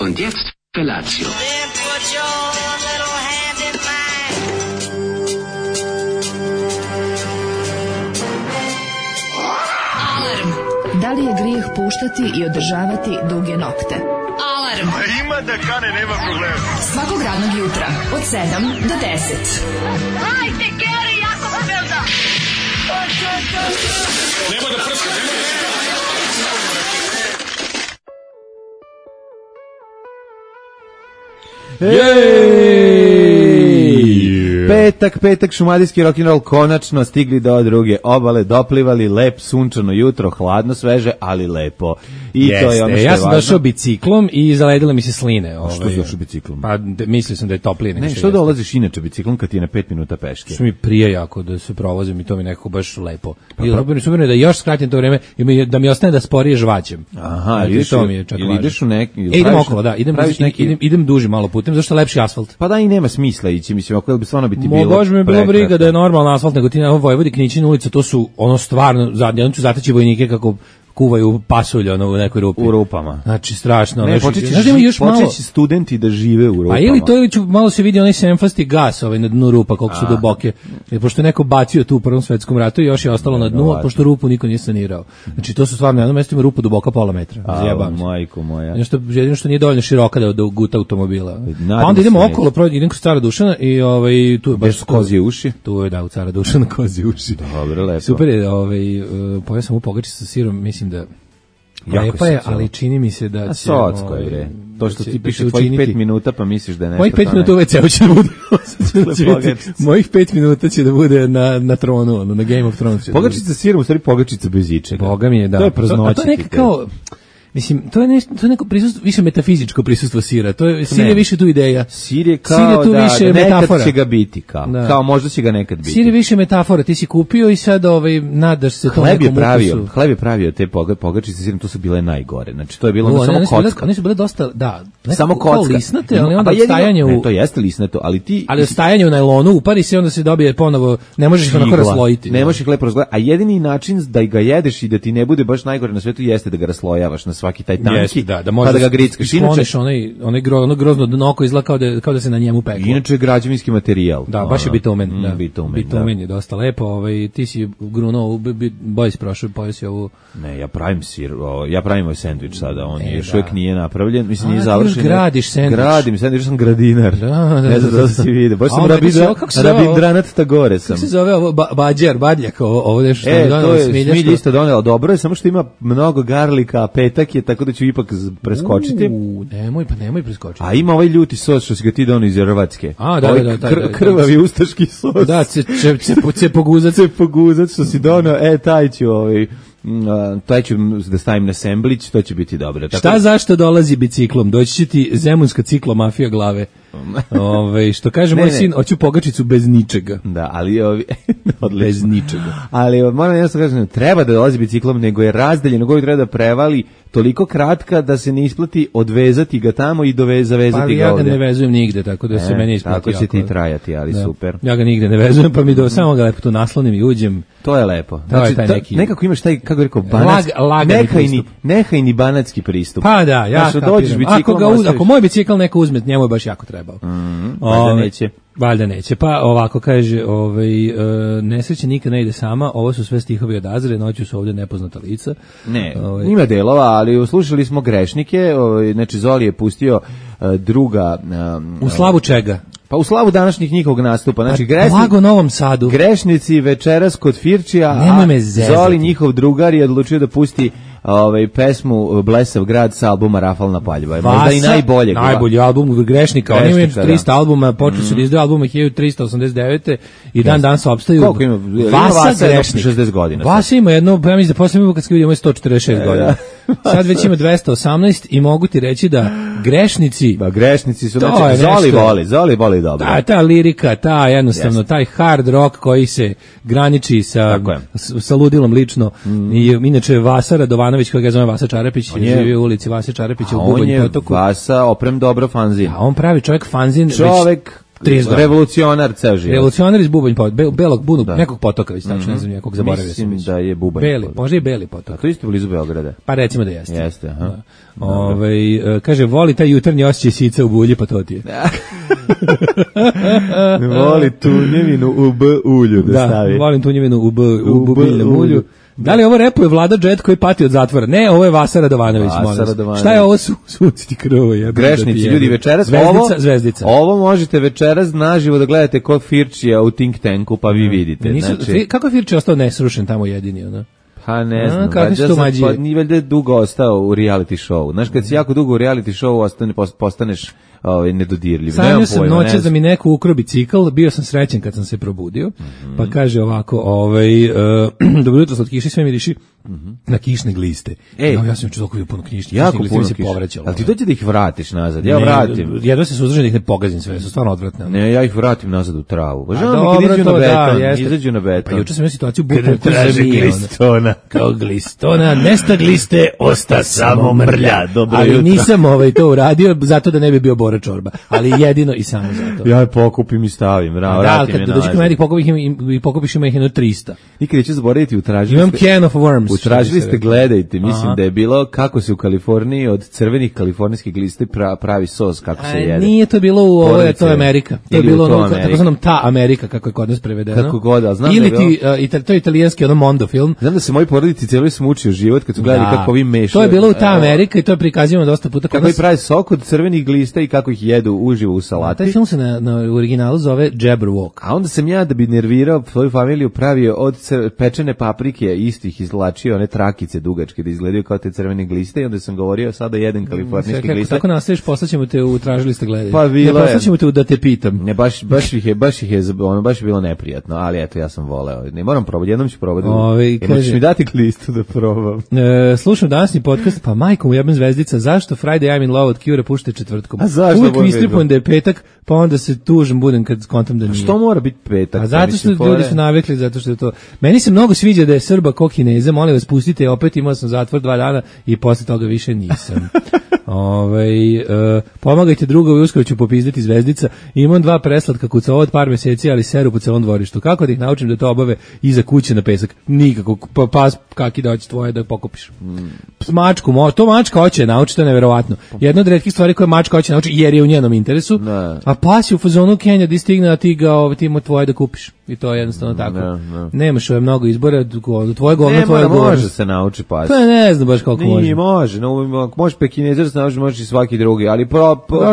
Und jetzt Felatio. Da li je grijeh puštati i održavati duge nokte? Alarm! Ima da kane, nema problema. Svakog radnog jutra, od 7 do 10. Hajde, Geri, jako se velda! Nema da prska, nema da prska. Petak, šumadijski rock'n'roll, konačno stigli do druge obale, doplivali, lep, sunčano jutro, hladno, sveže, ali lepo. I jeste, to je ono što ja je sam važno. došao biciklom i zaledile mi se sline. Što si došao biciklom? Pa mislio sam da je toplije nego Ne, što dolaziš inače biciklom kad ti je na 5 minuta peške? Što mi prije jako da se provozim i to mi nekako baš lepo. I super je da još skratim to vreme i da mi ostane da sporije žvaćem. Aha, znači, to mi je čak ili ideš u neki... idem okolo, da, idem duži malo putem, zašto je lepši asfalt. Pa da, i nema smisla ići, mislim, ako bi stvarno biti bilo... Bože mi je bilo briga da je normalan asfalt, nego ti na Vojvodi Knićin ulica, to su ono stvarno, jednom ću zateći vojnike kako kuvaju pasulj ono u nekoj rupi. U rupama. Znači strašno. Ne, počeći studenti da žive u rupama. Pa ili to ću malo se vidi onaj semfasti gas na dnu rupa koliko su duboke. Jer pošto je neko bacio tu u Prvom svetskom ratu i još je ostalo na dnu, a pošto rupu niko nije sanirao. Znači to su stvarno na jednom mjestu ima rupa duboka pola metra. Zjebam se. Majko moja. Jedino što nije dovoljno široka da guta automobila. Pa onda idemo okolo, idem kod Cara Dušana i tu je baš kozije uši. Tu je da u Cara Dušana kozije uši. Dobro, lepo. Super je, pojeo sam u pogačicu sa sirom, mislim da lepa je, ali čini mi se da će... Socko je, bre. To što ti piše tvojih 5 minuta, pa misliš da je nešto... Mojih 5 minuta uveć ceo će da bude. Mojih 5 minuta će da bude na tronu, na Game of Thrones. Pogačica sa sirom, u stvari pogačica bez ičega. Boga mi je, da. To je praznoćiti. A to je neka kao... Mislim, to je neko prisustvo, više metafizičko prisustvo sira. To je sir je više tu ideja. Sir je kao da nekad metafora. Će ga biti kao možda će ga nekad biti. Sir je više metafora. Ti si kupio i sad nadaš se tom nekom ukusu. Hleb je pravio te pogačice sa sirom, to su bile najgore. Znači to je bilo samo kocka. One su bile dosta, da, samo kocka. Lisnate, ali onda stajanje u... To jeste lisnato, ali ti... Ali stajanje u najlonu, upari se, onda se dobije ponovo, ne možeš ih onako raslojiti. Ne možeš ih lepo razgledati, a jedini način da ga jedeš i da ti ne bude baš najgore na svetu jeste da ga raslojavaš na svaki taj tanki, da pa da ga grickaš. Inače onaj grozno dno oko izgleda kao da se na njemu peklo. Inače građevinski materijal. Da, baš je bitumen. Bitumen je dosta lepo. Ti si grunuo, bojs prošao, pojeo si ovu... Ne, ja pravim sir, ja pravim ovaj sendvič sada, on još uvijek nije napravljen, mislim nije završen. Ti još gradiš sendvič. Gradim sendvič, sam gradinar. Ne znam da si vidio, baš sam rabindranat tagore sam. Kako se zove ovo, badjak, ovo nešto što mi donela smilja. Smilja isto donela, dobro je, samo što ima mnogo garlika, a petak je, tako da ću ipak preskočiti. Nemoj preskočiti. A ima ovaj ljuti sos što si ga ti donio iz Hrvatske. A, da. Krvavi ustaški sos. Da, poguzat što si donio, taj ću da stavim na semblić, to će biti dobro. Šta zašto dolazi biciklom? Doći će ti zemunska ciklomafija glave. Što kaže moj sin, hoću pogačicu bez ničega. Da, ali bez ničega. Ali moram jedno kažem, treba da dolazi biciklom, nego je razdaljeno, nego treba da prevali toliko kratka da se ne isplati odvezati ga tamo i zavezati ga ovde. Pa ja ga ne vezujem nigde, tako da se meni isplati. Tako će ti trajati, ali super. Ja ga nigde ne vezujem, pa mi samo ga lepo tu naslonim i uđem. To je lepo. Znači, nekako imaš taj, kako rekao, nehajni banatski pristup. Pa da, ja kapiram. Ako moj bicikl neko uzme, njemu je baš jako trebao. Valjda neće. Pa ovako kaže, nesreća nikad ne ide sama, ovo su sve stihovi od Azre, noću su ovdje nepoznata lica. Ne, ima delova, ali slušali smo grešnike, znači Zoli je pustio druga... U slavu čega? Pa u slavu današnjih njihovog nastupa. Znači, blago Novom Sadu. Grešnici večeras kod Firčija, Zoli njihov drugar je odlučio da pusti pesmu Blesav grad sa albuma Rafalna paljba. Možda i najbolji album Grešnika. Oni imaju 300 albuma, počeli su da izdaju albume 1389. i dan se opstaju. Koliko ima? Vasa Grešnik. 60 godina. Vasa ima jedno, ja mislim da posljednje kad vidimo 146 godina. Sad već ima 218 i mogu ti reći da grešnici... Ba, grešnici su, znači, Zoli voli dobro. Ta lirika, jednostavno, taj hard rock koji se graniči sa ludilom lično. I inače Vasa Radovanović, koji ga zove Vasa Čarapić, živi u ulici Vasa Čarapića u Bubanj potoku. On je Vasa oprem dobro fanzin. A on pravi čovjek fanzin. revolucionar ceo život. Revolucionar iz Bubanj belog bunog nekog potoka, već tačno ne znam nekog zaboravio sam. Mislim da je Bubanj. Beli, može i Beli potok. A to isto blizu Beograda. Pa recimo da jeste. Jeste, aha. Kaže voli taj jutarnji osjećaj sica u bulji, pa to ti je. Voli tunjevinu u B ulju da stavi. Volim tunjevinu u biljnom ulju. Da li ovo repuje Vlada Džet koji pati od zatvora? Ne, ovo je Vasa Radovanović. Šta je ovo suciti krvo? Grešnici, ljudi, večeras Zvezdica. Ovo možete večeras naživo da gledate kod Firčija u Think Tanku, pa vi vidite. Kako je Firči ostao nesrušen tamo jedini, ono? Pa ne znam, nije valjda dugo ostao u reality show. Znaš, kad si jako dugo u reality show postaneš nedodirljiv. Sanjao sam noće da mi neko ukro bicikl, bio sam srećen kad sam se probudio, pa kaže ovako, dobro jutro, od kiše sve mi diši na kišne gliste. Ja sam toliko bio puno kišnih gliste, se povraćalo. Ali ti dođe da ih vratiš nazad, ja vratim. Jedva se suzdržim da ih ne pogazim sve, su stvarno odvratne. Ne, ja ih vratim nazad u travu. Izađu na beton. Pa juče sam imao situaciju kao glistona, nesta gliste, osta samo mrlja. Ali nisam to uradio zato da ne bi bio Bora Čorba, ali jedino i samo zato. Ja je pokupim i stavim, vratim je nazad. Da, dođi kod mene pokupiš ima ih jedno 300. Nikad neću zaboraviti, imam can of worms. Utražili ste, gledajte, mislim da je bilo kako se u Kaliforniji od crvenih kalifornijskih glista pravi sos, kako se jede. Nije to bilo u ovo, to je Amerika. To je bilo takozvanom ta Amerika, kako je kod nas prevedeno. Kako god, a znam ili to je italijanski Mondo film. Znam da se moji porodici cijeli smučio život kad su gledali kako vi mešaju. To je bilo u ta Amerika i to je prikazivano dosta puta. Kako i pravi sok od crvenih glista i kako ih jedu uživo u salati. Taj film se na originalu zove Jabberwock. A onda sam ja, da bi nervirao svoju familiju, pravio od pečene paprike istih izvlačio one trakice dugačke da izgledaju kao te crvene gliste i onda sam govorio sada jedan kalifornijski gliste. Tako nastaviš, poslaćemo te u tražili ste gledaju. Pa bilo je. Poslaćemo te u da te pitam. Ne, baš je bilo neprijatno, ali eto, ja sam voleo. Ne moram probati, jednom ću probati. Možeš mi dati glistu da probam. Slušam današnji podcast, pa majkom u jebem Zvezdica, zašto Friday I'm in Love od Cure pušta četvrtkom? A zašto? Uvijek mi istripujem da je petak, pa onda se tužim budem kad skontam da nije. Što mora biti petak? A zato što ljudi su navikli, zato što je to. Meni se mnogo sviđa da je Srba ko Kineza, molim vas pustite, opet imao sam zatvor 2 dana i posle toga više nisam. Pomagajte drugovi, uskoro ću popizdati Zvezdica. Imam 2 preslatka kuca od par meseci, ali seru po celom dvorištu. Kako da ih naučim da to obave iza kuće na pesak? Nikako. Pas kaki da hoće tvoje da pokupiš. Mačku, to mačka hoće naučiti, to je neverovatno. Jedna od retkih stvari koje mačka hoće naučiti jer je u njenom interesu. A pas je u fazonu Kenja di stigne, a ti ga ti mu tvoje da kupiš. I to je jednostavno tako. Nemaš mnogo izbora, tvoje govno, tvoje govno. Može se nauči pas. Pa ne znam baš koliko može. Nije, može. Može pekinezir se nauči, može i svaki drugi, ali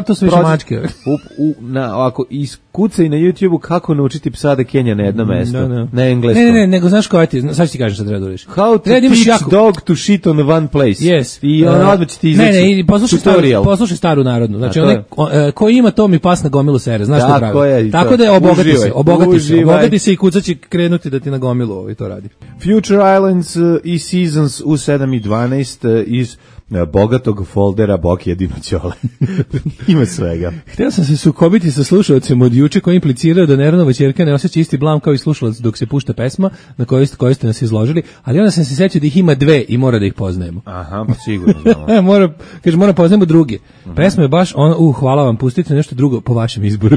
to su više mačke. Ako iskucaj na YouTube-u kako naučiti psa da kenja na jedno mesto, na engleskom. Ne, nego znaš koja ti, sad ću ti kažem šta treba da uriš. How to teach dog to shit on one place. Yes. I odmah će ti izaći tutorial. Poslušaj staru narodnu. Znači, ko ima to mi pas na gomilu sere, znaš što pravi. Tako da je obogati se i kuca će krenuti da ti na gomilu to radi. Future Islands i Seasons u 7:12 iz bogatog foldera Boki jedino ćole. Ima svega. Htio sam se sukobiti sa slušalcem od juče koji implicirao da Neronova ćerka ne osjeća isti blam kao i slušalac dok se pušta pesma na kojoj ste nas izložili, ali onda sam se sjećao da ih ima 2 i mora da ih poznajemo. Aha, pa sigurno znamo. Mora poznajemo druge. Pesma je baš hvala vam, pustite nešto drugo po vašem izboru.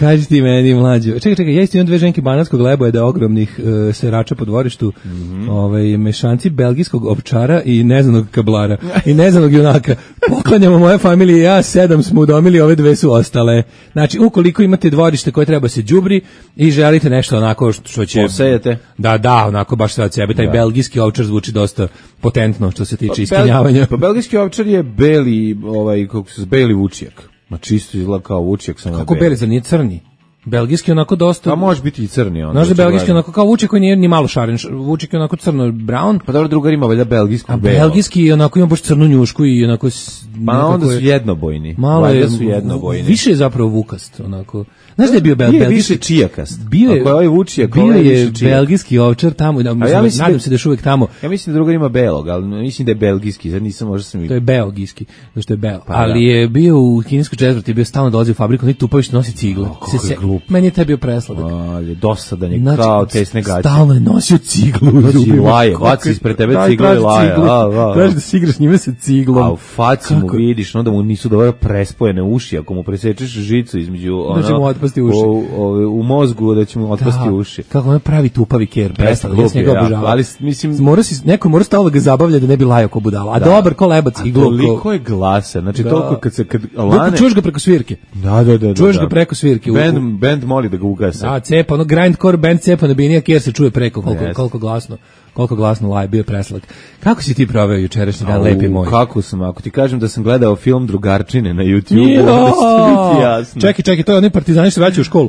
Kaži ti meni mlađo. Čekaj, ja isto imam 2 ženke banatskog lebojeda ogromnih serača po dvorištu, mešanci belgijskog ovčara i neznanog kablara i neznanog junaka. Poklanjamo moje familije, ja 7 smo udomili, ove 2 su ostale. Znači, ukoliko imate dvorište koje treba se đubri i želite nešto onako što će posejete. Da, onako baš sve od sebe. Taj belgijski ovčar zvuči dosta potentno što se tiče ispunjavanja. Pa belgijski ovčar je beli, beli vučijak. Ma čisto izgleda kao vučijak. Kako beli, za nije crni? Belgijski onako dosta. A može biti i crni. Znaš da belgijski onako kao vučijak koji nije ni malo šaren. Vučijak je onako crno brown. Pa dobro, drugar ima valjda belgijsku belo. A belgijski onako ima baš crnu njušku i onako. Pa onda su jednobojni. Malo je više je zapravo vukast onako. Znaš da je bio belgijski? Više čijakast. Bio je belgijski ovčar tamo, nadam se da je uvek tamo. Ja mislim da drugar ima belog, ali mislim da je belgijski, sad nisam možda sam vidio. To je belgijski, zato što je beo. Ali je bio u kineskoj četvrti, bio stalno dolazi u fabriku, neki tupavić nosi cigle. Meni je taj bio presladak. Ali dosadan je, znači, kao tesne gaće. Stalno je nosio ciglu u zubima. Laje, baci ispred tebe ciglu i laje. Traži da si igraš njime sa ciglom. A u faci mu vidiš, onda mu nisu dobro prespojene uši, ako mu presečeš žicu između, da će mu otpasti uši. U mozgu, da će mu otpasti uši. Kako on pravi tupavi ker, presladak, ja sam njega obožavao. Ali, mislim... Neko mora stalno ga zabavlja da ne bi lajao ko budala. A dobar ko lebac iglu. Toliko je glasa, znači toliko kad lane... Čuješ ga preko svirke. Da. Čuješ ga preko svirke. Band moli da ga ugase. Da, cepa, ono grindcore band cepa na binija kjer se čuje preko koliko glasno laje, bio presladak. Kako si ti proveo jučerašnji dan, lepi moj? Kako sam, ako ti kažem da sam gledao film Drugarčine na YouTube, onda će biti jasno. Čekaj, to je onaj partizani što vraćaju u školu.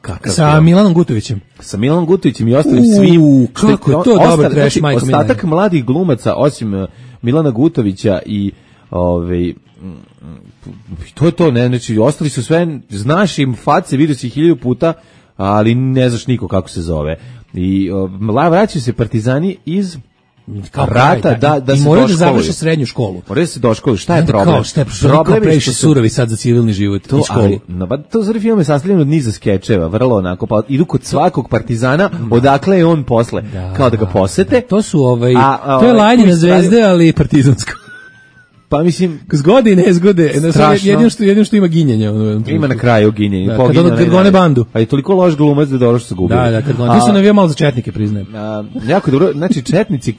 Kakav sa film. Milanom Gutovićem. Sa Milanom Gutovićem i ostalim svim. Kako je to dobro trash, majko Milana. Ostatak mladih glumaca, osim Milana Gutovića i to je to, ne, znači ostali su sve, znaš im face, vidio si 1000 puta, ali ne znaš niko kako se zove. I vraćaju se partizani iz rata, da i se moraju da završe srednju školu. Moraju da se doškoluju. Šta je problem? Problem je što surovi sad za civilni život i školu. To zari film je sastavljen od niza skečeva, vrlo onako, pa idu kod svakog partizana, odakle je on posle, kao da ga posete. To su to je lajnje na zvezde, ali partizansko. Pa mislim, zgode i nezgode, jedino što ima ginjenje. Ima na kraju ginjenje. Kad gone bandu. A je toliko loš glumac da dobro što se gubi. Da, kad gone. Ti su navijao malo za četnike, priznajem. Jako dobro, znači četnici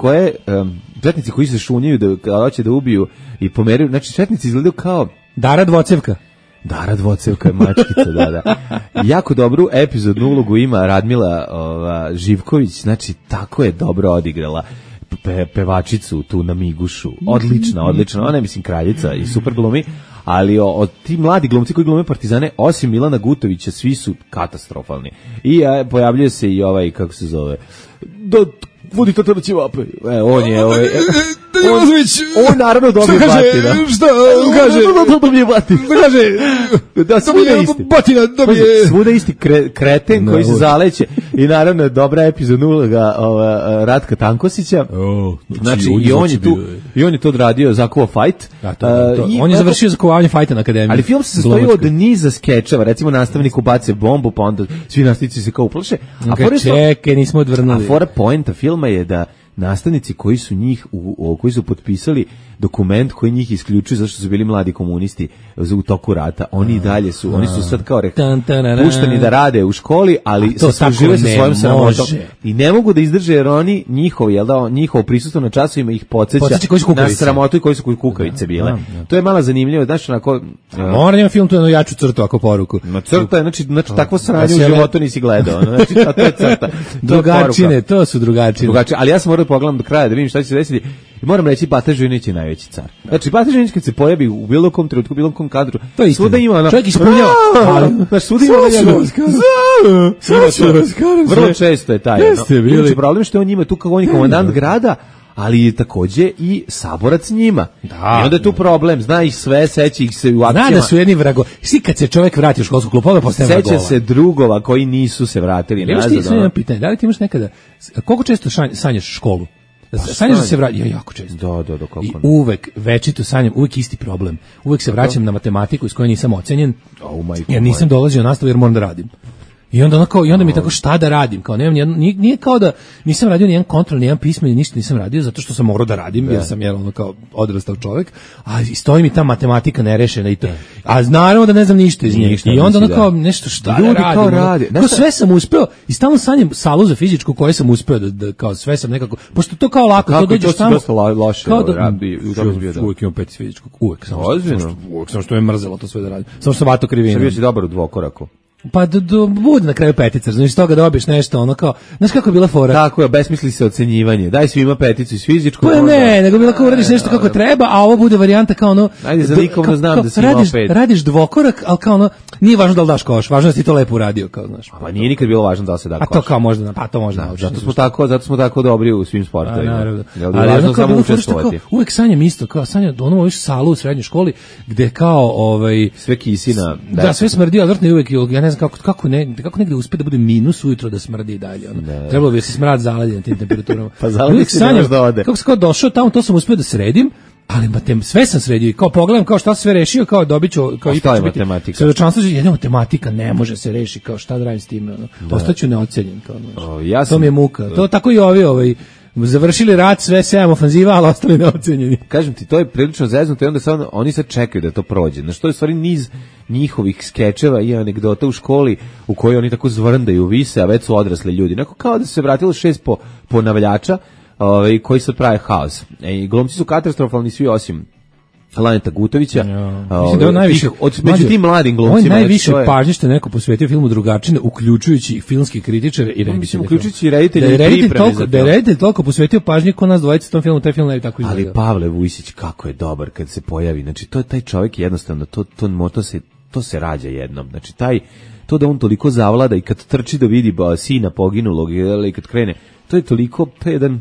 koji se šunjaju da hoće da ubiju i pomeraju, znači četnici izgledaju kao Dara Dvocevka. Dara Dvocevka je mačkica, da. Jako dobru epizodnu ulogu ima Radmila Živković, znači tako je dobro odigrala pevačicu tu na Migušu, odlična, ona je mislim kraljica i super glumi, ali od ti mladi glumci koji glume partizane, osim Milana Gutovića, svi su katastrofalni. I pojavljuje se i kako se zove, vodi to će vape. On je on naravno dobije batina. Šta kaže? Dobije batina. Da, svuda isti. Batina dobije. Svuda isti kreten koji se zaleće. I naravno dobra epizodna uloga Ratka Tankosića. Znači i on je to odradio Zakuva fight. On je završio zakovanje fajta na akademiji. Ali film se sastoji od niza skečeva. Recimo nastavnik ubace bombu, pa onda svi nastavnici se kao uplaše. Čekaj, nismo odvrnuli. A fora poenta filma je da nastavnici koji su potpisali dokument koji njih isključuje zašto su bili mladi komunisti u toku rata, oni i dalje su, oni su sad kao pušteni da rade u školi, ali žive sa svojom sramotom i ne mogu da izdrže jer oni njihovo prisustvo na časovima ih podsjeća na sramotu i koji su kukavice bile. To je malo zanimljivo, znaš, onako... Moram ima film tu jednu jaču crtu ako poruku. Crta je, znači takvo sranje u životu nisi gledao, znači to je crta. Drugačine, to su drugačine. Ali ja sam morao pogledam do kraja da vidim šta će se desiti. I moram reći, Bata Žujinić je najveći car. Znači, Bata Žujinić kad se pojavi u bilo kom trenutku, u bilo kom kadru, svuda ima čovjek ispunjava. Znači, svuda ima vrlo često je taj. Znači, problem što je on njima tu kao on je komandant grada, ali je takođe i saborac njima. I onda je tu problem, zna ih sve, seća ih se u akcijama. Zna da su jedni vrago. Svi kad se čovjek vrati u školsku klupu, onda postane vragova. Seća se drugova koji nisu se vratili nazad. Imaš ti sve pitanje, da li ti imaš nekada, koliko često sanjaš školu? Sanjaš da se vraća, jako često. Da, kako i uvek večito sanjam, uvek isti problem. Uvek se vraćam na matematiku iz koje nisam ocenjen, jer nisam dolazio na nastavu jer moram da radim. I onda mi tako šta da radim, kao nije kao da nisam radio nijedan kontrol, nijedan pismen, ništa nisam radio zato što sam morao da radim, jer sam kao odrastao čovjek, a stoji mi ta matematika nerešena i to. A naravno da ne znam ništa iz nje. I onda kao nešto šta da radim. Kao sve sam uspeo i stalno sanjam salu za fizičku koju sam uspeo da kao sve sam nekako, pošto to kao lako, to dođeš tamo. Kao da uvek imam 5 fizičkog, uvek samo što me mrzelo to sve da radim. Samo što sam vato krivina. Bio si dobar u dvokoraku. Pa bude na kraju petica, znači toga dobiješ nešto, ono kao, znaš kako je bila fora? Tako je, besmisli se ocenjivanje, daj svima peticu iz fizičkog. Pa ne, nego bila kao uradiš nešto kako treba, a ovo bude varijanta kao ono... Ajde, za likovno znam da si imao pet. Radiš dvokorak, ali kao ono, nije važno da li daš koš, važno da si to lepo uradio, kao znaš. Pa nije nikad bilo važno da li se da koš. A to kao možda, pa to možda naučiš. Zato smo tako dobri u svim sportovima. Ali važno samo učestvovati. Uvek sanjam isto, kao sanjam da ono salu u srednjoj školi, gde kao sve kisina. Da, sve smrdi, odvrtno uvek, ja ne znam kako negde uspe da bude minus ujutro da smrdi i dalje. Trebalo bi da se smrad zaledi na tim temperaturama. Pa zaledi se nemaš da ode. Kako sam kao došao tamo, to sam uspio da sredim Ali sve sam sredio i kao pogledam kao šta sve rešio, kao dobiću, kao i je matematika. Svedočanstvo jedna matematika ne može se rešiti, kao šta da radim s time, ostaću neocenjen kao. To mi je muka. To tako i ovi završili rat, sve 7 ofanziva, ali ostali neocenjeni. Kažem ti, to je prilično zeznuto i onda oni sad čekaju da to prođe. Na što je stvari niz njihovih skečeva i anegdota u školi u kojoj oni tako zvrndaju, vise, a već su odrasli ljudi. Onako kao da se vratilo 6 ponavljača koji sad prave haos. Glumci su katastrofalni svi osim Laneta Gutovića. Mislim da je najviše među tim mladim glumcima. On najviše pažnje što je neko posvetio filmu Drugačine, uključujući filmski kritičare i reditelje. Uključujući i reditelje i pripreme za to. Da je reditelj toliko posvetio pažnje ko nas dvojica tom filmu, taj film ne bi tako izgledao. Ali Pavle Vujsić kako je dobar kad se pojavi. Znači to je taj čovjek jednostavno to se rađa jednom. Znači to da on toliko zavlada i kad trči da vidi sina poginulog i kad krene, to je toliko, to je jedan,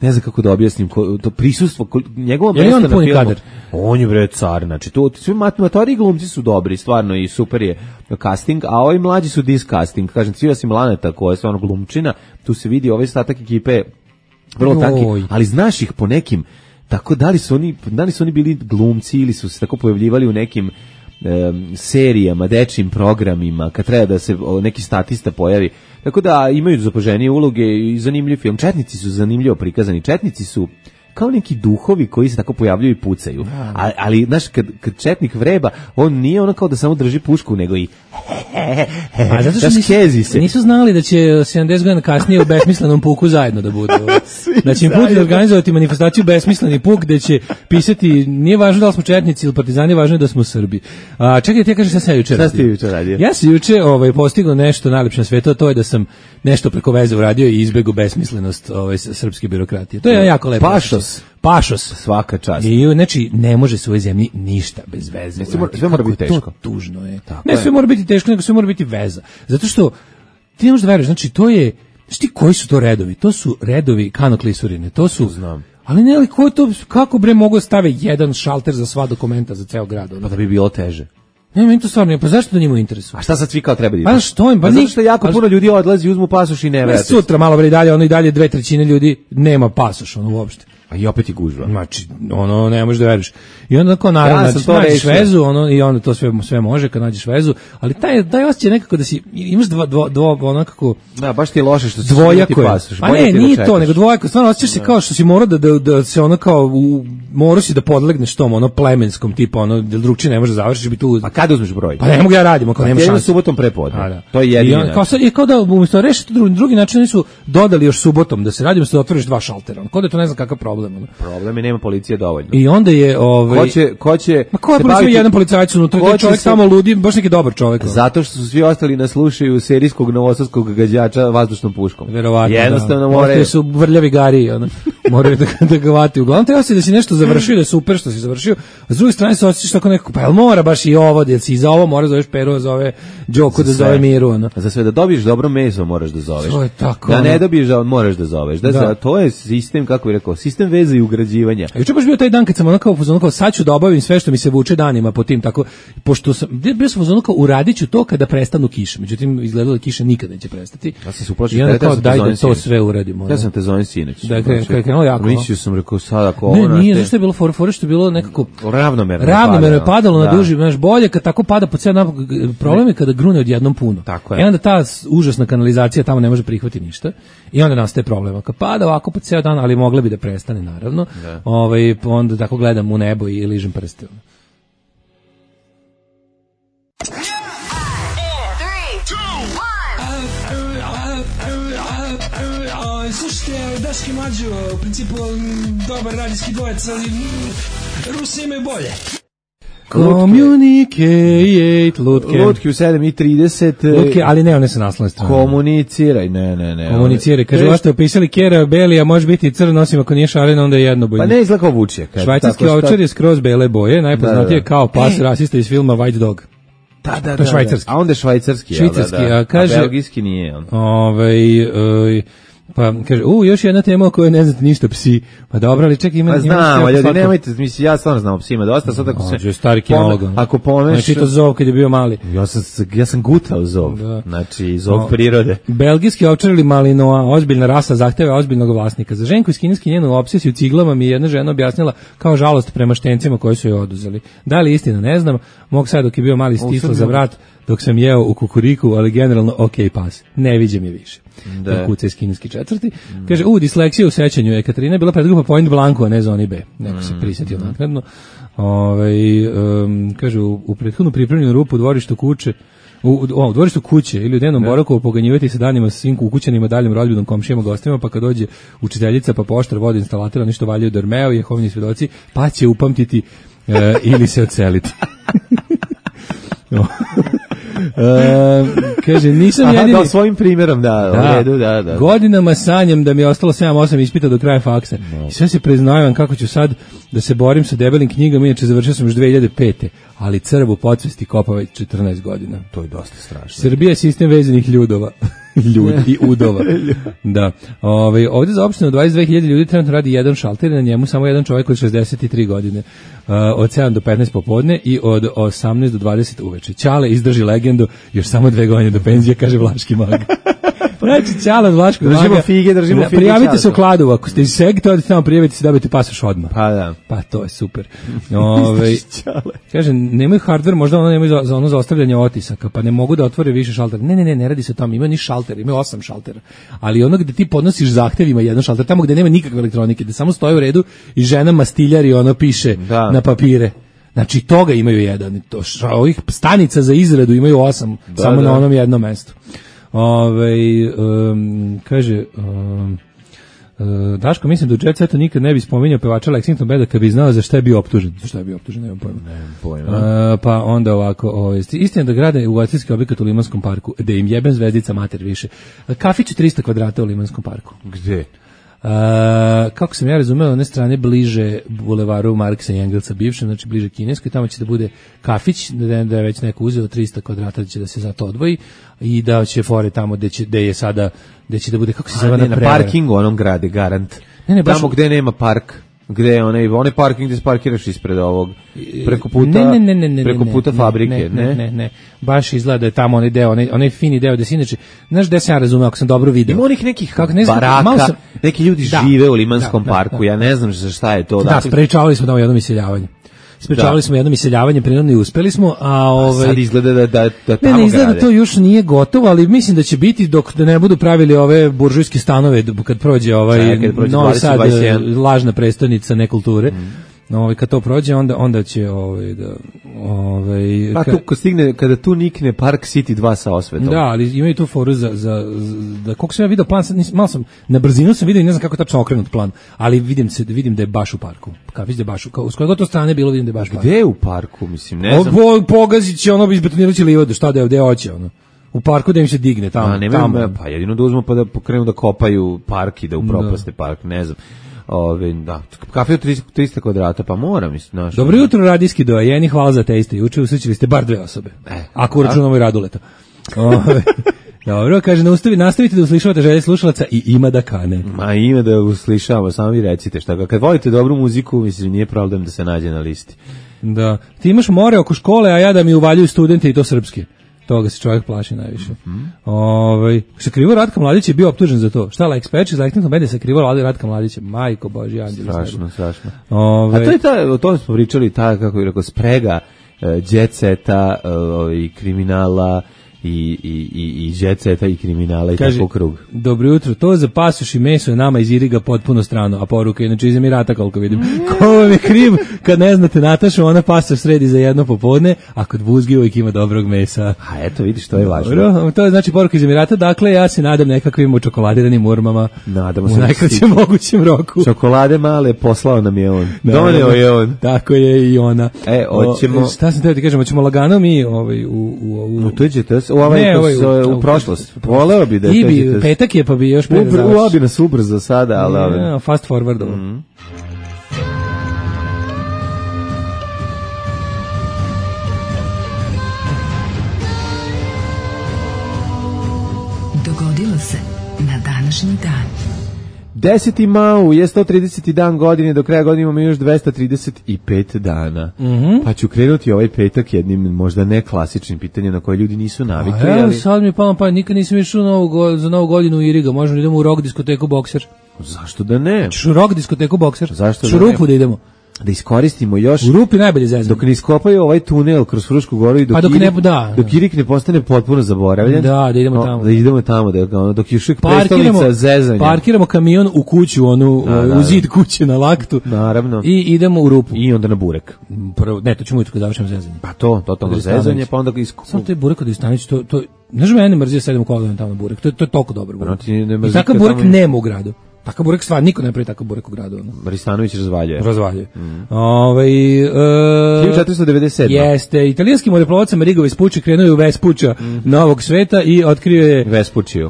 ne znam kako da objasnim, to prisustvo njegovo mesto na filmu. Kadar. On je bre car, znači to svi matematori i glumci su dobri, stvarno i super je casting, a ovi mlađi su discasting. Kažem, svi osim Laneta koja je stvarno glumčina, tu se vidi ovaj ostatak ekipe vrlo tanki, ali znaš ih po nekim, tako da li su oni bili glumci ili su se tako pojavljivali u nekim serijama, dečjim programima, kad treba da se neki statista pojavi. Tako da imaju zapaženije uloge i zanimljiv film. Četnici su zanimljivo prikazani. Četnici su kao neki duhovi koji se tako pojavljaju i pucaju. Ali znaš, kad četnik vreba, on nije ono kao da samo drži pušku, nego i a zato što nisu znali da će 70 godina kasnije u besmislenom puku zajedno da budu. Da će im Putin organizovati manifestaciju besmisleni puk gde će pisati, nije važno da li smo četnici ili partizani, važno je da smo Srbi. Čekaj, ti kažeš šta sam juče radio. Ja sam juče postigao nešto najlepše na svetu, a to je da sam nešto preko veze uradio i izbegao besmislenost srpske birokratije. To je jako lepo. Pašos. Svaka čast. I znači ne može se u ovoj zemlji ništa bez veze. Sve mora biti teško. To tužno je. Ne sve mora biti teško, nego sve mora biti veza. Zato što ti ne možeš da veruješ, znači to je, znači koji su to redovi? To su redovi kanoklisurine. To su, znam. Ali ne, ali kako bre mogu da stave jedan šalter za sva dokumenta za ceo grad? Pa da bi bilo teže. Ne, meni to stvarno nije, pa zašto da njima u interesu? A šta sad svi kao treba da ide? Pa što im? Pa zato što jako puno ljudi odlazi, uzmu pasoš i ne vrati. Sutra malo bre dalje, ono i dalje 2/3 ljudi nema pasoš, ono uopšte. A i opet je gužva. Znači, ono, ne možeš da veriš. I onda kao naravno, nađeš vezu, ono, i onda to sve može kad nađeš vezu, ali taj osjećaj nekako da si, imaš ono kako... Da, baš ti je loše što si dvojako pasoš. Pa ne, nije to, nego dvojako, stvarno osjećaš se kao što si morao da se ono kao, morao si da podlegneš tom, ono, plemenskom tipa, ono, da drugčije ne može završiš, bi tu... A kada uzmeš broj? Pa ne mogu ja radim, ako nema šanse. Subotom prepodne. To je jedini način. I kao da, umjesto rešiti drugi način, su dodali još subotom da se radimo, da otvoriš 2 šaltera. Kao da to ne znam kakav problem. Problem je, nema policije dovoljno. I onda je ko će ma ko je policija, jedan policajac unutra, taj čovjek samo ludi, baš neki dobar čovjek. Zato što su svi ostali nas slušaju serijskog novosadskog gađača vazdušnom puškom. Verovatno. Jednostavno moraju su vrljavi gari, moraju da ga vati. Uglavnom treba se da si nešto završio, da je super što si završio. A s druge strane se osjećaš tako nekako, pa jel mora baš i ovo, da si za ovo mora zoveš Peru, zove Đoku, da zove Miru. Za sve da dobiješ dobro meso moraš da zoveš. To je tako. Da ne dobiješ, moraš da zoveš. To je sistem, kako bih rekao, sistem veze i ugrađivanja. Juče baš bio taj dan kad sam onako sad ću da obavim sve što mi se vuče danima po tim tako, pošto sam bio sam onako uradiću to kada prestanu kiše. Međutim izgledalo da kiša nikad neće prestati. Ja sam se uplašio da to sve uradimo. Ja sam te zovem sinoć. Da krenulo jako. Mislio sam rekao sad ako ovo nije zašto je bilo fore što je bilo nekako ravnomerno je padalo na duži, znaš, bolje kad tako pada po ceo problem je kada grune odjednom puno. I onda ta užasna kanalizacija tamo ne može prihvatiti ništa. I onda nastaje problem. Kad pada ovako po ceo dan, ali mogla bi da prestane naravno. Onda tako gledam u nebo i ližem prste. Slušajte, Daški Mađo, u principu dobar radijski dvojec, ali Rusi imaju bolje. Communicate, Lutke u 7:30. Lutke, ali ne, one su naslovne strane. Komuniciraj, ne. Komuniciraj, kaže, ovo ste opisali Kera Belija, može biti i crn, osim ako nije šarena, onda je jednobojno. Pa ne izgleda kao vučje. Švajcarski ovčar je skroz bele boje, najpoznatije kao pas rasista iz filma White Dog. Da. To je švajcarski. A onda je švajcarski, a kaže, a belgijski nije on. Pa kaže, još jedna tema o kojoj ne znate ništa, psi. Pa dobro, ali čekaj, ima... Pa znam, ljudi, nemojte, mislim, ja stvarno znam o psima dosta, sad ako se... Stari kinolog. Ako pomeš... Znači, to Zov kad je bio mali. Ja sam gutao Zov, znači, Zov prirode. Belgijski ovčar ili malinoa, ozbiljna rasa, zahteva ozbiljnog vlasnika. Za ženku iz kineski njenu obsesiju ciglama mi je jedna žena objasnila kao žalost prema štencima koji su joj oduzeli. Da li istina, ne znam, mog sad dok je bio mali stisla za vrat, dok sam jeo u kukuriku, ali generalno ok pas. Ne viđem je više. Da. Kuca iz kineski četvrti. Kaže, disleksija u sećanju. Ekaterina je bila predgrupa Point Blanco, a ne zoni B. Neko se prisjetio naknadno. Kaže, u prethodnu pripremljenu rupu u dvorištu kuće, u dvorištu kuće ili u dnevnom boravku poganjivati se danima sa svim ukućanima, daljim rodbinom, komšijama, gostima, pa kad dođe učiteljica, pa poštar, vodi instalatera, nešto valjaju Dormeo i Jehovini svedoci, pa će upamtiti ili se odseliti. Kaže, nisam jedini... Da, svojim primjerom, u redu, da. Godinama sanjam da mi je ostalo 7-8 ispita do kraja faksa. I sve se preznajavam kako ću sad da se borim sa debelim knjigama, inače završio sam još 2005. Ali crv u podsvesti kopa već 14 godina. To je dosta strašno. Srbija je sistem vezanih ljudova. Ljudi, udova. Da. Ovdje za opštinu 22.000 ljudi trenutno radi jedan šalter i na njemu samo jedan čovjek od 63 godine. Od 7 do 15 popodne i od 18 do 20 uveče. Ćale izdrži legendu, još samo 2 godine do penzije, kaže Vlaški mag. Znači, Ćale od Vlaškog maga. Držimo fige. Prijavite se u Kladovu, ako ste iz Segta, odite tamo, prijavite se, dobijete pasoš odmah. Pa da. Pa to je super. Kaže, nemaju hardware, možda ono nemaju za ono za ostavljanje otisaka, pa ne mogu da otvore više šaltera. Ne radi se o tome, ima ni šalter, ima 8 šaltera. Ali ono gde ti podnosiš zahtev ima jedan šalter, tamo gde nema nikakve elektronike, gde samo stoji u redu i žena mastiljar i ono piše na papire. Znači, toga imaju jedan. Ovih stanica za izradu imaju 8, samo na onom jednom mestu. Kaže... Daško, mislim da u Jet Setu nikad ne bi spominjao pevača Lexington Beda kad bi znao za šta je bio optužen. Za šta je bio optužen, nemam pojma. Pa onda ovako, istina da grade ugostiteljski objekat u Limanskom parku, da im jebem zvezdica mater više. Kafić 300 kvadrata u Limanskom parku. Gde? Kako sam ja razumeo, one strane bliže bulevaru Marksa i Engelsa bivšem, znači bliže kineskoj, tamo će da bude kafić, da je već neko uzeo 300 kvadrata, da će da se za to odvoji i da će fore tamo gde će da bude, kako se zove, na parkingu onom grade, garant. Ne, tamo gde nema park. Gde je onaj parking gde se parkiraš ispred ovog preko puta fabrike, ne. Baš izgleda da je tamo onaj deo, onaj fini deo da se inače, znaš gde sam ja razumeo, ako sam dobro video. Ima onih nekih baraka, neki ljudi žive u Limanskom parku, ja ne znam za šta je to. Da, sprečavali smo jedno iseljavanje. Jedno iseljavanje, prirodno i uspeli smo, a sad izgleda da tamo ne izgleda da to još nije gotovo, ali mislim da će biti dok da ne budu pravili ove buržujske stanove kad prođe Novi Sad, lažna prestonica nekulture. Kad to prođe, onda će tu stigne, kada tu nikne Park City 2 sa osvetom. Da, ali imaju tu foru za koliko sam ja video plan, malo sam na brzinu sam video i ne znam kako je tačno okrenut plan, ali vidim da je baš u parku. Kafić da je baš s koje god to strane bilo, vidim da je baš park. Gde je u parku, mislim, ne znam. Pogazit će izbetonirat će livadu, šta da je, gde hoće u parku da im se digne tamo. Pa jedino da uzmu pa da pokrenu da kopaju park i da upropaste park, ne znam. Kafe od 300 kvadrata, pa moram. Dobro jutro, radijski dojeni, hvala za te iste. Juče usrećili ste bar 2 osobe. Ako računamo i Raduleta. Dobro, kaže, nastavite da uslišavate želje slušalaca i ima da kane. Ma ima da uslišavamo, samo vi recite šta. Kad volite dobru muziku, mislim, nije problem da se nađe na listi. Da. Ti imaš more oko škole, a ja da mi uvaljuju studente i to srpski. Toga se čovjek plaši najviše. Sakrivo Ratka Mladić je bio optužen za to. Šta, Lexpatch iz Lexington Beda sakrivo Ratka Mladića. Majko Božji, anđeli. Strašno. A to je o tome smo pričali, kako bih rekao, sprega jet seta, kriminala i jet seta i kriminala i tako krug. Dobro jutro, to za pasoš i meso je nama iz Iriga potpuno strano, a poruka je inače iz Emirata koliko vidim. Ko vam je kriv kad ne znate Natašu, ona pasoš sredi za jedno popodne, a kod buzgi uvijek ima dobrog mesa. A eto, vidiš, to je važno. Dobro, to je znači poruka iz Emirata, dakle ja se nadam nekakvim čokoladiranim urmama u najkraćem mogućem roku. Čokolade male poslao nam je on. Doneo je on. Tako je i ona. Hoćemo... Šta sam teo ti kažem, hoćemo lagano mi u u prošlost. Voleo bi da je petak je, pa bi još pre završi. Voleo bi nas ubrzo sada, ali... Fast forward. Dogodilo se na današnji dan. 10. maj je 130. dan godine, do kraja godine imamo još 235 dana. Pa ću krenuti ovaj petak jednim možda ne klasičnim pitanjem na koje ljudi nisu navikli. Ali sad mi je palo pa nikad nisam išao za novu godinu u Iriga, možemo da idemo u rock diskoteku Bokser. Zašto da ne? Ćeš u rock diskoteku Bokser? Zašto da ne? Šurupu da idemo. Da iskoristimo još u Rupi najbolje zezanje. Dok ne iskopaju ovaj tunel kroz Frušku goru i dok Irik ne postane potpuno zaboravljen. Da idemo tamo. Da idemo tamo, dok još uvijek prestolnica zezanja. Parkiramo kamion u kuću, u zid kuće na laktu. Naravno. I idemo u Rupu. I onda na Burek. Prvo, ne, to ćemo ujutro kad završimo zezanje. Pa totalno zezanje, pa onda samo to je Burek od Istanić, to ne znam, mene mrzio sedem kolovima tamo na Burek. To je toliko dobro. I takav Burek nema u gradu. Takav burek stvar, niko ne pravi takav burek u gradu. Ristanović razvaljuje. 1497. Jeste, italijanski moreplovac Amerigo Vespucci krenuo u Vespuccia novog sveta i otkrio je Vespuccio.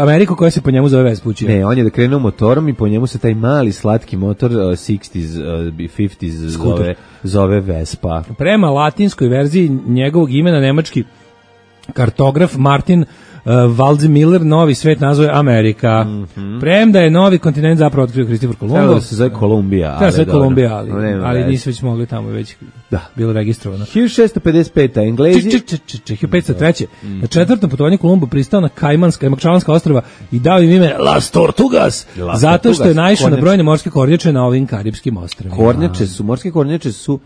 Ameriku koja se po njemu zove Vespuccio. Ne, on je da krenuo motorom i po njemu se taj mali slatki motor 60s, 50s zove Vespa. Prema latinskoj verziji njegovog imena nemački kartograf Martin Waldseemiller novi svet nazove Amerika. Premda je novi kontinent zapravo otkrio Kristofor Kolumbo. Treba da se zove Kolumbija. Treba se zove Kolumbija, ali nisu već mogli tamo, već bilo registrovano. 1655. Englezi... 1503. Na četvrtom putovanju Kolumbo pristao na Kajmanska i Makčalanska ostrava i dao im ime Las Tortugas, zato što je naišao na brojne morske kornjače na ovim karipskim ostrvima. Morske kornjače su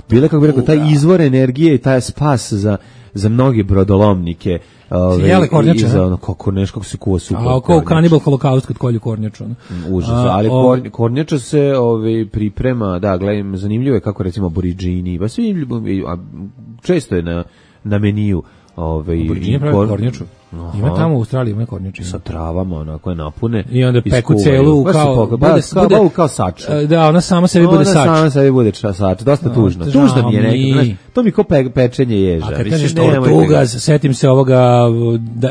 bile, kako bi rekao, taj izvor energije i taj spas za mnogi brodolomnike. Jele kornjače, kako se kuva super. A kao kanibal holokaust kad kolju kornjaču. Užas, ali kornjača se priprema, da, gledam, zanimljivo je kako recimo aboriđini, pa svi, često je na meniju. Aboriđini pravi kornjaču. Ima tamo u Australiji, ima kornjače. Sa travama, onako je napune. I onda peku celu kao sač. Da, ona sama sebi bude sač. Ona sama sebi bude sač, dosta tužno. Tužno mi je nekako, to mi ko pečenje ježa. A kad kažeš Tortugas, setim se ovoga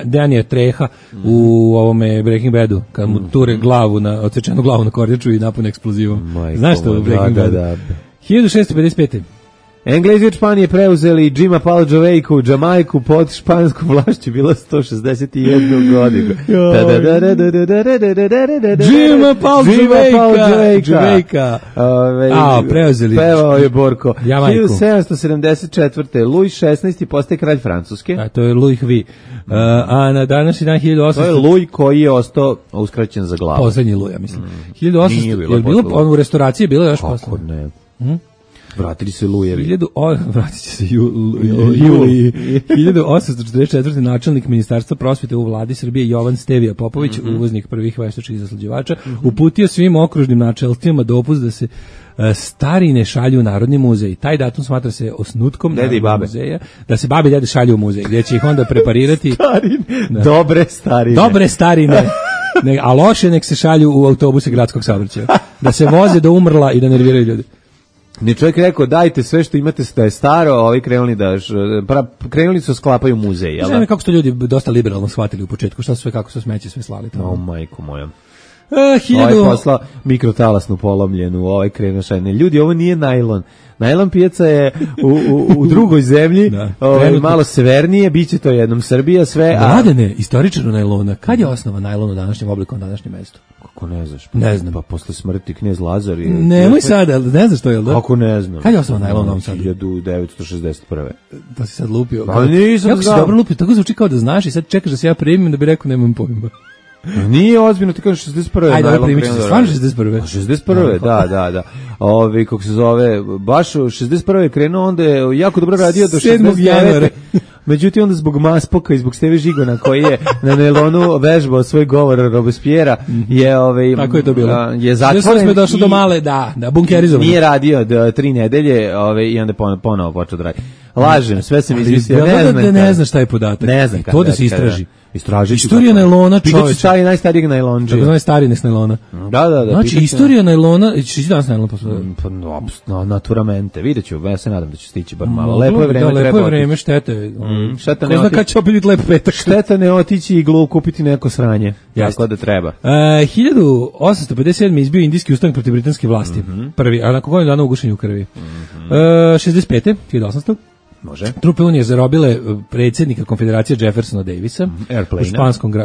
Danija Treha u ovome Breaking Badu, kad mu ture odsečenu glavu na kornjaču i napune eksplozivom. Znaš što u Breaking Badu? 1655. Englezi od Španije preuzeli Jima Palađovejku, Jamajku pod španskom vlašću, bila 161 godinu. Jima Palađovejka! Preuzeli. Pevao je Borko. Jamajku. 1774. Louis XVI postaje kralj Francuske. To je Louis V. A na današnji dan 1800... To je Louis koji je ostao uskraćen za glavu. Poslednji Louis, ja mislim. 1800... Je bilo u restauraciji, bilo još posle? Kako ne? Vratili se Lujevi. Vratit će se Juliji. 1844. načelnik Ministarstva prosvete u vladi Srbije Jovan Stevija Popović, uvoznik prvih veštačkih zaslađivača, uputio svim okružnim načelstvima dopust da se starine šalju u Narodni muzej. Taj datum smatra se osnutkom Narodnog muzeja, da se babe i dede šalju u muzej, gdje će ih onda preparirati. Dobre starine. Dobre starine. A loše nek se šalju u autobuse gradskog saobraćaja. Da se voze do umrla i da nerviraju ljudi. Ne, čovjek rekao, dajte sve što imate da je staro, a ovi krenuli su sklapaju muzej, jel da? Znam kako su to ljudi dosta liberalno shvatili u početku, kako su smeće sve slali tamo. Majko moja. Ovaj posla mikrotalasnu polomljenu, ovaj krenuo šajne. Ljudi, ovo nije najlon. Najlon pijaca je u drugoj zemlji, malo severnije, bit će to jednom Srbija, sve. Mladene, istoričaru najlona, kad je osnova najlon u današnjem obliku na današnjem mestu? Kako ne znaš? Ne znam. Pa posle smrti knez Lazar. Nemoj sada, ne znaš to, jel da? Kako ne znam? Kad je osnova najlon u Novom Sadu? 1961. To si sad lupio. Pa nisam kako si dobro lupio, tako zvuči kao da znaš i sad čekaš da se ja primim da bi rekao nemam pojma. Nije ozbiljno, ti kažeš 61. Ajde, ovo primit ću se, stvarno 61. 61. Da. Kako se zove, baš 61. je krenuo, onda je jako dobro radio do 7. januara. Međutim, onda zbog Maspoka i zbog Steve Žigona, koji je na Nelonu vežbao svoj govor Robespierre-a, tako je to bilo. Je zatvoren. Smo došli do male, bunkerizovan. Nije radio 3 nedelje i onda ponovo počeo da radi. Lažem, sve sam izmislio. Ne znam šta je podatak. Ne znam to da se istraži. Istorija najlona, čoveče. Pitaću stari najstarijeg najlonđe. Tako zove stari najlona. Da. Znači, istorija najlona, ćeš danas najlon poslušati? Pa, naturamente. Vidjet ću, ja se nadam da će stići bar malo. Lepo je vreme, lepo je vreme, štete. Ko zna kad će opet biti lep petak. Šteta ne otići i glu kupiti neko sranje. Tako da treba. 1857. izbio indijski ustanak protiv britanske vlasti. Prvi, a nakon godinu dana ugušenju u krvi. 65. 1800. Može. Trupe Unije zarobile predsjednika Konfederacije Jeffersona Davisa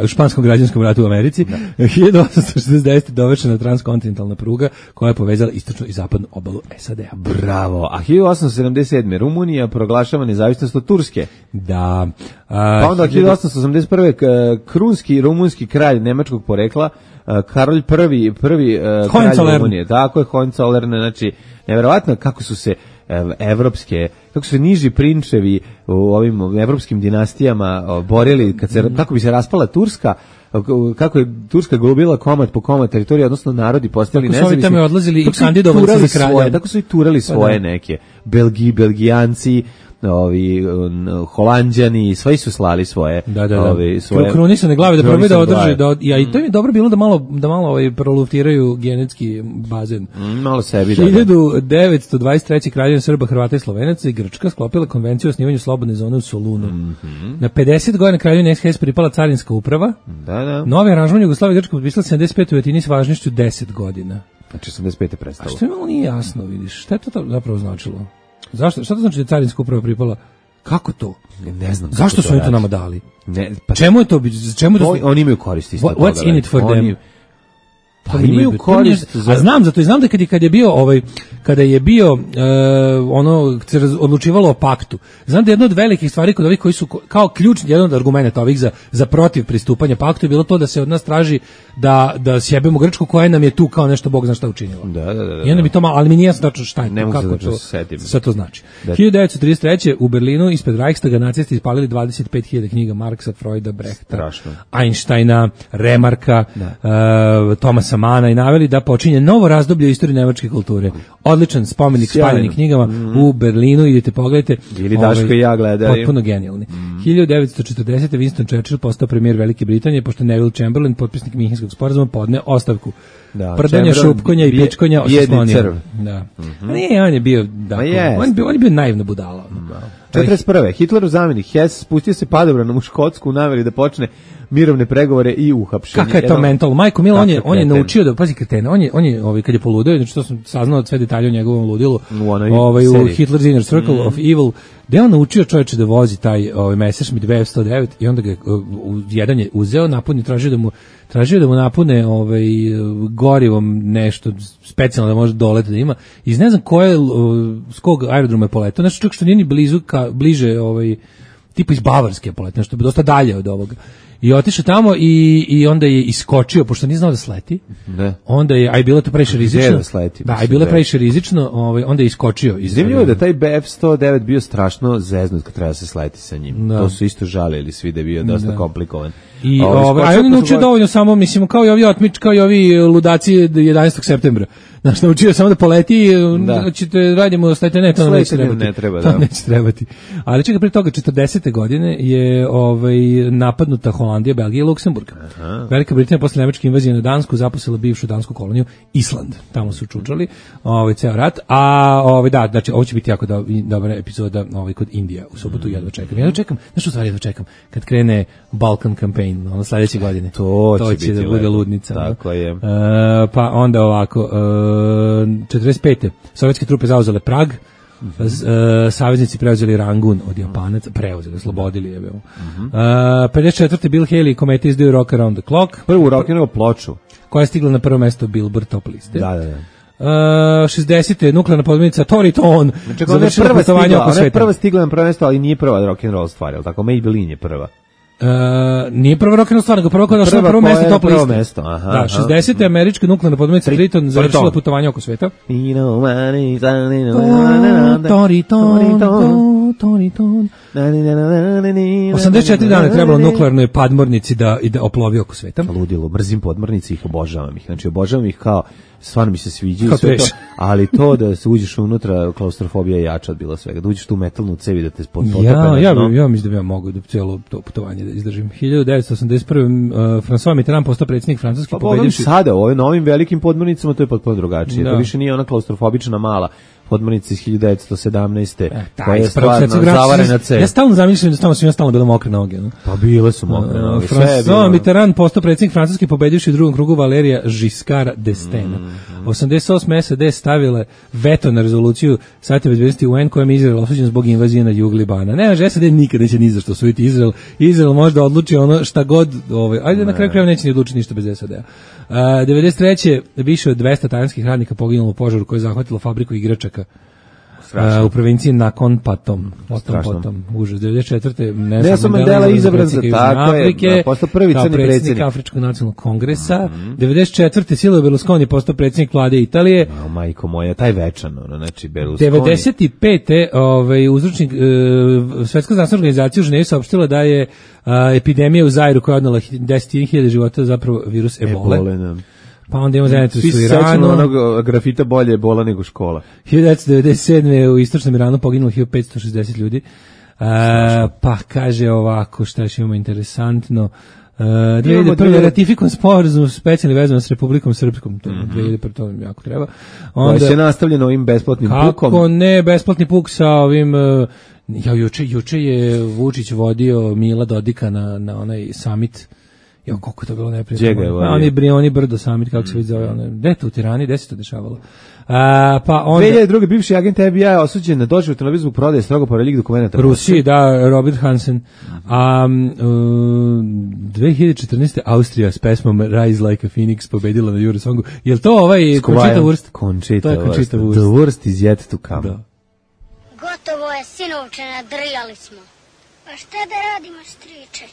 u španskom građanskom ratu u Americi. 1869. dovršena transkontinentalna pruga koja je povezala istočnu i zapadnu obalu SAD-a. Bravo. A 1877. Rumunija proglašava nezavisnost od Turske. Da. Pa onda 1881. Krunski rumunski kralj nemačkog porekla, Karolj prvi kralj Rumunije. Tako je, Hohenzollern, znači neverovatno kako su se kako su niži prinčevi u ovim evropskim dinastijama borili kako bi se raspala Turska, kako je Turska glubila komad po komad teritorije, odnosno narodi postali nezavisni. Tako su ovi odlazili i kandidovali za kralja. Tako su i turali svoje neke. Belgijanci, Holanđani, svi su slali svoje svoje krunisane glave da probaju da održe i to je dobro bilo da malo proluftiraju genetski bazen. Malo sebi. 1923. Kraljevina Srba, Hrvata i Slovenaca i Grčka sklopila konvenciju o osnivanju slobodne zone u Solunu. Na 50 godina Kraljevini SHS pripala carinska uprava. Novi aranžman Jugoslavije i Grčka potpisala 75. u Atini s važnošću 10 godina. Znači 85. prestalo. A što je malo nije jasno, vidiš, šta je to zapravo značilo? Zašto? Šta to znači da je carinska uprava pripala? Kako to? Ne znam. Zašto su oni to nama dali? Ne, čemu je to? Oni imaju koristi isto toga. What's in it for them? Pa imaju korist. A znam da kada je bio se odlučivalo o paktu. Znam da jedno od velikih stvari kod ovih koji su kao ključni, jedan od argumenata ovih za protiv pristupanja paktu je bilo to da se od nas traži da sjebemo Grčku koja nam je tu kao nešto Bog zna šta učinila. Da. I onda bi to malo, ali mi nije jasno tačno šta je to, kako to, sve to znači. 1933. u Berlinu ispred Reichstaga nacisti ispalili 25.000 knjiga Marksa, Freuda, Brehta, Einsteina, Remarka, Thomasa Mana i naveli da počinje novo razdoblje u istoriji nemačke kulture. Odličan spomenik spaljenim knjigama u Berlinu, idete pogledajte. Ili Daško i ja gledaju. Potpuno genijalni. 1940. Winston Churchill postao premijer Velike Britanije, pošto Neville Chamberlain, potpisnik Minhenskog sporazuma, podne ostavku. Prdanja, šupkonja i pičkonja oslonio. Da. Nije, on je bio on je bio naivna budala. 41. Hitlerov zamjenik Hess spustio se padobranom u Škotsku u nameri da počne mirovne pregovore i uhapšenje. Kakav je to mental? Majko Milo, on je naučio da, pazi kretena, on je kad je poludeo, znači to sam saznao od sve detalje o njegovom ludilu, u Hitler's Inner Circle of Evil, gde on naučio čovječe da vozi taj Messerschmitt Bf 109 i onda ga jedan je uzeo, napunio, tražio da mu napune gorivom nešto specijalno da može dolet da ima. I ne znam s kog aerodroma je poletao, znači čak što nije ni bliže tipa iz Bavarske poletao, nešto bi dosta dalje od ovoga. I otišao tamo i onda je iskočio, pošto nije znao da sleti. Onda je, a je bilo to previše rizično. Da, je bilo previše rizično, onda je iskočio. Zanimljivo je da taj BF-109 bio strašno zeznut kad treba se sleti sa njim. To su isto žalili svi da je bio dosta komplikovan. A on je naučio dovoljno samo, mislim, kao i ovi otmič, kao i ovi ludaci 11. septembra. Znaš, naučio samo da poleti, ćete radimo, stajte, ne, to neće trebati. Ali čekaj, prije toga, 40. godine je napadnuta Holandija, Belgija i Luksemburg. Velika Britanija posle nemačke invazije na Dansku zaposlila bivšu dansku koloniju Island. Tamo su čučali ceo rat. A znači, ovo će biti jako dobra epizoda kod Indija u subotu. Jedva čekam. Znaš, u stvari jedva čekam. Kad krene Balkan campaign, sledeće godine. To će da bude ludnica. Tako je. Pa onda ovako, 45. sovjetske trupe zauzele Prag, saveznici preuzeli Rangun od Japanaca, oslobodili je. 54. Bill Haley i Kometa izdaju Rock Around the Clock. Prvu rock'n'roll ploču. Koja je stigla na prvo mesto Billboard top liste. Da. 60. nuklearna podmornica Toriton završila putovanje oko sveta. Ona je prva stigla na prvo mesto, ali nije prva rock'n'roll stvar, je li tako? Maybelline je prva. Nije prva rock'n'roll stvar, nego prva koja je došla na prvo mesto top liste. Da, 60. američka nuklearna podmornica Triton završila putovanje oko sveta. Toriton. 84 dana je trebalo nuklearnoj podmornici da oplovi oko sveta. Ludilo, mrzim podmornice, ih obožavam ih. Znači, obožavam ih kao, stvarno mi se sviđaju sve to, ali to da se uđeš unutra, klaustrofobija je jača od bilo svega. Da uđeš tu metalnu cevi da te potope. Ja mislim da bi mogu da cijelo to putovanje da izdržim. 1981. François Mitterrand postao predsjednik Francuske, pobedivši. Sada, na ovim velikim podmornicama to je potpuno drugačije. To više nije ona klaustrofobična mala podmornica iz 1917. Koja je stvarno zavarena cev. Ja stalno zamišljam da tamo svima bilo mokre noge. No? Pa bile su mokre noge. François Mitterrand postao predsjednik Francuske pobedivši u drugom krugu Valerija Giscarda d'Estaing. 88. SAD stavile veto na rezoluciju Saveta bezbednosti UN kojom je Izrael osuđen zbog invazije na jug Libana. Ne, SAD nikad neće ni za što osvojiti Izrael. Izrael može da odluči ono šta god, ajde na kraju krajeva neće ni odlučiti ništa bez SAD-a. 93. više od 200 talijanskih radnika poginulo u požaru koji je zahvatilo fabriku igračaka u provinciji Nakhon Pathom. Potom užas. 94. Nelson Mandela izabran za tako je, postao prvi crni predsjednik Afričkog nacionalnog kongresa. 94. Silvio Berlusconi postao predsjednik vlade Italije. Majko moja, taj večan, znači Berlusconi. 95. Uzročnik Svetska zdravstvena organizacija u Ženevi saopštila da je epidemija u Zairu koja je odnela 10.000 života zapravo virus ebole. Pa onda imamo zajednicu u Iranu. Onog grafita bolje je bola nego škola. 1997. u istočnom Iranu poginulo 1560 ljudi. Pa kaže ovako, šta još imamo interesantno. 2001. ratifikovan sporazum specijalni vezan s Republikom Srpskom. To 2001. to mi jako treba. Onda se nastavljeno ovim besplatnim pukom. Kako ne, besplatni puk sa ovim... juče je Vučić vodio Mila Dodika na onaj summit. Jo, koliko je to bilo neprijatno. Oni brdo summit, kako se vidi zove. Gde to u Tirani, gde se to dešavalo? Pa onda 2002. bivši agent FBI osuđen na doživotnu televiziju zbog prodaje strogo poreljih dokumenata. Rusiji, da, Robert Hansen. 2014. Austrija s pesmom Rise Like a Phoenix pobedila na Eurosongu. Jel to ovaj Conchita Wurst? To je Conchita Wurst. The worst is yet to come. Da. Gotovo je, sinovče, nadrijali smo. Pa šta da radimo, striče?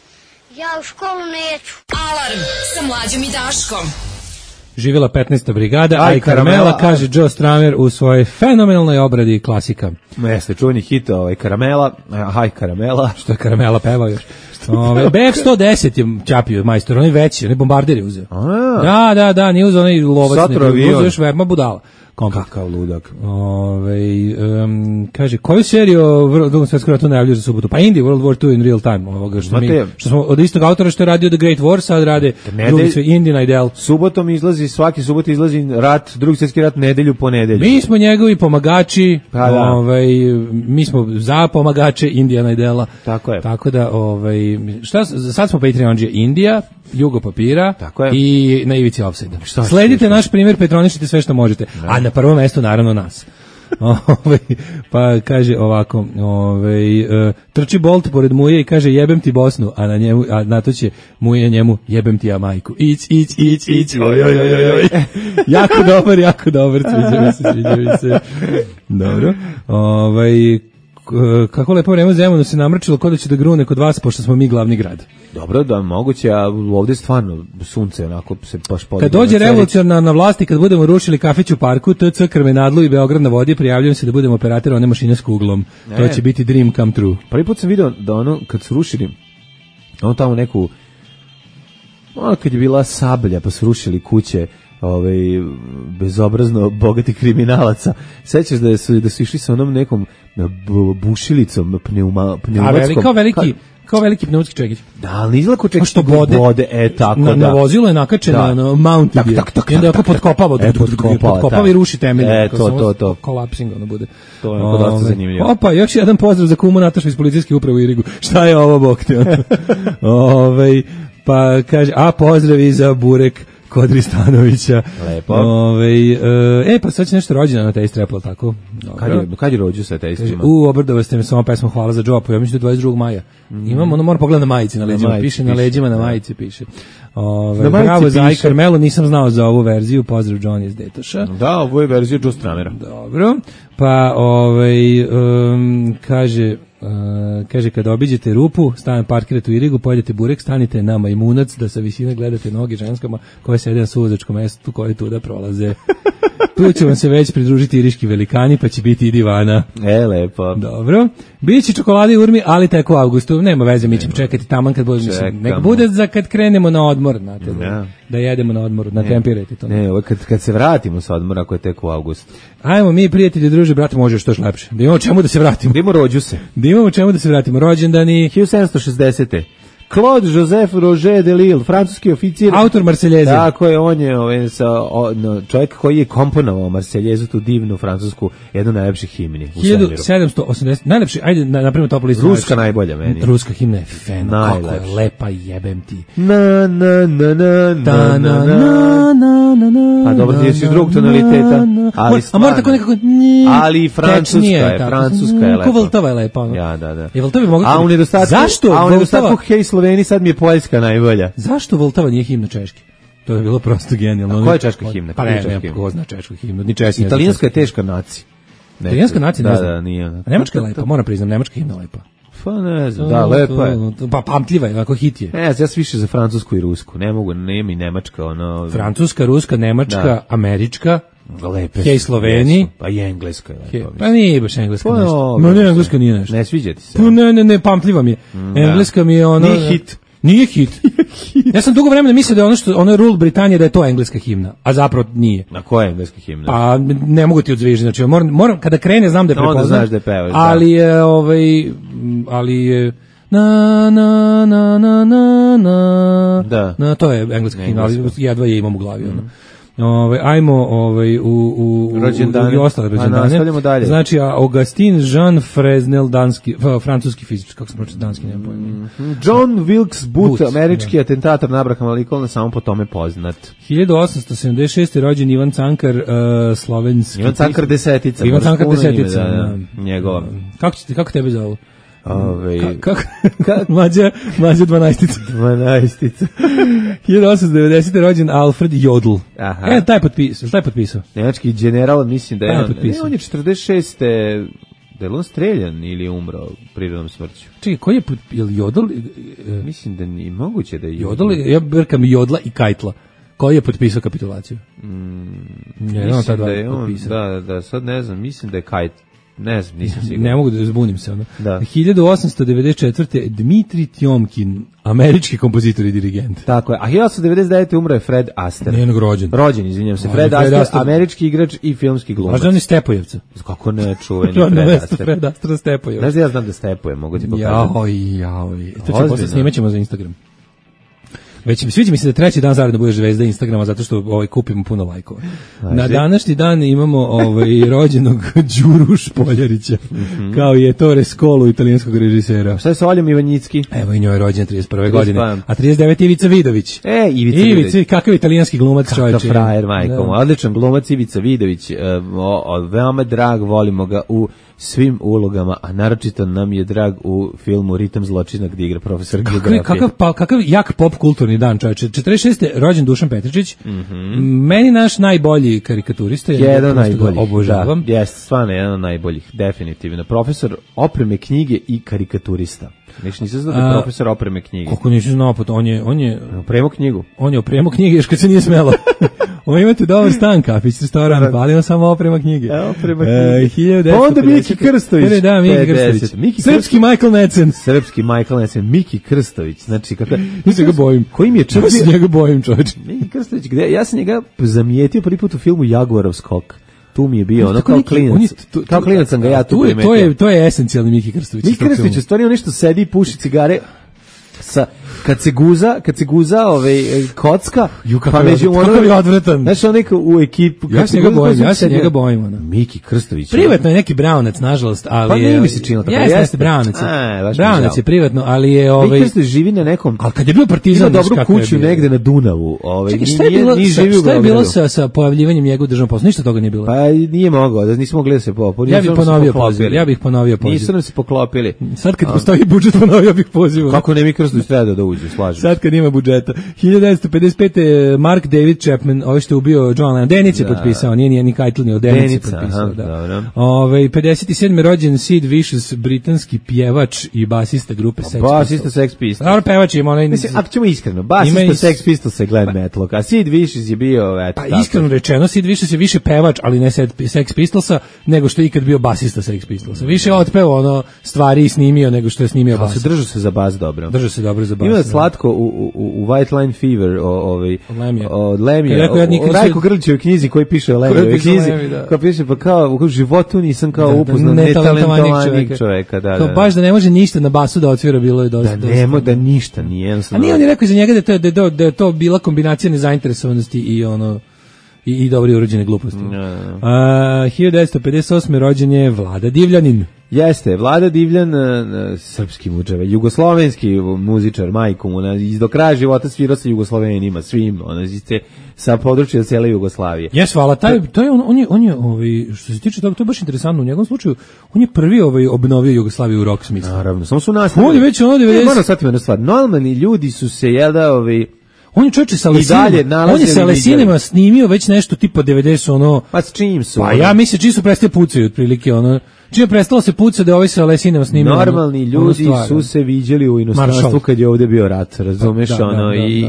Ja u školu neću. Alarm sa Mlađom i Daškom. Živjela 15. brigada, Aj Karamela, kaže Joe Stramer u svojoj fenomenalnoj obradi klasika. Jeste, čuveni hit Karamela, Aj Karamela. Što je Karamela pevao još. BF-110 je čapio majstor, on je veći, on je bombarder je uzeo. Da, nije uzeo onaj lovac, uzeo još veoma budala. Kakav ludak. Kaže, koju seriju Drugom svjetskom ratu najavljuju za subotu? Pa Indie, World War II in real time. Ovoga, što smo od istog autora što je radio The Great War, sad rade drugi sve Indie Idol. Subotom izlazi, svaki subot izlazi rat, Drugi svjetski rat nedelju po nedelju. Mi smo njegovi pomagači, mi smo za pomagače Indijana Idela. Tako je. Tako da, sad smo Patreonđe Indija, Jugo papira i na ivici offside. Sledite naš primjer, petronišite sve što možete. A na prvom mjestu naravno nas. Pa kaže ovako, trči Bolt pored Muje i kaže jebem ti Bosnu, a na to će Muje njemu jebem ti ja majku. Ić. Jako dobar, sviđa mi se. Dobro. Kako lepo vreme Zemunu se namrčilo kod da će da grune kod vas, pošto smo mi glavni grad. Dobro, da moguće, a ovdje stvarno sunce onako se baš podijelo. Kad dođe revolucionarna na vlasti, kad budemo rušili kafić u parku, TC Krmenadlu i Beograd na vodi, prijavljujem se da budemo operator one mašine s kuglom. To će biti dream come true. Prvi put sam vidio da ono, kad su rušili, ono tamo neku, ono kad je bila Sablja, pa su rušili kuće, bezobrazno bogati kriminalaca. Sećaš da su išli sa onom nekom bušilicom pneumatskom. Kao veliki pneumatski čekić. Da, ali izgleda ko čekić što bode. Tako da. Na vozilu je nakačena na mounted je. I onda ako potkopava i ruši temelje. To. Kolapsing ono bude. To je dosta zanimljivo. Opa, još jedan pozdrav za kumu Natašu iz policijske uprave u Irigu. Šta je ovo, bok te? Pa kaže, pozdravi za Burek Kodri Stanovića. Lepo. Pa sad će nešto rođena na tej streplo, tako? Kad je rođu sa tejstvima? Obrdovo ste mi samo pesmu Hvala za Džopu, ja mislim da je 22. maja. Imam, moram pogledati na majici na leđima, piše na leđima, na majici piše. Bravo za Aj Karmelu, nisam znao za ovu verziju, pozdrav Johnny iz Detoša. Da, ovo je verzija Joe Stramera. Dobro, pa kaže kad obiđete rupu, parkirate u Irigu, pojedete burek, stanite na Majmunac da sa visine gledate noge ženskama koje sede na suvozačkom mestu koje tuda prolaze. Tu će vam se već pridružiti iriški velikani, pa će biti i divana. Lepo. Dobro. Biće čokolade i urmi, ali tek u avgustu. Nema veze, mi ćemo čekati taman kad bude, nek bude za kad krenemo na odmor, znate, da jedemo na odmoru, natempirajte to. Ne, kad se vratimo sa odmora, ako je tek u avgustu. Ajmo mi, prijatelji, druže, brate, može što još lepše. Da imamo čemu da se vratimo. Da imamo rođu se. Da imamo čemu da se vratimo. Rođendani. 1760. Claude Joseph Roger de Lille, francuski oficir. Autor Marseljeze. Tako je, on je čovjek koji je komponovao Marseljezu, tu divnu francusku, jednu najlepših himni u svemiru. 1780, najlepši, ajde napravimo top listu. Ruska najbolja meni. Ruska himna je fenomenalna, kako je lepa, jebem ti. Na na na na na na na. Pa dobro, ti jesi drugog tonaliteta, ali a mora tako nekako, ali francuska je lepa. Ko Vltava je lepa. Ja, da. Je Vltava mogu. A u nedostatku Hej Sloveniji sad mi je Poljska najbolja. Zašto Vltava nije himna češki? To je bilo prosto genijalno. A koja je češka himna? Pa ne, ko zna češku himnu, ni češki. Italijanska je teška nacija. Italijanska nacija ne znam. Da, nije. Nemačka je lepa, moram priznam, nemačka himna lepa. Pa ne znam, da, lepa je. Pa pamtljiva je, ako hit je. Ja sam više za francusku i rusku, ne mogu, nema i nemačka, ono... Francuska, ruska, nemačka, američka, lepe Hej Sloveni. Pa i engleska je lepa. Pa nije baš engleska nešto. Ma ne, engleska nije nešto. Ne sviđa ti se. Pa ne, pamtljiva mi je. Engleska mi je ono... Nije hit. Ja sam dugo vremena mislio da je ono je rule Britanije da je to engleska himna, a zapravo nije. Na koja je engleska himna? Pa ne mogu ti odzvižiti, znači moram kada krene znam da je prepoznam. Onda znaš da je pevaš. Ali je ali je na to je engleska himna, ali jedva je imam u glavi ono. Ajmo u ostale rođendane. Znači, Augustin Jean Fresnel, francuski fizičar, kako se pročita danski, nema pojma. John Wilkes Booth, američki atentator na Abrahama Lincolna, samo po tome poznat. 1876. rođen Ivan Cankar, slovenski. Ivan Cankar desetica. Ivan Cankar desetica. Njegova. Kako tebe zovu? Kako? Mlađa 12-ica. 12-ica. 1890. rođen Alfred Jodl. Taj potpisao. Nemački general, mislim da je on je 46. Da je on streljan ili je umro prirodnom smrću? Čekaj, koji je Jodl? Mislim da nije moguće da je Jodl. Ja brkam Jodla i Kajtla. Koji je potpisao kapitulaciju? Mislim da je on, da, sad ne znam, mislim da je Kajt. Ne znam, nisam siguran. Ne mogu da zbunim se. 1894. Dmitri Tjomkin, američki kompozitor i dirigent. Tako je. A 1899. umro je Fred Astaire. Njenog rođen. Rođen, izvinjam se. Fred Astaire, američki igrač i filmski glumac. Možda on je Stepojevca. Kako ne, čuveni Fred Astaire. Fred Astaire Stepojevca. Znaš da ja znam da Stepoje, mogu ti pokazati. Joj. To ćemo posle snimat ćemo za Instagram. Sviđa mi se da treći dan zaredno budeš zvezda Instagrama zato što kupimo puno lajkova. Na današnji dan imamo rođenog Đuru Špoljarića, kao je Ettore Scolo, italijanskog režisera. Šta je sa Oljom Ivanjicki? Evo i njoj je rođen 31. godine. A 39. Ivica Vidović. Ivica Vidović. Kakav italijanski glumac, čovječe. Kakav frajer, majko. Odličan glumac Ivica Vidović. Veoma drag, volimo ga u svim ulogama, a naročito nam je drag u filmu Ritam zločina gdje igra profesor geografije. Kakav jak pop kulturni dan, čovječe. 46. rođen Dušan Petričić. Meni naš najbolji karikaturista. Jedan najbolji. Obožavam. Jeste, stvarno jedan od najboljih, definitivno. Profesor opreme knjige i karikaturista. Nisam znao da je profesor opreme knjige. Kako nisam znao, on je opremao knjigu. On je opremao knjige još kad se nije smelo. Ovo imate dobar stan, kafić, restoran, ali on samo oprema knjige. Oprema knjige. Pa onda Miki Krstović. Da, Miki Krstović. Srpski Michael Necen. Srpski Michael Necen, Miki Krstović. Znači, ja se ga bojim. Koji mi je čak... Ja se njega bojim, čovječ. Miki Krstović, ja sam njega zamijetio prvi put u filmu Jaguarov skok. Tu mi je bio, ono kao klinac. Kao klinac sam ga ja tu primetio. To je esencijalni Miki Krstović. Miki Krstović je stvarno nešto sedi i puši cigare kad se guza kocka, pa među ono je odvratan. Znaš, on neko u ekipu. Ja se njega bojim. Miki Krstović. Privatno je neki braunac, nažalost, ali pa nije mi se činilo tako. Jeste braunac. Braunac je privatno, ali je Miki Krstović živi na nekom. Ali kad je bio partizan, ima dobru kuću negde na Dunavu. Šta je bilo sa pojavljivanjem njegovog državnog posla? Ništa toga nije bilo. Pa nije mogao, da nismo mogli da se poklopili. Ja bih ponovio poziv. Nisu nam se poklopili. Sad kad postoji budžet, ponovio bih poziv. Kako ne, Miki Krstović treba da uđe, slažem. Sad kad ima budžeta. 1955. Mark David Chapman, ovo što je ubio John Lennon. Denic je potpisao, nije ni Keitel, ni Denic je potpisao. 57. rođen Sid Vicious, britanski pjevač i basista grupe Sex Pistols. Basista Sex Pistols. Dobro, pevač ima onaj... Mislim, ako ćemo iskreno, basista Sex Pistols je Glenn Matlock, a Sid Vicious je bio... Pa iskreno rečeno, Sid Vicious je više pevač, ali ne Sex Pistolsa, nego što je ikad bio basista Sex Pistolsa. Više je otpeo stvari i snimio nego što je snimio basista. Držao se za bas dobro. Držao se dobro za bas. Ima je slatko u White Line Fever od Lemija, Rajko Grlićevoj knjizi koji piše o Lemijevoj knjizi, kao piše pa kao u životu nisam kao upoznao netalentovanijeg čoveka. Kao baš da ne može ništa na basu da otvira, bilo je dosta. Da ništa nije. A nije on je rekao za njega da je to bila kombinacija nezainteresovanosti i i dobri urođene gluposti. 1958. rođen je Vlada Divljanin. Jeste, Vlada Divljan, srpski muđave, jugoslovenski muzičar, majku mu, do kraja života svirao sa Jugoslovenima, svim, sa područja cele Jugoslavije. Jes, hvala, to je on je, što se tiče toga, to je baš interesantno, u njegovom slučaju, on je prvi obnovio Jugoslaviju u rock smislu. Naravno, samo su nastavili. On je već ono 90... Moram sad jedna stvar, normalni ljudi su se on je čovječe sa Lesinima snimio već nešto tipa 90 ono. Pa s čim su? Pa ja mislim čim su prestali pucaju otprilike ono. Čim je prestalo se puca da ovaj sa Lesinima snimio. Normalni ljudi su se viđali u inostranstvu kad je ovdje bio rat, razumeš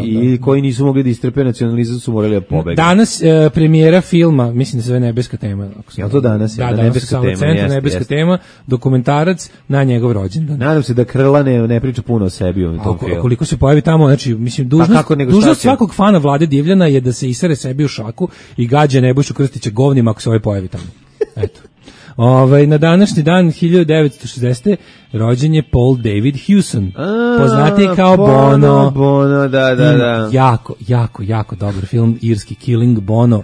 i koji nisu mogli da istrpe nacionalizam su morali da pobegnu. Danas premijera filma, mislim da se zove Nebeska tema. Jel to danas? Da, Nebeska tema. Nebeska tema, dokumentarac na njegov rođendan. Nadam se da Krla ne priča puno o sebi u tom filmu. Koliko se pojavi tamo, znači mislim dužnost svakog fana Vlade Divljana je da se isere sebi u šaku i gađa Nebojšu Krstića govnima ako se ovaj pojavi tamo. Eto. Na današnji dan 1960. rođen je Paul David Hewson, poznatiji kao Bono. Bono, da. Jako dobar film, irski Killing Bono.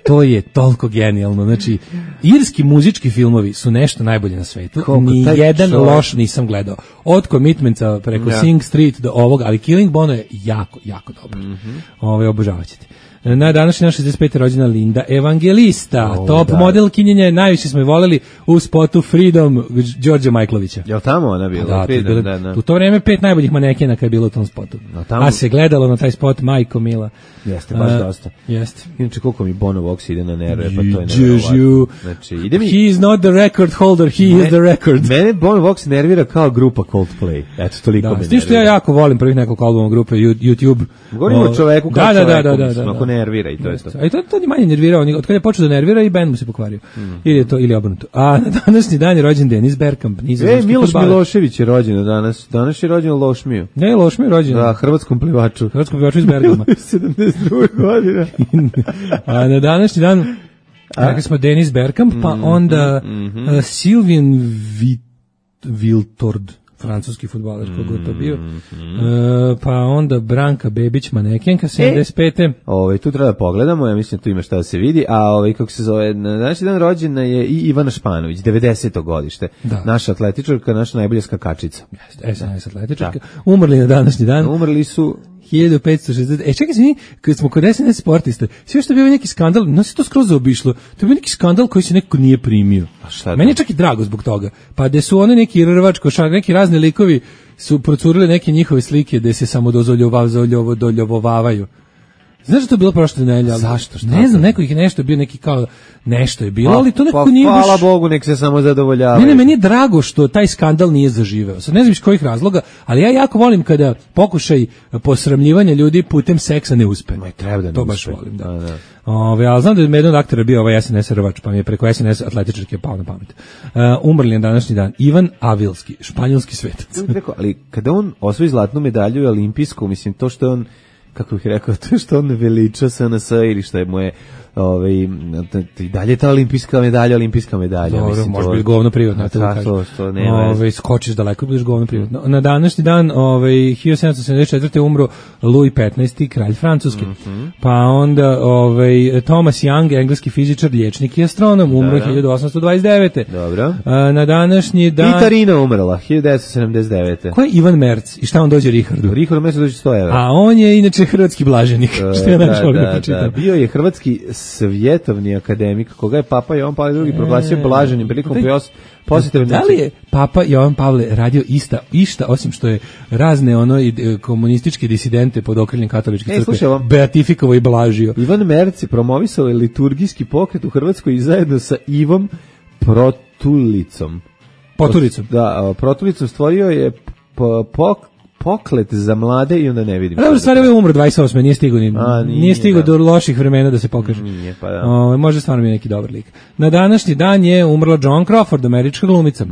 To je toliko genijalno. Znači, irski muzički filmovi su nešto najbolje na svetu. Ni jedan loš nisam gledao. Od Commitmenta preko Sing Street do ovog, ali Killing Bono je jako dobar. Obožavat ćete. Na današnji dan 65. rođena Linda Evangelista, top modelkinjenja, najviše smo je voleli u spotu Freedom Đorđa Majklovića. Jel tamo ona bila? Da. U to vreme 5 najboljih manekena kad je bilo u tom spotu. A se gledalo na taj spot Majko Mila. Jeste, baš dosta. Jeste. Inače koliko mi Bono Vox ide na nerve, pa to je nevjerovatno. Znači, he is not the record holder, he is the record. Mene Bono Vox nervira kao grupa Coldplay. Eto, toliko me nervira. S tim što ja jako volim prvih nekoliko albuma grupe YouTube. Govorimo o čoveku kao čoveku, nervira i to je to. A i to je manje nervirao, od kada je počeo da nervira i bend mu se pokvario. Ili obrnuto. A na današnji dan je rođen Denis Bergkamp. Miloš Milošević je rođen danas. Danas je rođen Lošmiju. Ne, Lošmiju je rođen. Da, hrvatskom plivaču. Iz Bergama. 72 godine. A na današnji dan rekli smo Denis Bergkamp, pa onda Sylvain Wiltord, francuski fudbaler, koga je to bio. Pa onda Branka Bebić, manekenka, 75. Tu treba da pogledamo, ja mislim tu ima šta da se vidi, a kako se zove, na današnji dan rođena je i Ivana Španović, 90. godište. Da. Naša atletičarka, naša najbolja skakačica. SNS atletičarka. Umrli na današnji dan. Umrli su 1560. Čekaj se mi, kad smo kod SNS sportista, sve što je bio neki skandal, no se to skroz zaobišlo, to je bio neki skandal koji se neko nije primio. Meni je čak i drago zbog toga. Pa gde su one neki rvačko, neki razni likovi su procurili neke njihove slike gde se samo doljubovavaju. Znaš da to je bilo prošle nedelje? Zašto? Ne znam, neko ih nešto bio neki kao nešto je bilo, ali to nekako nije baš... Hvala Bogu, nek se samo zadovoljavaju. Ne, meni je drago što taj skandal nije zaživeo. Sad ne znam iz kojih razloga, ali ja jako volim kada pokušaj posramljivanja ljudi putem seksa ne uspe. Treba da to baš volim, da. Ali znam da je jednog aktera bio ovaj SNS rvač, pa mi je preko SNS atletičarke pao na pamet. Umrli na današnji dan Ivan Avilski, španjolski svetac. Ali kada on osvoji zlatnu medalju olimpijsku, mislim to što je on, kako bih rekao, to što on veliča SNS ili što je moje i dalje ta olimpijska medalja. Dobro, mislim, može biti govno privatno. To nema. Skočiš daleko, budeš govno privatno. Na današnji dan, 1774. umro Louis XV, kralj Francuske. Pa onda Thomas Young, engleski fizičar, liječnik i astronom, umro 1829. Dobro. Na današnji dan... Vitarina umrla, 1979. Ko je Ivan Merc i šta on dođe Richardu? Richard Merc dođe 100 evra. A on je inače hrvatski blaženik, što je našao da pročitam. Bio je hrvatski svjetovni akademik, koga je Papa Jovan Pavle II proglasio blaženim prilikom posjete. Da li je Papa Jovan Pavle radio išta, osim što je razne komunističke disidente pod okriljem katoličke crkve beatifikovao i blažio? Ivan Merc promovisao je liturgijski pokret u Hrvatskoj i zajedno sa Ivom Protulicom. Protulicom stvorio je poklet za mlade i onda ne vidim. Dobro, stvarno je umro 28. Nije stigao do loših vremena da se pokaže. Nije, pa da. Može stvarno biti neki dobar lik. Na današnji dan je umrla Joan Crawford, američka glumica.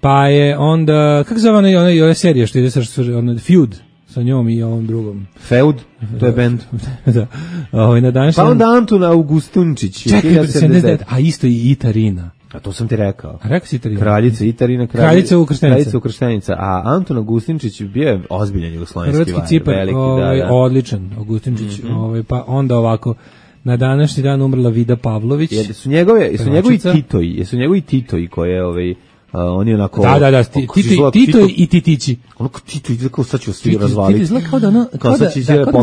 Pa je onda, kako zove ona serija što ide sa Feud? sa njom i ovom drugom. Feud, to je bend. Da. Na današnji pa onda Antun Augustunčić. Čekaj, a isto i Itarina. A to sam ti rekao. A rekao si Itarina. Kraljica Itarina, kraljica Ukrštenica. A Antun Augustinčić bio je ozbiljan jugoslovenski hrvatski vajar. Cipar, veliki, da. odličan Augustinčić. Pa onda ovako, na današnji dan umrla Vida Pavlović. Jesu njegovi Titoji koje oni onako da, Tito i Titići. Onako Tito ide kao sad ću svi razvaliti. Tito izgleda kao da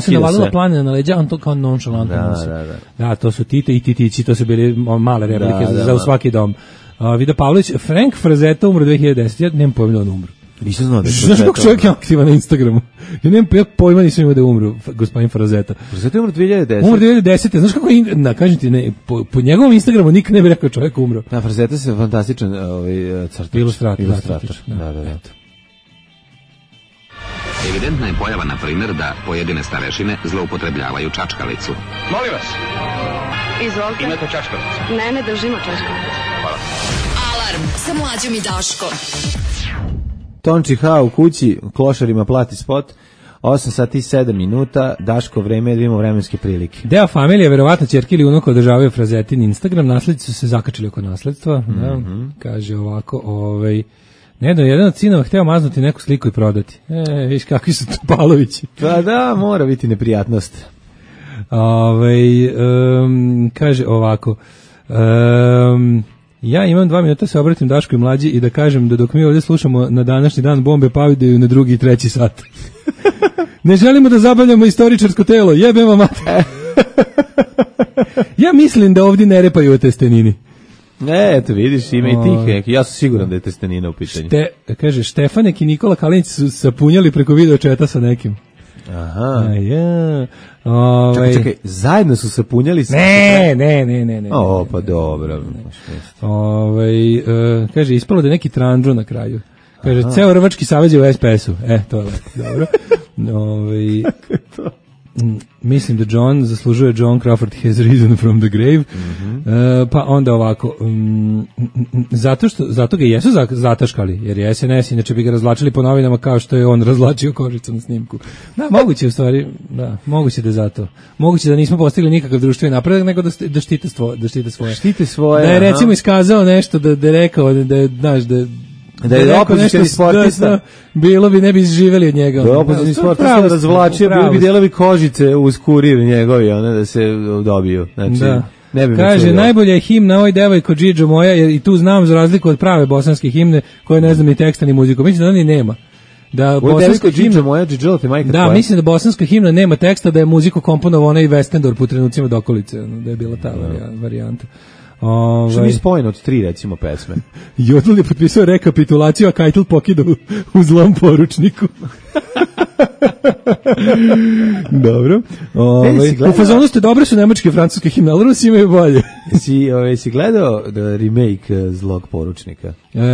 se navalila planina na leđa, on to kao nonšalantno. Da, to su Tito i Titići, to su bili male replike za u svaki dom. Vida Pavlović, Frank Frazetta umro 2010, ja nemam pojma da on umro. Nisam znao da je Frazetta. Znaš kako čovjek je aktivan na Instagramu? Ja nemam pojma, nisam imao da je umro, gospodin Frazetta. Frazetta je umro 2010. Umro 2010. Znaš kako je, kažem ti, ne, po njegovom Instagramu nikad ne bi rekao čovjek umro. Da, Frazetta se fantastičan crtač. Ilustrator. Da. Evidentna je pojava, na primjer, da pojedine starešine zloupotrebljavaju čačkalicu. Molim vas. Izvolite. Imate čačkalicu? Ne držimo čačkalicu. Hvala. Alarm sa Mlađom i Daškom. Tonči H u kući, klošarima plati spot, 8 sati i 7 minuta, Daško, vreme je da imamo vremenske prilike. Deo familije, verovatno ćerke ili unuka održavaju Frazetin Instagram, naslednici su se zakačili oko nasledstva, da, kaže ovako, jedan od sinova hteo maznuti neku sliku i prodati. Viš kakvi su Topalovići. Pa da, mora biti neprijatnost. Kaže ovako, ja imam 2 minuta se obratim Daško i Mlađi i da kažem da dok mi ovdje slušamo na današnji dan bombe padaju na 2. i 3. sat. Ne želimo da zabavljamo istoričarsko telo, jebem vam mater. Ja mislim da ovdje ne repaju o testenini. Eto vidiš, ima i tih, ja sam siguran da je testenina u pitanju. Kaže, Štefanek i Nikola Kalinić su sapunjali preko video četa sa nekim. Aha. Ja. Čekaj, zajedno su se punjali? Ne. Pa dobro. Kaže, ispalo da je neki tranđo na kraju. Kaže, ceo Rvački savez je u SPS-u. To je dobro. Mislim da John zaslužuje John Crawford has risen from the grave. Pa onda ovako, zato ga jesu zataškali, jer je SNS, inače bi ga razvlačili po novinama kao što je on razvlačio Kožicu na snimku. Da, moguće u stvari, da, moguće da je zato. Moguće da nismo postigli nikakav društveni napredak, nego da štite svoje. Štite svoje. Da je recimo iskazao nešto, da je rekao, da je, znaš, da je opozicioni sportista, bilo bi, ne bi živeli od njega. Da je opozicioni sportista razvlačio, bili bi delovi kožice uz kurir njegovi, da se dobiju. Znači, ne bi kaže, najbolja je himna Oj devojko Džidžo moja, jer i tu znam za razliku od prave bosanske himne, koje ne znam ni teksta ni muziku. Mislim da oni nema. Da bosanska himna moja Džidžo te majka tvoja. Da, mislim da bosanska himna nema teksta, da je muziku komponovao onaj Westendorf u trenucima dokolice, da je bila ta varijanta. Što mi spojeno od 3 recimo pesme. Jodl je potpisao rekapitulaciju, a Keitel pokidao u zlom poručniku. Dobro. U fazonu ste dobre su nemačke i francuske himne, ali Rusi imaju bolje. Jesi gledao remake zlog poručnika?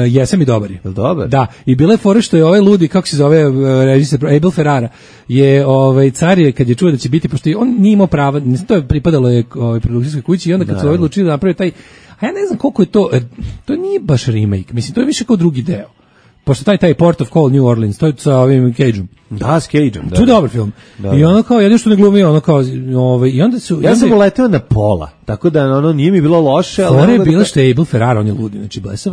Jesam i dobar je. Dobar? Da, i bila je fora što je ovaj ludi, kako se zove režiser, Abel Ferrara, je car je, kad je čuo da će biti, pošto on nije imao prava, to je pripadalo je produkcijskoj kući i onda kad su odlučili da napravi taj, a ja ne znam koliko je to nije baš remake, mislim, to je više kao drugi deo. Pošto taj Port of Call New Orleans, to je sa ovim Cageom. Da, s Cageom, da. To je dobar film. Da. I ono kao, jedno što ne glumi, ono kao, i onda su... Ja sam uleteo na pola, tako da ono nije mi bilo loše. Fora je bila što je Abel Ferrara, on je ludi, znači blesav.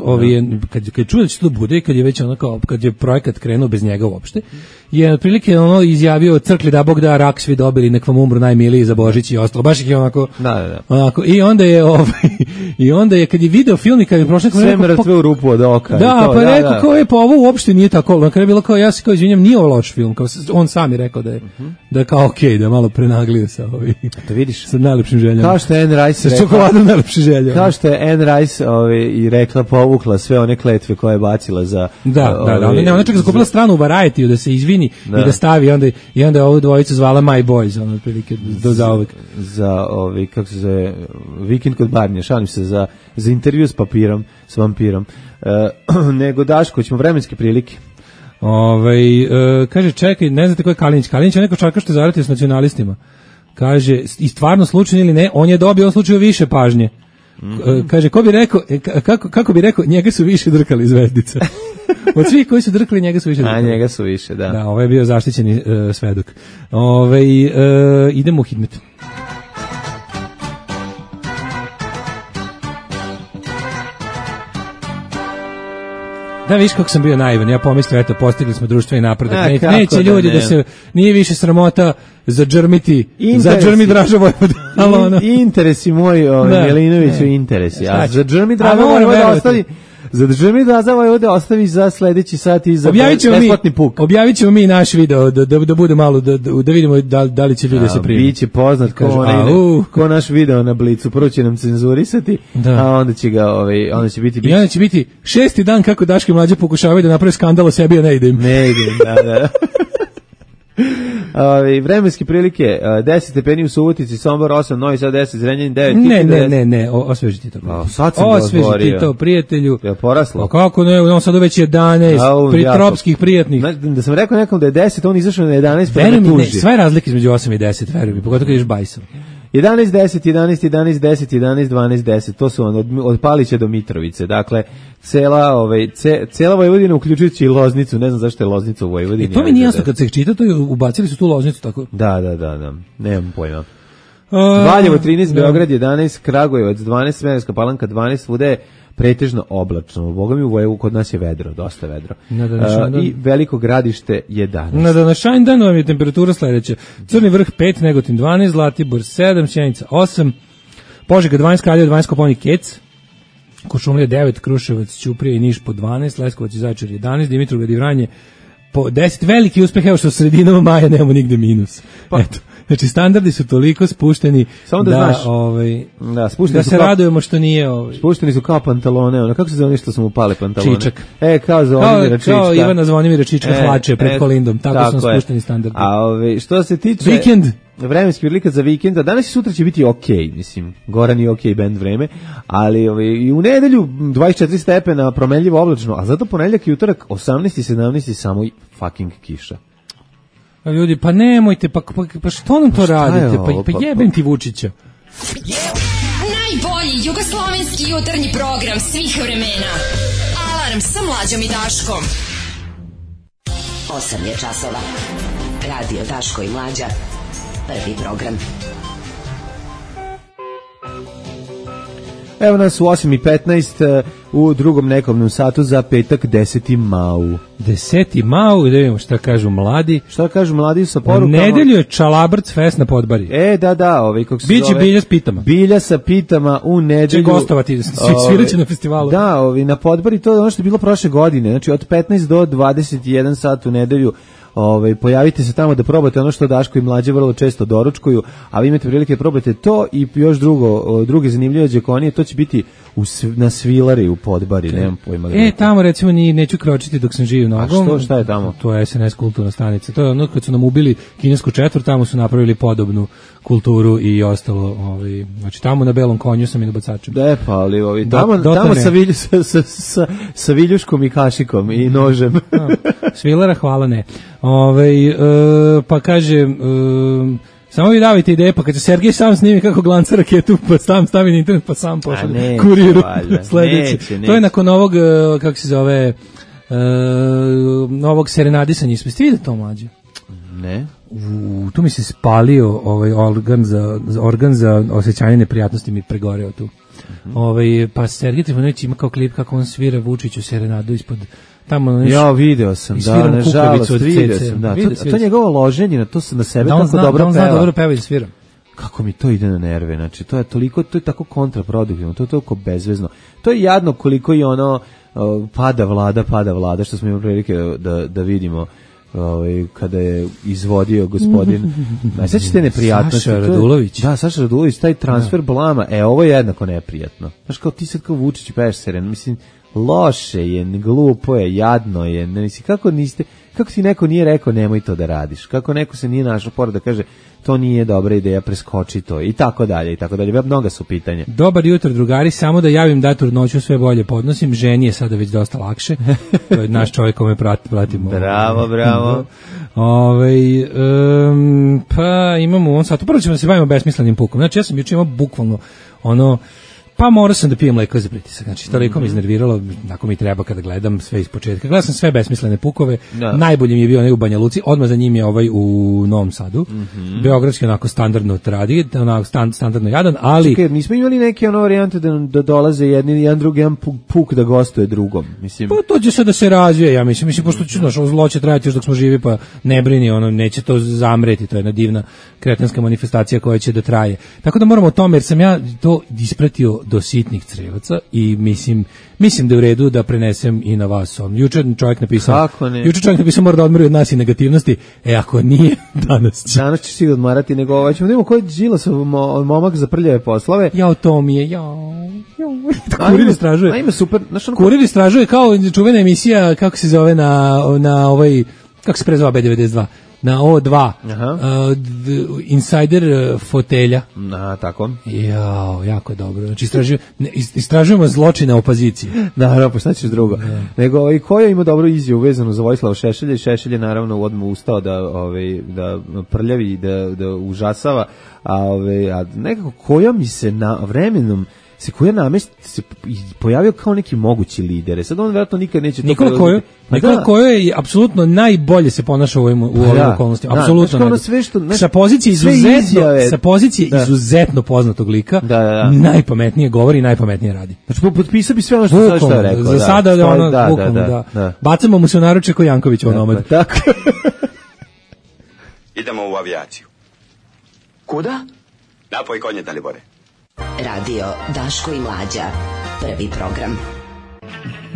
Kad čuo da će to bude, kad je već ono kao, kad je projekat krenuo bez njega uopšte, je otprilike ono izjavio crkli da Bog da, rak svi dobili, nek vam umru najmiliji za Božić i ostalo. Baš ih je onako... Da. Onako, i onda je kad je video film i kad je prošle... Sve mrtve u rupu od oka. Da, pa je rekao, kao je, pa ovo uopšte nije tako. Na kraju je bilo kao, ja se kao izvinjam, nije ovo loš film. Kao, on sam je rekao da je kao okej, da malo prenaglio sa to vidiš. Sa najlepšim željama. Kao što je Anne Rice sa čokoladom najlepše želje. Kao što je Anne Rice i rekla, povukla sve one kletve koje je bacila za... Da. Ona čak zakupila stranu u Variety da se izvini i da stavi, i onda je ovu dvojicu zvala My Boys, ono otprilike do zauvek. Za kako se zove, vikend kod Barnija, šalim se, za intervju s vampirom. Nego Daško, ćemo vremenske prilike. Kaže, čekaj, ne znate ko je Kalinić. Kalinić je neko čarka što je zaratio s nacionalistima. Kaže, i stvarno slučajno ili ne, on je dobio u slučaju više pažnje. Kaže, kako bi rekao, njega su više drkali zvezdica. Od svih koji su drkali, njega su više drkali. A njega su više, da. Da, ovo je bio zaštićeni svedok. Idemo u Hidmet. Da, viš kako sam bio naivan, ja pomislio, eto, postigli smo društveni napredak. Neće ljudi da se, nije više sramota zadžrmiti, zadžrmi Draža Vojvoda. Interesi moji, Milinoviću, interesi. A zadžrmi Draža Vojvoda ostavi, zadržimi da ovdje ostavi za sledeći sat i za besplatni puk. Objavit ćemo mi naš video da bude malo, da vidimo da li će ljudi se primiti. Biće poznat ko naš video na Blicu. Prvo će nam cenzurisati, a onda će ga, onda će biti... I onda će biti 6. dan kako Daško i Mlađa pokušavaju da napravi skandal o sebi, a ne ide im. Ne ide im, da. Vremenske prilike 10 stepeni u Subotici, Sombor 8, Novi Sad 10, Zrenjanin 9. Ne, osveži ti to. Osveži ti to, prijatelju. Je poraslo? Kako ne, on sad već 11 pritropskih prijatnih. Da sam rekao nekom da je 10, on izašao na 11, pa me tuži. Sve razlike između 8 i 10, veruj mi, pogotovo kad ideš bajsom. 11, 10, 11, 11, 10, 11, 12, 10, to su od Palića do Mitrovice, dakle, cela Vojvodina, uključujući i Loznicu, ne znam zašto je Loznica u Vojvodini. To mi nije jasno, kad se čita, to ubacili su tu Loznicu, tako? Da, nemam pojma. Valjevo 13, Beograd 11, Kragujevac 12, Smederevska Palanka 12, svuda je pretežno oblačno. Boga mi u Vojevu kod nas je vedro, dosta vedro. I Veliko Gradište 11. Na današnji dan vam je temperatura sledeća. Crni vrh 5, Negotin 12, Zlatibor 7, Sjenica 8, Požega 12, Kraljevo 12, Kopaonik Kec, Kuršumlija 9, Kruševac, Ćuprija i Niš po 12, Leskovac i Zaječar 11, Dimitrovgrad i Vranje po 10. Veliki uspeh, evo što sredinom maja nemamo nigde minus. Eto. Znači, standardi su toliko spušteni da se radujemo što nije... Spušteni su kao pantalone, kako se zove što su mu pale pantalone? Čičak. Kao Zvonimira Čička. Kao Ivana Zvonimira Čička hlače pred Kolindom, tako su spušteni standardi. A što se tiče... Vikend. Vremenski prilika za vikend, danas i sutra će biti okej, mislim, Goran je okej band vreme, ali i u nedelju 24 stepena, promenljivo oblačno, a zato ponedjeljak i utorak 18 i 17 samo fucking kiša. Ljudi, pa nemojte, pa što nam to radite? Pa jebem ti Vučića. Najbolji jugoslovenski jutarnji program svih vremena. Alarm sa Mlađom i Daškom. 8 je časova. Radio Daško i Mlađa. Prvi program. Evo nas u 8:15 u drugom nekomnom satu za petak 10. mau. 10. mau, da vidimo šta kažu mladi. Šta kažu mladi sa porukama? Nedelju je Čalabrc fest na Podbari. Da, kako se Biće Bilja s pitama. Bilja sa pitama u nedelju. Će gostovati, sviraće na festivalu. Da, na Podbari, to je ono što je bilo prošle godine. Znači od 15 do 21 sat u nedelju. Pojavite se tamo da probate ono što Daško i Mlađe vrlo često doručkuju, a vi imate prilike da probate to i još druge zanimljive đekonije, to će biti na Svilari u Podbari, nemam pojma. Tamo recimo neću kročiti dok sam živ nogom. A šta je tamo? To je SNS kulturna stanica. To je ono kad su nam ubili kinesku četvrt, tamo su napravili podobnu kulturu i ostalo, znači tamo na belom konju sam i na bacačem. Pa ali tamo sa viljuškom i kašikom i nožem. Svilara, hvala ne. Pa kaže, samo vi davite ideje, pa kad će Sergej sam snimi kako glanca raketu, pa sam stavi na internet, pa sam pošalje kuriru sledeći. To je nakon ovog, kako se zove, novog serenadisanja. Jeste vidjeli to, Mlađe? Ne. Tu mi se spalio organ za osjećanje neprijatnosti, mi pregoreo tu. Pa Sergej Trifunović ima kao klip kako on svira Vučiću serenadu ispod tamo. Ja video sam, nažalost, video sam, da. To njegovo loženje, to se na sebe tako dobro peva. Da on zna dobro peva i svira. Kako mi to ide na nerve, znači to je toliko, to je tako kontraproduktivno, to je toliko bezvezno. To je jadno koliko i ono pada vlada, što smo imali prilike da vidimo kada je izvodio gospodin. Sećate neprijatnosti? Saša Radulović. Da, Saša Radulović, taj transfer blama, ovo je jednako neprijatno. Znaš, kao ti sad kao Vučić peš seren, mislim, loše je, glupo je, jadno je, mislim, kako ti neko nije rekao nemoj to da radiš, kako neko se nije našao pored da kaže to nije dobra ideja, preskoči to i tako dalje, mnoga su pitanja. Dobar jutro drugari, samo da javim da trudnoću sve bolje podnosim, ženi je sada već dosta lakše, to je naš čovjek kome pratimo. Bravo. Pa imamo u ovom satu, prvo ćemo da se bavimo besmislenim pukom, znači ja sam juče imao bukvalno Pa morao sam da pijem leko za pritisak, znači toliko me iznerviralo, ako mi treba kada gledam sve iz početka. Gledao sam sve besmislene pukove, najbolji mi je bio onaj u Banja Luci, odmah za njim je ovaj u Novom Sadu, beogradski onako standardno tradi, onako standardno jadan, ali... Čekaj, nismo imali neke ono varijante da dolaze jedan drugi, jedan puk da gostuje drugom, mislim... Pa to će sad da se razvije, ja mislim, pošto će, znaš, ovo zlo će trajati još dok smo živi, pa ne brini, ono, neće to zamreti, to je jedna divna kretenska manifestacija koja će da traje. Tako da moramo o tome, jer sam ja to ispratio do sitnih crevaca i mislim da je u redu da prenesem i na vas. Juče čovjek napisao, mora da odmori od nas i negativnosti, ako nije, danas će. Danas će si odmarati, nego ovaj ćemo da imamo koji je Đilasov momak za prljave poslove. Jao, to mi je, Kurir istražuje. A ima super. Kurir istražuje kao čuvena emisija, kako se zove na ovaj, kako se prezva B92? Na O2, Insider fotelja. Tako. Jao, jako je dobro. Znači, istražujemo zločine opozicije. Naravno, pa šta ćeš drugo. Nego, i koja ima dobru izjavu vezanu za Vojislava Šešelja, i Šešelj je naravno odmah ustao da prljavi i da užasava, a nekako koja mi se vremenom koja namest se pojavio kao neki mogući lider. Sad on vjerojatno nikad neće to preuzeti. Nikola Kojo je apsolutno najbolje se ponaša u ovim okolnostima. Apsolutno. Sa pozicije izuzetno poznatog lika, najpametnije govori i najpametnije radi. Znači, potpisao bi sve ono što sad je rekao. Za sada da. Bacamo mu se u naruče ko Janković onomad. Tako. Idemo u avijaciju. Kuda? Napoj konje, Dalibore. Radio Daško i Mlađa, prvi program.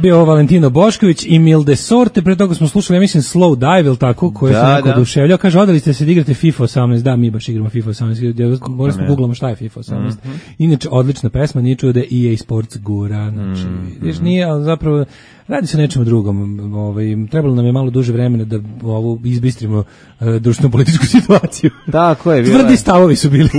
Bio ovo Valentino Bošković i Milde Sorte, pre toga smo slušali, ja mislim, Slow Dive, ili tako, koje se neko oduševljao. Kaže, odali ste se da igrate FIFA 18, da, mi baš igramo FIFA 18, morali smo googlamo šta je FIFA 18. Inače, odlična pesma, nije čuo da EA Sports gura, znači, vidiš, nije, ali zapravo, radi se o nečemu drugom. Trebalo nam je malo duže vremena da izbistrimo društveno-političku situaciju. Tako je. Tvrdi stavovi su bili.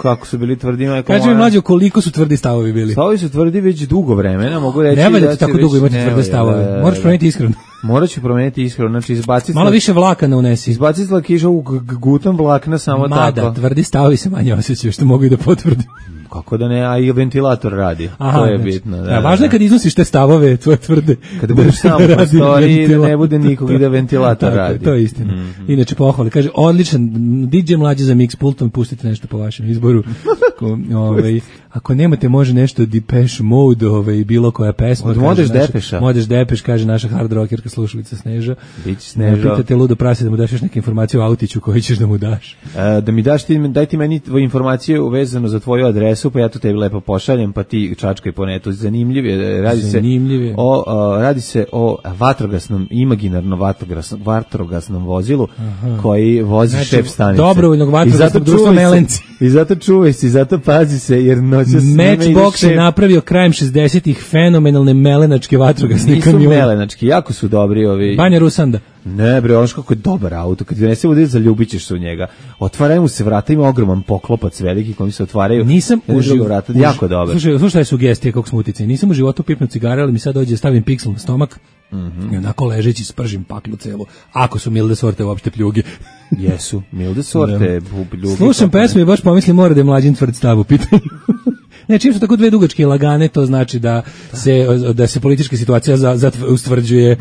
Kako su bili tvrdi. Kaži mi, Mlađo, koliko su tvrdi stavovi bili? Stavovi su tvrdi već dugo vremena, mogu reći. Ne valja ti tako dugo imati tvrde stavove. Moraš promeniti iskreno. Morat ću promeniti iskreno, znači izbaciti... Malo više vlakana unesi. Izbaciti lakiša u gutom vlakna samo tako. Mada, tvrdi stavovi se manje osjećaju, što mogu i da potvrdim. Kako da ne, a i ventilator radi. To je bitno. Važno je kad iznosiš te stavove, tvoje tvrde. Kada budeš samo po storiji, da ne bude nikog i da ventilator radi. To je istina. Inače, pohvali. Kaže, odličan, DJ Mlađe za mix pultom, pustite nešto po vašem izboru. Ako nemate, može nešto Depeche Mode, bilo koja pesma. Od Modeš Depeša. Modeš Depeš, kaže naša hard rockerka slušalica Sneža. Bići Sneža. Pitate ludo prase da mu daš još neke informacije o autiću koji ćeš da mu daš. Da mi daš, daj ti meni tvoju informaciju vezano za tvoju adresu, pa ja to tebi lepo pošaljem, pa ti čačkaj po netu. Zanimljivije. Radi se o vatrogasnom, imaginarno vatrogasnom vozilu koji vozi šef stanice. Dobrovoljnog vatrogasnog društva Melenci. I zato čuvaj se, i zato pazi se, jer Matchbox je napravio krajem 60-ih fenomenalne melenačke vatrogasne kamione. Nisu melenački, jako su dobri ovi. Banja Rusanda. Ne bre, ono kako je dobar auto, kad donese vode zaljubit ćeš se u njega. Otvaraju mu se vrata, ima ogroman poklopac veliki koji se otvaraju. Nisam uživo vrata, jako dobar. Slušaj sugestije kako smo uticali. Nisam u životu pipnuo cigare, ali mi sad dođe stavim Pixel na stomak. I onako ležeći spržim paklu celu. Ako su Milde Sorte uopšte pljuge. Jesu, Milde Sorte pljuge. Slušam pesmu i baš pomislim mora da je Mlađin tvrd stav u pitanju. Ne, čim su tako dve dugačke lagane, to znači da se politička situacija ustvrđuje,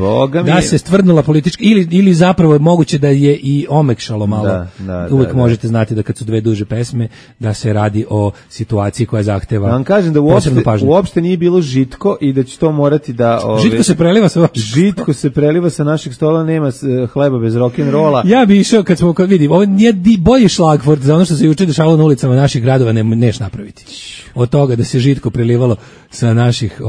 da se stvrdnula politička, ili zapravo je moguće da je i omekšalo malo. Uvijek možete znati da kad su dve duže pesme, da se radi o situaciji koja zahteva vam kažem da uopšte nije bilo žitko i da će to morati da... Žitko se preliva sa vašeg stola. Žitko se preliva sa našeg stola, nema hleba bez rock'n'rolla. Ja bi išao kad vidim, ovo nije bolji šlagvort za ono što se juče dešavalo na ulicama naših gradova, neš napraviti. Od toga da se žitko prelivalo sa naših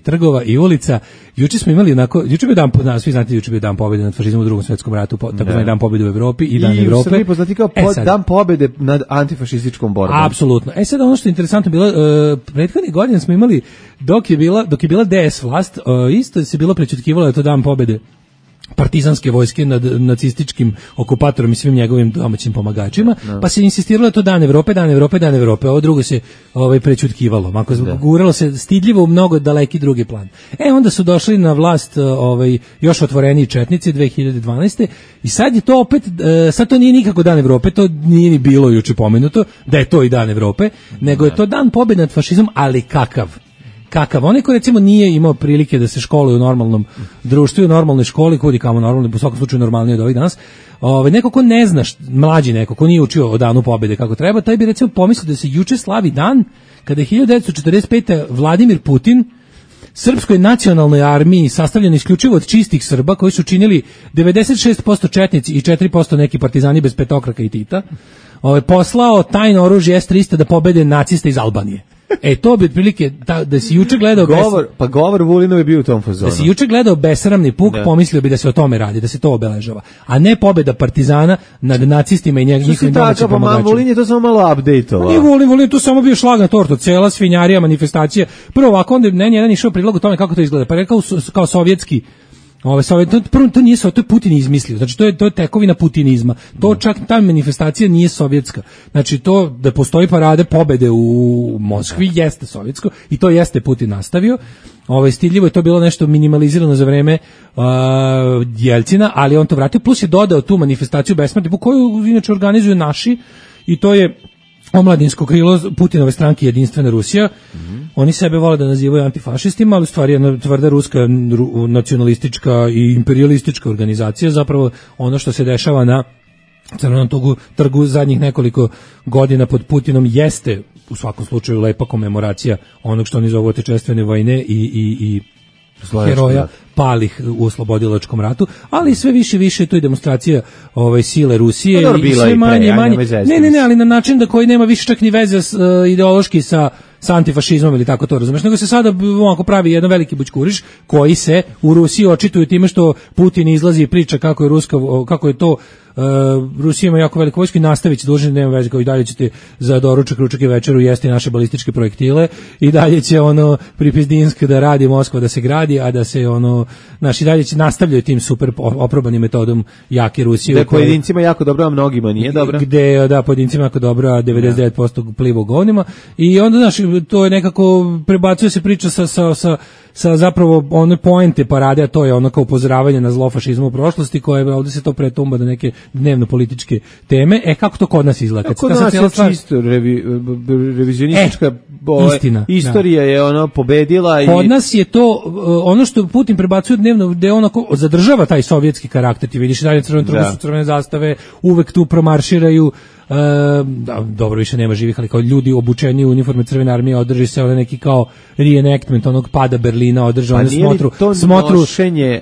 trgova i ulica. Juče smo imali juče bio dan, svi znate, juče bio dan pobjede nad fašizmom u Drugom svjetskom ratu, takozvani dan pobjede u Evropi i dan Evrope. I u Srbiji poznati kao dan pobjede nad antifašističkom borbom. Apsolutno. Sad ono što je interesantno bilo, prethodnih godina smo imali, dok je bila DS vlast, isto se bilo prećutkivalo da je to dan pobjede partizanske vojske nad nacističkim okupatorom i svim njegovim domaćim pomagačima, pa se insistiralo da to dan Evrope, ovo drugo se prećutkivalo, guralo se stidljivo u mnogo daleki drugi plan. Onda su došli na vlast još otvoreniji četnici 2012. i sad je to opet, sad to nije nikako dan Evrope, to nije ni bilo juče pomenuto da je to i dan Evrope, nego je to dan pobjede nad fašizmom, ali kakav? kakav. Onaj ko recimo nije imao prilike da se školuje u normalnom društvu, u normalnoj školi, kudi kamo normalno, u svakom slučaju normalnije od ovih danas, neko ko ne zna, mlađi neko, ko nije učio o danu pobede kako treba, taj bi recimo pomislio da se juče slavi dan kada je 1945. Vladimir Putin Srpskoj nacionalnoj armiji, sastavljena isključivo od čistih Srba, koji su činili 96% četnici i 4% neki partizani bez petokraka i Tita, poslao tajno oružje S-300 da pobede naciste iz Albanije. To bi otprilike da si juče gledao govor Vulinov je bio u tom fazonu. Da si juče gledao besramni puk, pomislio bi da se o tome radi, da se to obeležava, a ne pobeda partizana nad nacistima i njihovim domaćim pomagačima. Vulin je to samo malo update-ovao. Nije Vulin tu samo bio šlag na tortu, cela svinjarija, manifestacije. Prvo ovako, onda ne jedan išao prilog o tome kako to izgleda, pa rekao kao sovjetski. To nije to je Putin izmislio. Znači to je tekovina putinizma. To čak ta manifestacija nije sovjetska. Znači to da postoji parade pobede u Moskvi jeste sovjetsko i to jeste Putin nastavio. Stidljivo je to bilo nešto minimalizirano za vreme Jeljcina, ali on to vratio, plus je dodao tu manifestaciju besmrti koju inače organizuju naši, i to je omladinsko krilo Putinove stranke Jedinstvena Rusija. Oni sebe vole da nazivaju antifašistima, ali u stvari je tvrda ruska nacionalistička i imperialistička organizacija. Zapravo ono što se dešava na Crvenom trgu zadnjih nekoliko godina pod Putinom jeste u svakom slučaju lepa komemoracija onog što oni zovu otečestvene vojne i heroja palih u oslobodilačkom ratu, ali sve više to je demonstracija sile Rusije i sve manje. Ne, ali na način da koji nema više čak ni veze ideološki sa antifašizmom ili tako to, razumeš, nego se sada ovako pravi jedan veliki bućkuriš koji se u Rusiji očituju time što Putin izlazi i priča kako je to Rusija ima jako veliku vojsku i nastavit će, dužni, nema veze, kao i dalje ćete za doručak, ručak i večeru jesti naše balističke projektile i dalje će Pripizdinsk da radi, Moskva da se gradi, a da se naši dalje će nastavljaju tim super oprobanim metodom jake Rusije. Gde pojedincima jako dobro, a mnogima nije dobro. Gde, pojedincima jako dobro, a 99% pliva u govnima. I onda, znaš, to je nekako, prebacuje se priča sa zapravo one poente parade, a to je ono kao upozoravanje na zlo fašizma u prošlosti, koje ovdje se to pretumba da neke dnevno političke teme. Kako to kod nas izgleda? Kod nas je čisto revizionistička istorija je pobedila. Kod nas je to ono što Putin prebacuje dnevno, gde on zadržava taj sovjetski karakter. Ti vidiš dalje crvene zastave, uvek tu promarširaju. Dobro, više nema živih, ali kao ljudi obučeni u uniforme Crvene armije, održi se neki kao reenactment onog pada Berlina, održao one smotru. Nošenje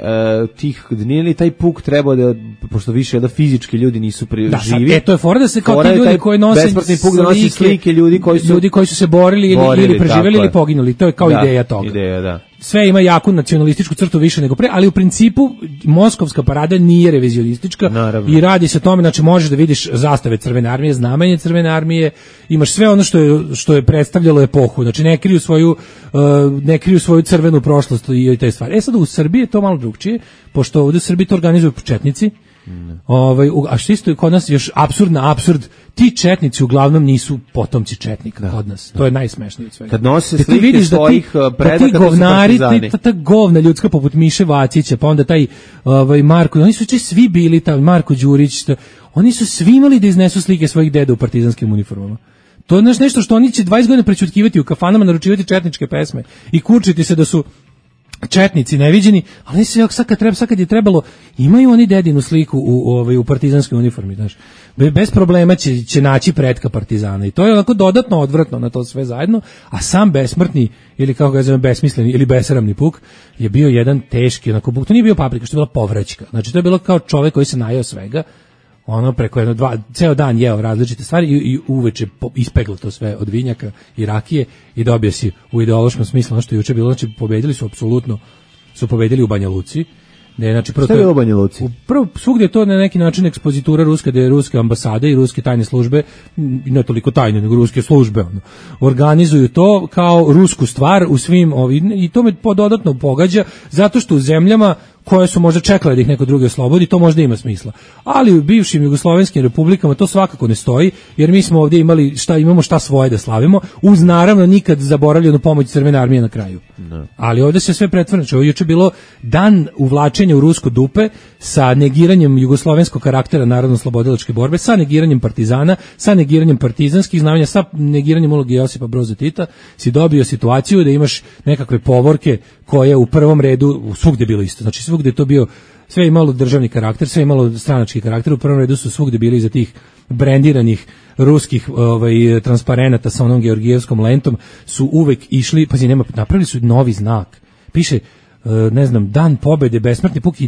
tih, nije li taj puk trebao da, pošto više da fizički ljudi nisu živi. To je fora da se kao ti ljudi koji nose besplatni puk da nosi slike ljudi koji su se borili ili preživjeli ili poginuli. To je kao ideja toga. Ideja. Sve ima jaku nacionalističku crtu više nego pre, ali u principu moskovska parada nije revizionistička. Naravno. I radi se o tome, znači možeš da vidiš zastave Crvene armije, znamenje Crvene armije, imaš sve ono što je predstavljalo epohu, znači ne kriju svoju crvenu prošlost i te stvari. Sad u Srbiji je to malo drugčije, pošto ovdje u Srbiji to organizuju četnici. A što isto je kod nas još apsurd, ti četnici uglavnom nisu potomci četnika kod nas. To je najsmešnije od svega. Kad nose slike svojih predaka, to su partizani. Ta govna ljudska poput Miše Vacića, pa onda taj Marko, oni su svi bili tamo, Marko Đurić, oni su svi imali da iznesu slike svojih deda u partizanskim uniformama. To je nešto što oni će 20 godina prećutkivati u kafanama, naručivati četničke pesme i kurčiti se da su četnici neviđeni, ali sad kad je trebalo, imaju oni dedinu sliku u partizanskoj uniformi, znaš. Bez problema će naći pretka partizana i to je onako dodatno odvratno na to sve zajedno, a sam besmrtni ili kako ga zovem besmisleni ili besramni puk je bio jedan teški onako puk, to nije bio paprika, što je bila povraćka, znači to je bilo kao čovjek koji se najeo svega, preko ceo dan jeo različite stvari i uveče ispeglo to sve od vinjaka i rakije i dobio si u ideološkom smislu ono što je juče bilo, znači pobedili u Banja Luci. Znači, šta je bilo u Banja Luci? Prvo, svugdje je to na neki način ekspozitura ruska, gde je ruske ambasade i ruske tajne službe, ne toliko tajne, nego ruske službe, organizuju to kao rusku stvar u svim ovim, i to me dodatno pogađa, zato što u zemljama koje su možda čekale da ih neko drugi oslobodi, to možda ima smisla. Ali u bivšim jugoslovenskim republikama to svakako ne stoji, jer mi smo ovdje imamo šta svoje da slavimo, uz naravno nikad zaboravljenu pomoć Crvene armije na kraju. No. Ali ovdje se sve pretvara. Ovo juče bilo dan uvlačenja u rusko dupe sa negiranjem jugoslovenskog karaktera narodno-slobodilačke borbe, sa negiranjem partizana, sa negiranjem partizanskih znamenja, sa negiranjem uloge Josipa Broza Tita, si dobio situaciju da imaš nekakve povorke koje u prvom redu svugde bilo isto. Znači svugde je to bio, sve imalo državni karakter, sve imalo stranački karakter, u prvom redu su svugde bili iza tih brendiranih ruskih transparenata sa onom georgijevskom lentom su uvek išli, pazi, napravili su novi znak. Piše, ne znam, Dan pobede, besmrtni puk,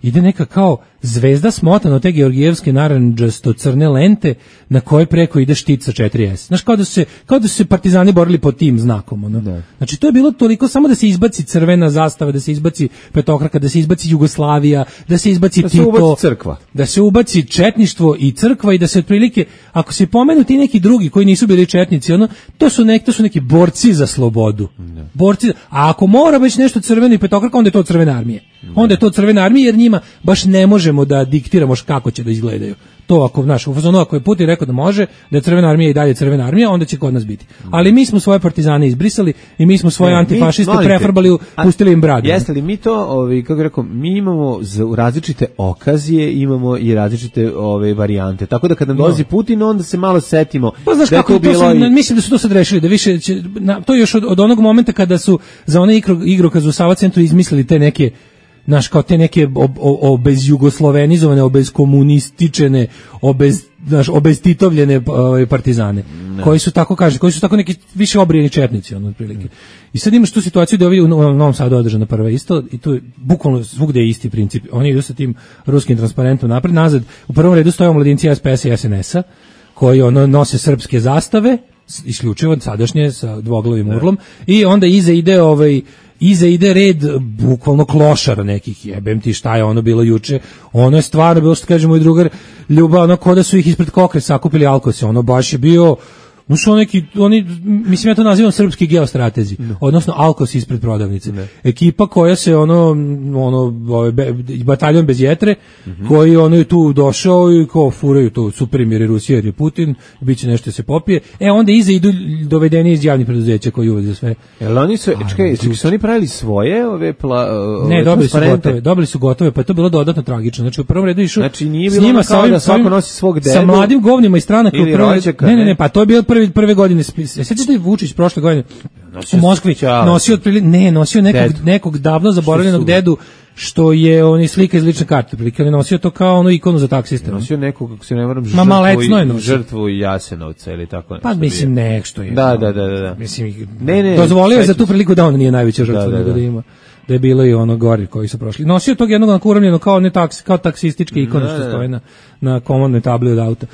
ide neka kao zvezda smotana od te georgijevske narandžasto-crne lente na koje preko ide štit sa 4S. Znaš, kao da su se partizani borili pod tim znakom. Ono. Da. Znači, to je bilo toliko samo da se izbaci crvena zastava, da se izbaci petokraka, da se izbaci Jugoslavija, da se izbaci Tito. Da se ubaci crkva. Da se ubaci četništvo i crkva i da se otprilike, ako se pomenu ti neki drugi koji nisu bili četnici, ono, to su neki borci za slobodu. Da. A ako mora već nešto crveno i petokraka, onda je to Crvena armija. Onda je to Crvena armija, jer njima baš ne možemo da diktiramo kako će da izgledaju. To ako, znaš, u fazonu ako je Putin rekao da može, da je Crvena armija i dalje Crvena armija, onda će kod nas biti. Ali mi smo svoje partizane izbrisali i mi smo svoje antifašiste prefarbali, pustili im bradu. Jeste li mi to, kako rekao, mi imamo različite okazije, imamo i različite varijante. Tako da kad nam dolazi Putin, onda se malo setimo. Pa znaš kako bilo mislim da su to sad rešili, da više će, to još od onog momenta kada su za one igrokaz u Sava centru izmislili te neke, znaš, kao te neke obezjugoslovenizovane, obezkomunističene, obeztitovljene partizane, koji su tako neki više obrijeni četnici, ono, otprilike. I sad imaš tu situaciju da ovi u Novom Sadu održana prva isto, i tu je bukvalno svugde je isti princip. Oni idu sa tim ruskim transparentom napred, nazad. U prvom redu stoje omladinci SPS i SNS-a, koji nose srpske zastave, isključivo sadašnje sa dvoglavim urlom, i onda iza ide red bukvalno klošara nekih, jebem ti šta je ono bilo juče, ono je stvarno bilo, što kaže moj drugar Ljuba, ono ko da su ih ispred Kokre sakupili alkose, ono baš je bio, mislim ja to nazivam srpski geostratezi, odnosno alkos ispred prodavnice. Ekipa koja se bataljon bez jetre, koji je tu došao i kao furaju to super mir je Rusija jer je Putin, bit će nešto se popije. Onda iza idu dovedeni iz javnih preduzeća koji uvek za sve. Jel oni su, su oni pravili svoje ne, dobili su gotove, pa je to bilo dodatno tragično. Znači u prvom redu išao, znači nije bilo kao da svako nosi svog dedu, sa mladim govnima i stranaka u prvom redu. Ne, pa to je bilo prve godine. Sećaš da je Vučić prošle godine u Moskvi nosio nekog davno zaboravljenog dedu, što je on slika iz lične karte, prilike, on nosio to kao onu ikonu za taksiste. Nosio nekog, kako se ne varam, žrtvu Jasenovca ili tako nešto. Pa mislim nešto je. Da. Mislim, dozvolio je za tu priliku da on nije najveća žrtva, nego da ima. Da je bilo i ono gori koji su prošli. Nosio tog jednog uramljeno kao taksističke ikone što stoje na komandnoj tabli od auta.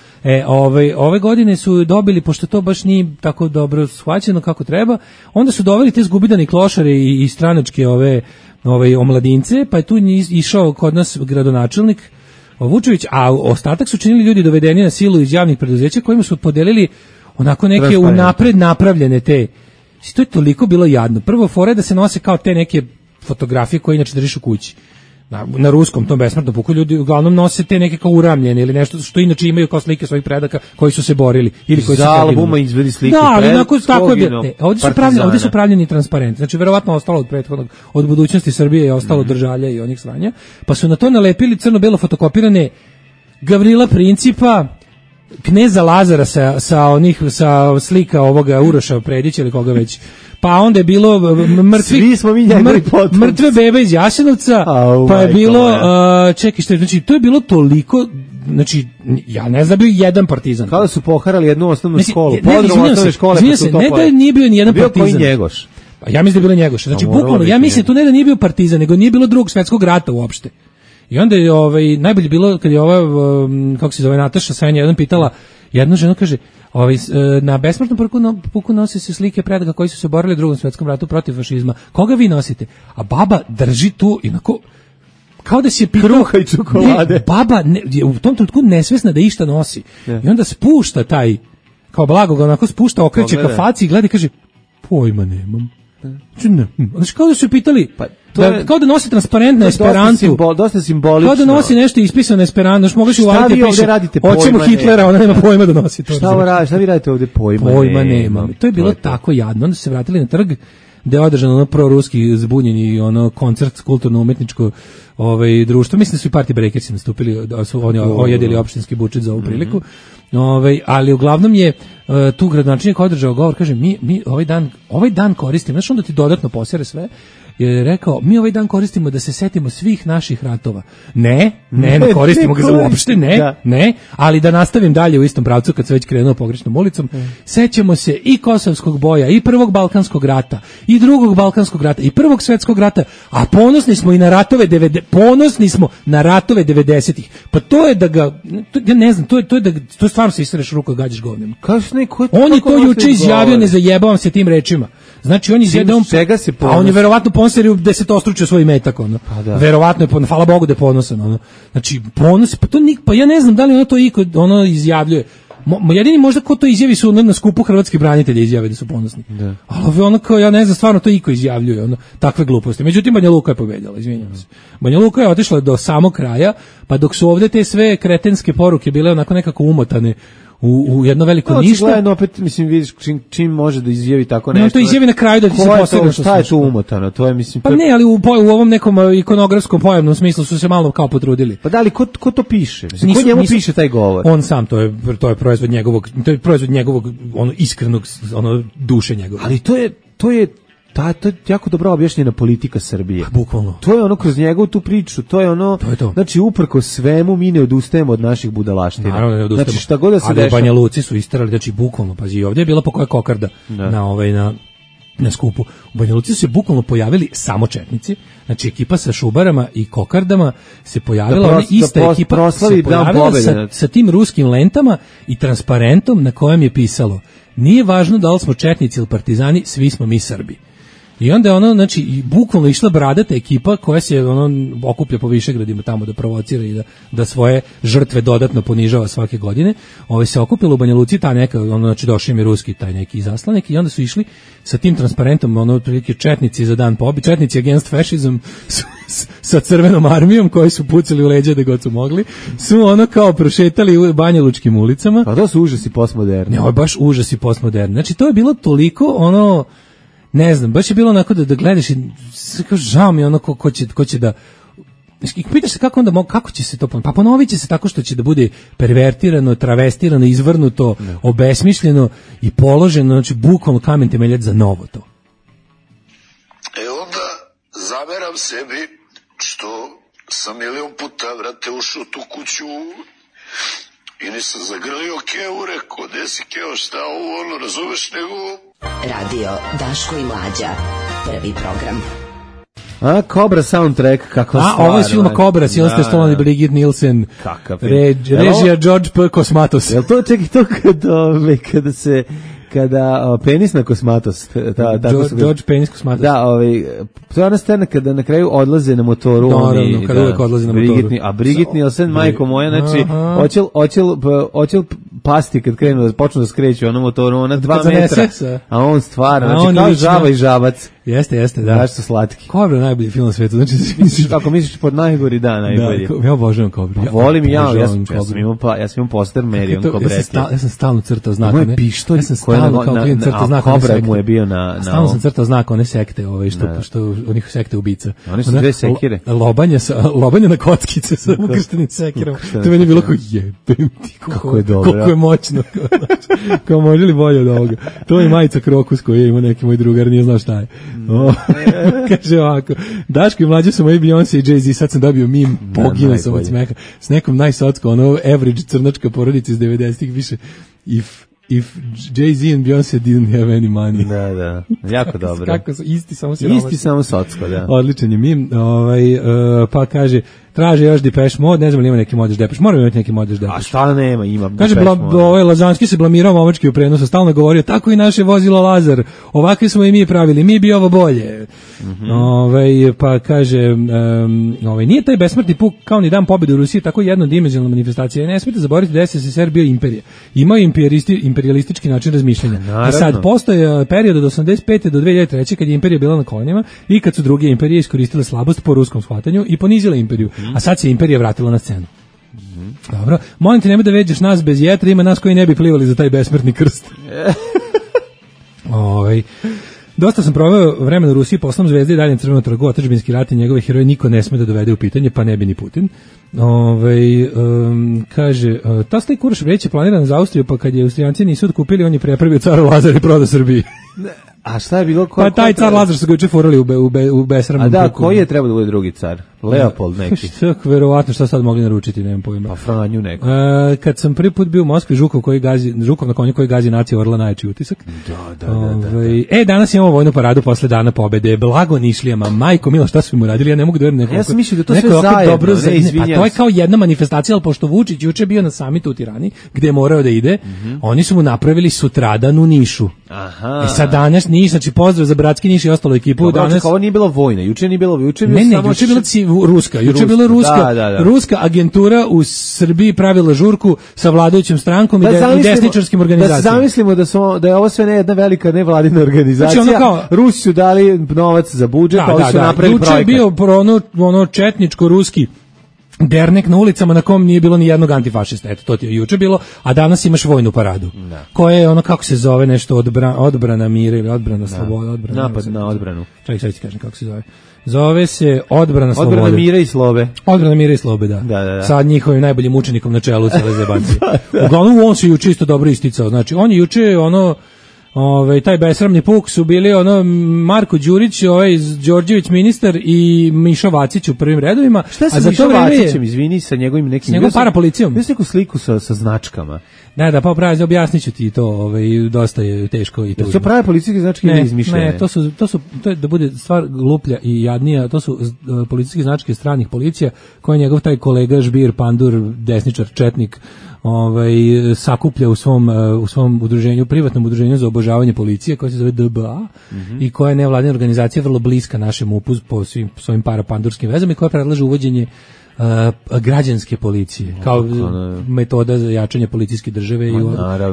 Ove godine su dobili, pošto to baš nije tako dobro shvaćeno kako treba, onda su doveli te zgubidane klošare i stranačke omladince, pa je tu išao kod nas gradonačelnik Vučević, a ostatak su činili ljudi dovedeni na silu iz javnih preduzeća kojima su podelili onako neke unapred napravljene te. To je toliko bilo jadno. Prvo fore da se nose kao te neke fotografije koje inače držiš u kući. Na ruskom tom besmrtnom puku ljudi uglavnom nose te neke kao uramljene ili nešto što inače imaju kao slike svojih predaka koji su se borili ili koji su za albuma izvedi slike. Da, ali tako je. Ovdje su pravljeni transparenti. Znači verovatno ostalo od prethodnog, od budućnosti Srbije je ostalo držalja i onih sranja, pa su na to nalepili crno-belo fotokopirane Gavrila Principa, kneza Lazara sa slika ovoga Uroša Predića ili koga već. Pa onda je bilo mrtve bebe iz Jasenovca, pa je bilo znači to je bilo toliko, znači ja ne znam bio jedan partizan. Kada su poharali jednu osnovnu školu, ne da nije bio ni jedan partizan. Bio koji Njegoš. Pa ja mislim da je bilo Njegoš. Znači bukvalno ja mislim tu ne da nije bio partizan, nego nije bilo Drugog svjetskog rata uopšte. I onda je najbolje bilo kad je kako se zove Nataša Sanja jedan pitala jednu ženu, kaže na besmrtnom puku nosi se slike predaka koji su se borili u Drugom svjetskom ratu protiv fašizma. Koga vi nosite? A baba drži tu inako kao da si je pitao kruha i čokolade. Baba je u tom trenutku nesvesna da išta nosi. I onda spušta taj, kao blago ga onako spušta, okreće ka faci i gleda i kaže, pojma nemam. Znači, kao da su pitali, kao da nosi transparent na Esperantu. Dosta simbolično. Kao da nosi nešto ispisano na Esperantu. Znači, mogli uvaliti piše, hoćemo Hitlera, ona nema pojma da nosi to. Šta vi radite ovde? Pojma nema. To je bilo tako jadno. Onda su se vratili na trg, gde je održano ono proruski zbunjeni ono koncert kulturno-umetničko društvo. Mislim da su i Party Breakersi nastupili, da su oni ojedili opštinski budžet za ovu priliku. Ali uglavnom je tu gradonačelnik održao govor, kaže mi ovaj dan koristimo, znači onda ti dodatno posere sve, je rekao, mi ovaj dan koristimo da se setimo svih naših ratova. Ne koristimo ga za uopšte, ne, ali da nastavim dalje u istom pravcu kad se već krenuo pogrešnom ulicom, sećamo se i Kosovskog boja, i Prvog Balkanskog rata, i Drugog Balkanskog rata, i Prvog svetskog rata, a ponosni smo i na ratove 90-ih. Pa to je da ga, ja ne znam, to je stvarno se istreš ruku da gađaš govnima. On je to juče izjavio, ne zajebavam se tim rečima. Znači on izjavio, a on je verovatno ponosio desetostručio svoj metak, ono. Verovatno je, hvala Bogu da je ponosan, ono. Znači ponos, pa ja ne znam da li ono to iko ono izjavljuje. Jedini možda ko to izjavi su na skupu hrvatskih branitelja izjave da su ponosni. Ali ono kao, ja ne znam, stvarno to iko izjavljuje, ono, takve gluposti. Međutim, Banja Luka je pobedila, izvinjavam se. Banja Luka je otišla do samog kraja, pa dok su ovde te sve kretenske poruke bile onako nekako umotane u jedno veliko ništa. Očigledno opet, mislim, vidiš čim može da izjavi tako nešto. No, to izjavi na kraju da ti se posebno što šta je tu umotano, to je, mislim... Pa ne, ali u ovom nekom ikonografskom pojavnom smislu su se malo kao potrudili. Pa da li, ko to piše? Mislim, ko njemu piše taj govor? On sam, to je proizvod njegovog, ono, iskrenog, ono, duše njegove. Ali to je jako dobro objašnjena politika Srbije. Bukvalno. To je ono kroz njegovu tu priču, to je ono, znači uprko svemu mi ne odustajemo od naših budalaština. Naravno ne odustajemo. Znači šta god da se dešava. Ali Banja Luci su isterali, znači bukvalno, pazi, ovdje je bila po koja kokarda na skupu. U Banja Luci su se bukvalno pojavili samo četnici, znači ekipa sa šubarama i kokardama se pojavila, ona ista ekipa se pojavila sa tim ruskim lentama i transparentom na kojem je pisalo: nije važno da li smo četnici ili partizani, svi smo mi Srbi. I onda je ono, znači, i bukvalno išla bradata ekipa koja se okuplja po Višegradima tamo da provocira i da svoje žrtve dodatno ponižava svake godine. Se okupila u Banja Luci ta neka, znači došao im je ruski taj neki izaslanik i onda su išli sa tim transparentom, otprilike četnici za dan pobjede, četnici against fascism sa crvenom armijom koji su pucali u leđa da god su mogli, su kao prošetali u banjalučkim ulicama. Pa to su užasi postmoderni. Ne, ovo je baš užasi postmoderni. Znači, to je bilo toliko ne znam, baš je bilo onako da gledaš i žao mi ono ko će da... Pitaš se kako će se to ponoviti? Pa ponovit će se tako što će da bude pervertirano, travestirano, izvrnuto, obesmišljeno i položeno, znači bukvalno kamen temeljac za novo to. Onda zameram sebi što sam milion puta, vrate, ušao tu kuću i nisam zagrlio Keo, rekao, desi Keo, šta ovo, razumeš, nego... Radio Daško i Mlađa, prvi program. Cobra soundtrack, kakva stvar. Ovo je film Cobra, Sylvester Stallone i Brigitte Nielsen. Kakav režija George P. Kosmatos. Jel to, čekaj, to kada penis na kosmatost, George penis kosmatost. Da, to je ona scena kada na kraju odlaze na motoru. Naravno, kada uvek odlaze na motoru. A Brigitte Nielsen, majko moja, znači, oćel pasti kad počnu da skreću ono motoru, ona 2 metra, a on stvara, znači kao žaba i žabac. Jeste, da. Znaš su slatki. Cobra je najbolji film na svetu. Znači, ako misliš pod najgori, najbolji. Da, ja obožavam Cobra. Volim i ja sam imao poster Marion Cobrete. Ja sam stalno crtao znak. Moje pištolj koji na Cobra mu je bio na... Stalno sam crtao znak one sekte, što onih sekte ubica. Oni su dve sekire. Lobanje na kockice sa ukrštenim sekirom. To meni je bilo kao jebem ti. Kako je dobro. Koliko je moćno. Kao može li bolje od ovoga. To je majica Krokus koju je imao neki moj drugar, nije znao šta je. Kaže ovako: Daško i Mlađa su moji Beyoncé i Jay-Z, sad sam dobio mim, poginuo sam od smeha s nekom najsocko, average crnačka porodica iz 90-ih, više if Jay-Z and Beyoncé didn't have any money. Da, jako dobro. Kako su, isti samo socko, da. Odličan je mim, pa kaže, traže još Depeche Mode, ne znam li ima neki Modeš Depeche, moramo imati neki Modeš Depeche. A šta nema, ima. Kaže, Lazanski se blamirao momački u prenosu, stalno govorio, tako i naše vozilo Lazar, ovakvi smo i mi pravili, mi bi ovo bolje. Pa kaže, nije taj besmrtni puk kao ni dan pobjede u Rusiji tako jednodimenzionalna manifestacija. Ne smijete zaboraviti da je SSSR bio imperija. Imao imperijalistički način razmišljanja. I sad postoje period od 85. do 2003. kad je imperija bila na kolenima i kad su druge imperije iskoristile slabost po ruskom shvatanju i ponizile imperiju. A sad se imperija vratila na scenu. Dobro, molim te, nemoj da veđeš nas bez jetra, ima nas koji ne bi plivali za taj besmrtni krst. Dosta sam proveo vremena u Rusiji, poslom Zvezde i dalje Crvenom trgu, otadžbinski rat i njegove heroje niko ne sme da dovede u pitanje, pa ne bi ni Putin. Kaže, ta staj Kuraš već je planiran za Austriju, pa kad je Austrijanci nisu otkupili, on je prepravio car Lazar i prodao Srbiji. A šta je bilo? Pa taj car Lazar su ga juče furali u besramnom puku. A da, koji je trebao da bude drugi car? Leopold neki. Verovatno šta sad mogli naručiti, nemam pojma. Pa Franju neko. Kad sam prvi put bio u Moskvi, Žukov na konju koji gazi nacija Orla, najjači utisak. Da. Danas imamo vojnu paradu posle dana pobede, blago Nišlijama, majko milo, šta su mu radili, ja ne mogu da verujem. Ja sam mislio da to sve zajedno, pa to je kao jedna manifestacija, ali pošto Vučić juče bio na samitu u Tirani, gde je morao da ide, oni su mu napravili sutradan u Nišu. Aha. Sad danas Niš, znači pozdrav za bratski Niš i ostalu ekipu. Danas ovo nije bilo vojna, juče nije bilo, juče je bilo ruska. Juče je bila ruska agentura u Srbiji pravila žurku sa vladajućom strankom i desničarskim organizacijama. Da zamislimo da je ovo sve jedna velika nevladina organizacija. Znači Rusi su dali novac za budžet, pa oni su napravili projekat. Juče je bio ono četničko-ruski dernek na ulicama na kom nije bilo ni jednog antifašista. Eto, to ti je juče bilo, a danas imaš vojnu paradu. Koja je ono, kako se zove, nešto odbrana mira ili odbrana slobode. Napad na odbranu. Čekaj, ti kažem kako se zove. Zove se odbrana slobode. Odbrana mira i slobe. Odbrana mira i slobe, da. Sa njihovim najboljim učenikom na čelu cele zebancije. Uglavnom on se juče isto dobro isticao. Znači, on je juče taj besramni puk su bili Marko Đurić, Đorđević ministar i Mišo Vacić u prvim redovima. Šta se Mišo Vacićem, izvini, sa njegovim nekim... S njegovom parapolicijom. Bio sam neku sliku sa značkama. Da, pa pravi, objasnit ću ti to, dosta je teško i tužno. To prave policijske značke ili izmišljene? Ne, to je da bude stvar gluplja i jadnija, to su policijske značke stranih policija, koje je njegov taj kolega Žbir, pandur, desničar, četnik, sakuplja u svom udruženju, privatnom udruženju za obožavanje policije, koje se zove DBA i koja je nevladina organizacija vrlo bliska našem MUP-u po svojim parapandurskim vezama i koja predlaže uvođenje građanske policije kao metoda za jačanje policijske države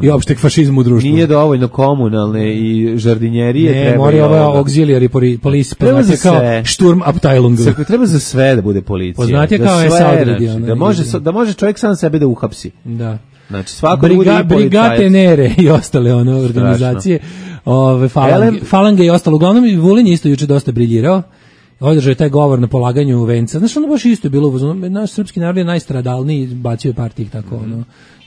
i opšteg fašizma u društvu. Nije dovoljno komunalne i žardinjerije. Ne, mora ova auxiliary police, poznate kao Sturmabteilung. Treba za sve da bude policija. Poznate kao SA odredi. Da može čovjek sam sebe da uhapsi. Da. Znači svako bude i policajac. Brigate Nere i ostale organizacije. Falange i ostalo. Uglavnom i Vulin isto juče dosta briljirao. Održao je taj govor na polaganju venca. Znaš, ono baš isto je bilo, naš srpski narod je najstradalniji, bacio je par tih tako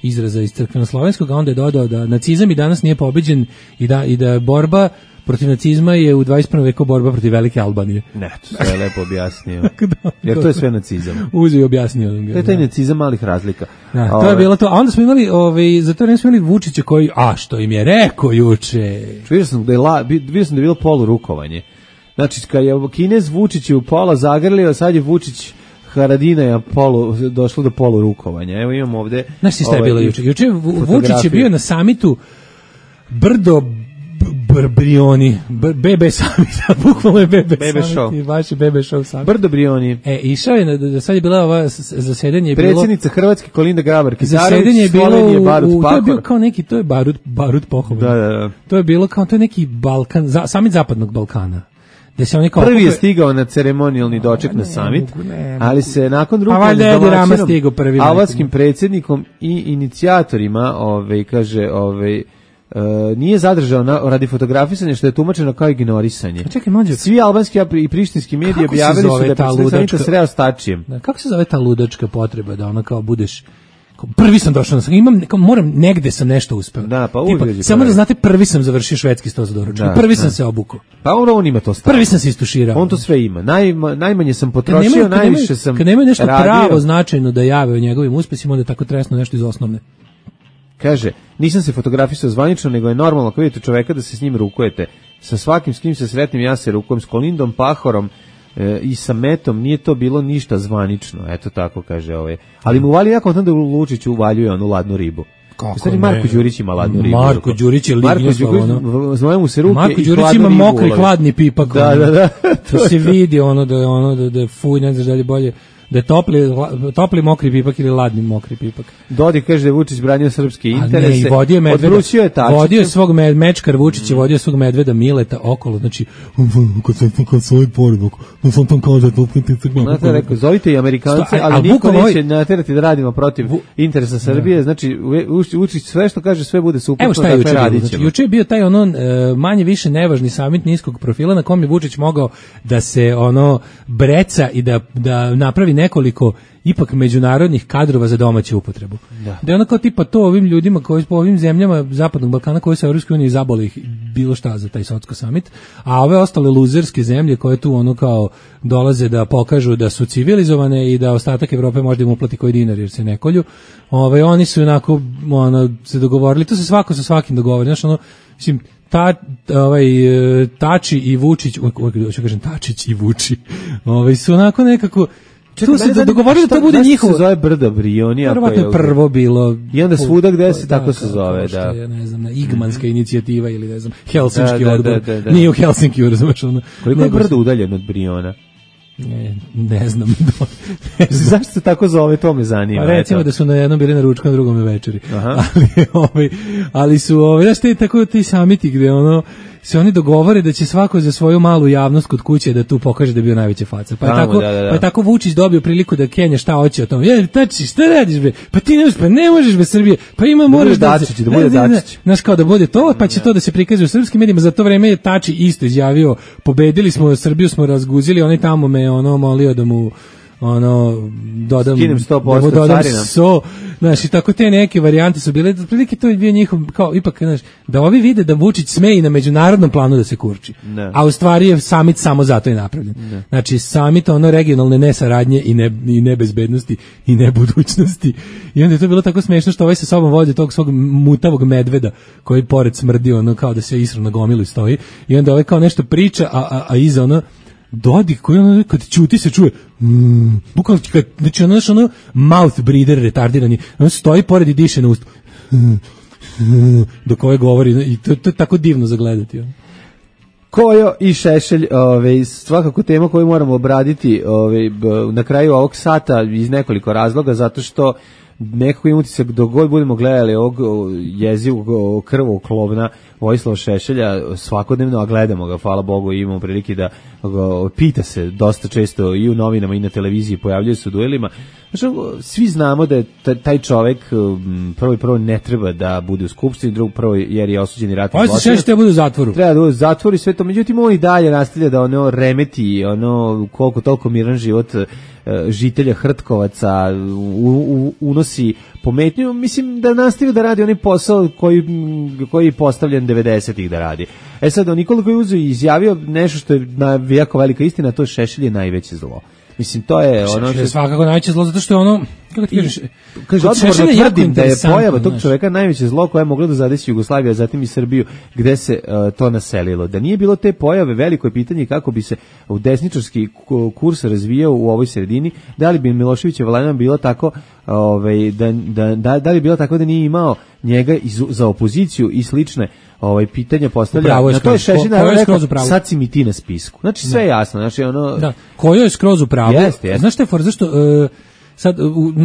izraza iz crkveno-slovenskog, a onda je dodao da nacizam i danas nije pobeđen i da borba protiv nacizma je u 21. veku borba protiv Velike Albanije. Ne, to sve je lepo objasnio. Jer to je sve nacizam. Uzeo i objasnio. To je taj nacizam malih razlika. Da, to je bilo to. A onda smo imali, za to vreme smo imali Vučića koji, što im je rekao juče. Vidio sam da je bilo polurukovanje. Znači, kad je Kinez Vučić u pola zagrlio, sad je Vučić Haradinaja došlo do polurukovanja. Evo imamo ovde... Znaš ti šta je bilo juče? Juče Vučić je bio na samitu Brdo Brioni, Bebe Summit, bukvalno je Bebe Summit, baš je Bebe Show Summit. Brdo Brioni. Išao je, sad je bila ova zasedanje. Predsjednica Hrvatske Kolinda Grabar-Kitarović, zasedanje je bilo, to je bio kao neki, to je Barut Pohovan. Da. To je bilo kao, to je neki Balkan, Summit Zapadnog Balkana. Prvi je stigao na ceremonijalni doček na summit, ali se nakon rukovanja s domaćinom, albanskim predsjednikom i inicijatorima, kaže, nije zadržao radi fotografisanja, što je tumačeno kao ignorisanje. Čekaj, mlađe. Svi albanski i prištinski mediji objavili su da je predsjednik samita sreo s tačijem. Kako se zove ta ludačka potreba da ona kao budeš... Prvi sam došao, moram, negde sam nešto uspeo. Da, pa samo da znate, prvi sam završio švedski sto za doručak. Prvi sam se obukao. Pa on ima to stavno. Prvi sam se istuširao. On to sve ima. Najmanje sam potrošio, najviše sam radio. Kad nemaju nešto pravo značajno da jave o njegovim uspesima, onda je tako tresno nešto iz osnovne. Kaže, nisam se fotografisao zvanično, nego je normalno ako vidite čoveka da se s njim rukujete. Sa svakim s kim se sretnim, ja se rukujem s Kolindom Pahorom, i sa metom nije to bilo ništa zvanično, eto tako kaže ovaj. Ali mu vali jako onda Lučić uvaljuje onu ladnu ribu. Kako ne? Marko Đurić ima ladnu ribu. Marko Đurić je lignio znaju mu se ruke. Marko Đurić ima mokri hladni pipak. Da. To se vidi da fuj, ne znaš da li bolje da je topli mokri pipak ili ladni mokri pipak. Dodik kaže da je Vučić branio srpske interese. Ne, i vodio Medveda. Odvrućio je Tačića. Vodio svog Mečkar Vučić je vodio svog Medveda Mileta okolo. Znači, kad svoj poredak, da sam tam kaže to pritisnemo. Znate, rekao, zovite i Amerikance, ali niko neće naterati da radimo protiv interesa Srbije. Znači, Vučić sve što kaže, sve bude suprotno. Evo šta je juče. Juče je bio taj manje više nevažni samit niskog profila na kom je Vučić mogao da se breca i da napravi nekoliko ipak međunarodnih kadrova za domaću upotrebu. Da je ono kao tipa to ovim ljudima koji po ovim zemljama Zapadnog Balkana koji su u Evropskoj uniji zabole ih bilo šta za taj Sotsko summit, a ove ostale luzerske zemlje koje tu kao dolaze da pokažu da su civilizovane i da ostatak Evrope možda im uplati koji dinar jer se ne kolju, oni su onako se dogovorili, to se svako sa svakim dogovori, znači mislim Tači i Vučić, hoću kažem Tačić i Vuči, su onako nekako tu se dogovorili da to bude njihovo. Se zove brda Brioni, verovatno je prvo bilo. I onda svuda gde se tako se zove, da. Ne znam, Igmanska inicijativa ili ne znam, Helsinški odbor. Nije u Helsinkiju, razumeš ono. Koliko je brdo udaljeno od Briona? Ne znam. Zašto se tako zove, to me zanima. Pa recimo da su na jednom bili na ručku, na drugom večeri. Ali su znaš tako ti samiti gde se oni dogovore da će svako za svoju malu javnost kod kuće da tu pokaže da je bio najveća faca. Pa je tako Vučić dobio priliku da Kenja šta hoće o tom. Tači, šta radiš bre? Pa ti ne možeš bez Srbije. Pa moraš da bude Dačić. Znaš kao da bude to, pa će to da se prikazuje u srpskim medijima. Za to vreme je Tači isto izjavio, pobedili smo Srbiju, smo razguzili, oni tamo me molio da mu dodam 100% carina. Znaš, i tako te neke varijante su bile, prilike to je bio njihov, kao ipak, znaš, da ovi vide da Vučić sme i na međunarodnom planu da se kurči. A u stvari je samit samo zato je napravljen. Znači, samit regionalne nesaradnje i nebezbednosti i nebudućnosti. I onda je to bilo tako smešno što ovaj sa sobom vodi tog svog mutavog medveda koji pored smrdi, kao da se isro na gomilu i stoji. I onda ovaj kao nešto priča, a iza Dodik koji kad ćuti se čuje bukvalno znači mouth breather retardirani, stoji pored i diše na usta dok ovaj govori i to je tako divno za gledati. Kojo i Šešelj, svakako tema koju moramo obraditi na kraju ovog sata iz nekoliko razloga, zato što nekako imam utisak dok god budemo gledali ovog jezivog krvoklovna Vojislava Šešelja svakodnevno, a gledamo ga, hvala Bogu, i imamo prilike da pita se dosta često i u novinama i na televiziji, pojavljaju se u duelima. Znači, svi znamo da je taj čovek prvo ne treba da bude u skupštini, drugo jer je osuđeni ratni zločinac. Šešelj treba bude u zatvoru. Treba da bude u zatvoru i sve to, međutim on i dalje nastavlja da remeti koliko toliko miran život žitelja Hrtkovaca, unosi pometnju, mislim da nastavio da radi onaj posao koji je postavljen 90-ih da radi. Sad, Nikola koji uzeo i izjavio nešto što je jako velika istina, to Šešelj je najveće zlo. Mislim, to je Šešelj je svakako najveće zlo, zato što je kako ti kažeš, odgovorno tvrdim da je pojava tog čoveka najveće zlo koje je moglo da zadesi Jugoslaviju, a zatim i Srbiju, gde se to naselilo. Da nije bilo te pojave, veliko je pitanje kako bi se u desničarski kurs razvijao u ovoj sredini, da li bi Miloševićeva vladavina bila tako, da li bila tako da nije imao njega za opoziciju i slične pitanja postavlja. Na to je Šešelj rekao, sad si mi ti na spisku. Znači sve je jasno, znači Da, Kojo je skroz u pravu. Znaš šta je for, zašto sad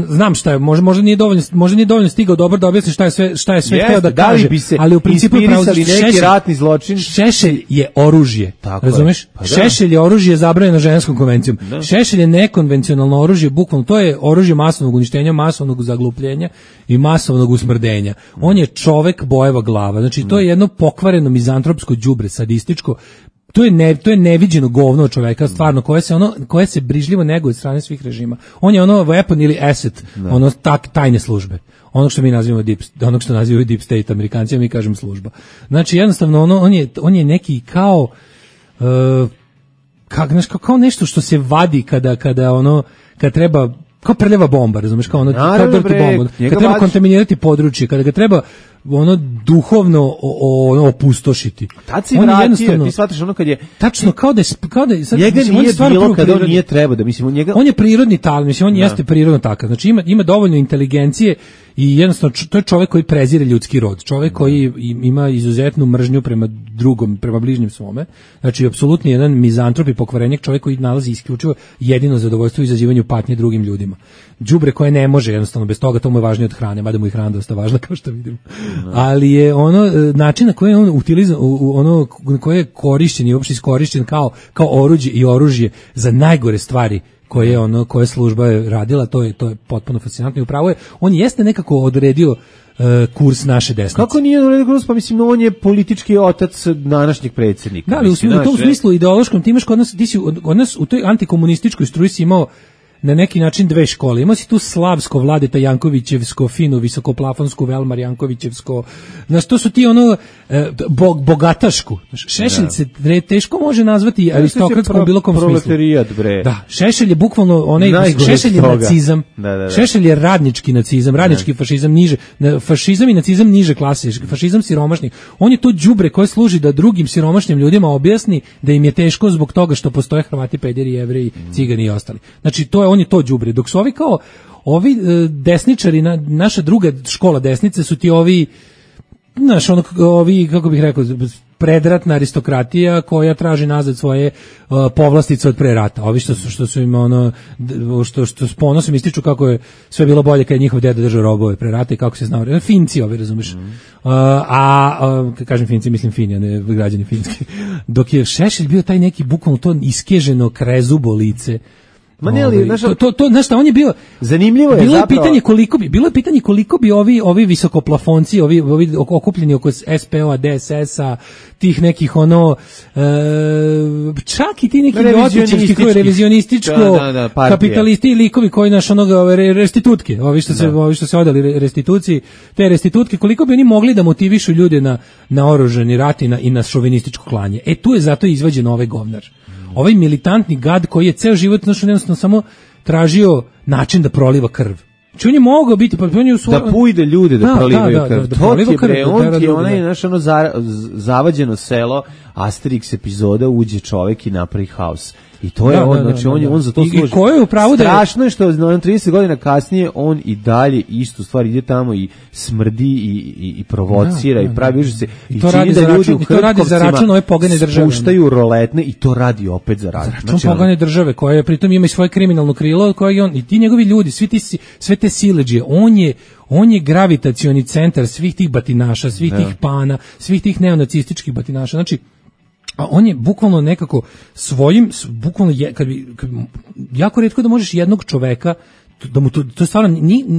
znam šta je, možda nije dovoljno stigao dobro da objasni šta je sve hteo da kaže, ali u principu neki ratni zločin. Šešelj je oružje, razumeš? Šešelj je oružje zabranjeno ženskom konvencijom. Šešelj je nekonvencionalno oružje, bukvalno to je oružje masovnog uništenja, masovnog zaglupljenja i masovnog usmrdenja. On je čovek bojeva glava, znači to je jedno pokvareno mizantropsko đubre, sadističko. To je neviđeno govno čoveka, stvarno, koje se brižljivo neguje od strane svih režima. On je weapon ili asset, tajne službe. Ono što mi nazivamo onog što nazivaju deep state Amerikanci, mi kažem služba. Znači jednostavno on je neki kao kao nešto što se vadi kada treba kao prljava bomba, razumeš, kao ono, kao dirty bomba. Kad treba kontaminirati područje, kada ga treba ono duhovno ono opustošiti. Tad si vratio, ti shvataš ono kad je... Tačno, kao da je sad, njega mislim, nije bilo kad on nije trebao da, mislim, njega... On je prirodni talent, mislim, on jeste prirodno takav. Znači ima dovoljno inteligencije i jednostavno to je čovjek koji prezire ljudski rod, čovjek koji ima izuzetnu mržnju prema drugom, prema bližnjem svome. Znači apsolutno jedan mizantrop i pokvarenjak, čovjek koji nalazi isključivo jedino zadovoljstvo u izazivanju patnje drugim ljudima. Đubre koje ne može jednostavno bez toga, to mu je važnije od hrane, mada mu i hrana dosta važna kao što vidimo. Ali je ono način na koji on utiliza, ono koji je korišćen i uopšte iskorišćen kao oruđe i oružje za najgore stvari koje služba je radila, to je potpuno fascinantno i upravo je, on jeste nekako odredio kurs naše desnice. Kako nije odredio kurs? Pa mislim, on je politički otac današnjeg predsjednika. Da, ali u tom smislu ideološkom, ti imaš kod nas u toj antikomunističkoj struji si imao na neki način dve škole. Imao si tu slavsko Vladeta Jankovićevsko, fino visokoplafonsku Velmar Jankovićevsko. Znaš, to su ti ono bogatašku. Šešelj se teško može nazvati aristokratskom u bilo kom smislu. Bre. Da, Šešelj je bukvalno Šešelj je nacizam. Da. Šešelj je radnički nacizam, radnički fašizam niže, fašizam i nacizam niže klase, fašizam siromašni. On je to đubre koje služi da drugim siromašnim ljudima objasni da im je teško zbog toga što postoje Hrvati, pederi, Jevreji, Cigani i ostali. Znači on je to đubre, dok su ovi desničari, naša druga škola desnice su ti ovi, znaš, ovi, kako bih rekao, predratna aristokratija koja traži nazad svoje povlastice od pre rata. Ovi što su im što s ponosom ističu kako je sve bilo bolje kad je njihov deda držao robove pre rata i kako se znao. Finci ovi, razumeš. Kad kažem Finci, mislim Fini, a ne građani finski. Dok je Šešelj bio taj neki bukvalno to iskeženo krezubo lice. Ma ne, ali znaš šta, on je bio zanimljivo je bilo zapravo. Bilo je pitanje koliko bi ovi visokoplafonci, ovi okupljeni oko SPO-a, DSS-a, tih nekih čak i ti neki ljotićevski koji revizionističko kapitalisti likovi koji naš restitutke, ovi što se odali restituciji, te restitutke, koliko bi oni mogli da motivišu ljude na oružani rat i na šovinističko klanje. Tu je zato izvađen ovaj govnar. Ovaj militantni gad koji je ceo život jednostavno samo tražio način da proliva krv. Znači on je mogao biti, pa on je da pujde ljude da prolivaju krv. To ti je bre, on ti je onaj zavađeno selo, Asterix epizoda, uđe čovek i napravi haos. I to je znači on za to služi. I ko je u pravu da strašno je što 30 godina kasnije on i dalje istu stvar ide tamo i smrdi i provocira i pravi užase i to radi za ljudi i to radi za račun ove pogane države. Spuštaju roletne i to radi opet za račun. Znači pogane države koje pritom ima i svoje kriminalno krilo koje on i ti njegovi ljudi, sve te siledžije, on je gravitacioni centar svih tih batinaša, svih tih pana, svih tih neonacističkih batinaša. Znači a on je bukvalno nekako bukvalno jako retko da možeš jednog čoveka da mu to stvarno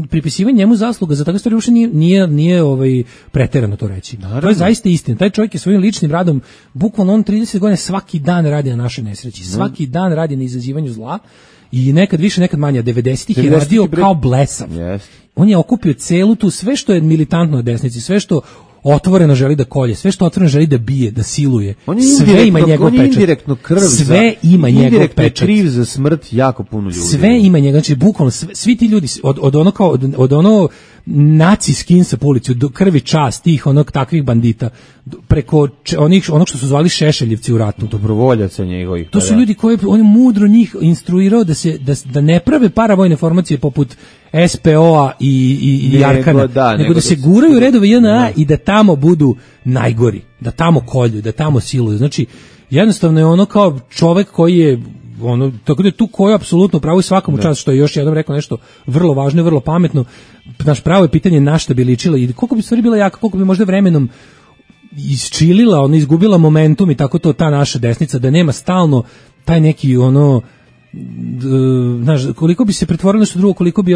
pripisivanje njemu zasluga za takve stvari uopšte nije preterano to reći. Naravno. To je zaista istina. Taj čovjek je svojim ličnim radom bukvalno on 30 godina svaki dan radi na našoj nesreći. Svaki dan radi na izazivanju zla i nekad više, nekad manje. 90-ih je radio kao blesav. Yes. On je okupio celu tu sve što je militantno na desnici, sve što otvoreno želi da kolje, sve što otvoreno želi da bije, da siluje. Sve ima njegov pečat. Indirektno krv. Sve ima njegov pečat. Kriv za smrt jako puno ljudi. Sve ima njegov, znači bukvalno svi ti ljudi od ono naci skinsa po ulici, do krvi čast tih takvih bandita, preko onog što su zvali Šešeljevci u ratu. Dobrovoljaca njegovih. To su ljudi koji on je mudro njih instruirao da ne prave paravojne formacije poput SPO-a i Arkana, nego da se guraju redovi JNA i da tamo budu najgori, da tamo kolju, da tamo siluju. Znači, jednostavno je ono kao čovek koji je tako da je tu koji je apsolutno pravo i svakom čast, što je još jednom rekao nešto vrlo važno i vrlo pametno. Naš pravo je pitanje na šta bi ličila i koliko bi stvari bila jaka, koliko bi možda vremenom isčilila, izgubila momentum i tako to ta naša desnica, da nema stalno taj neki znaš, koliko bi se pretvorilo nešto drugo, koliko bi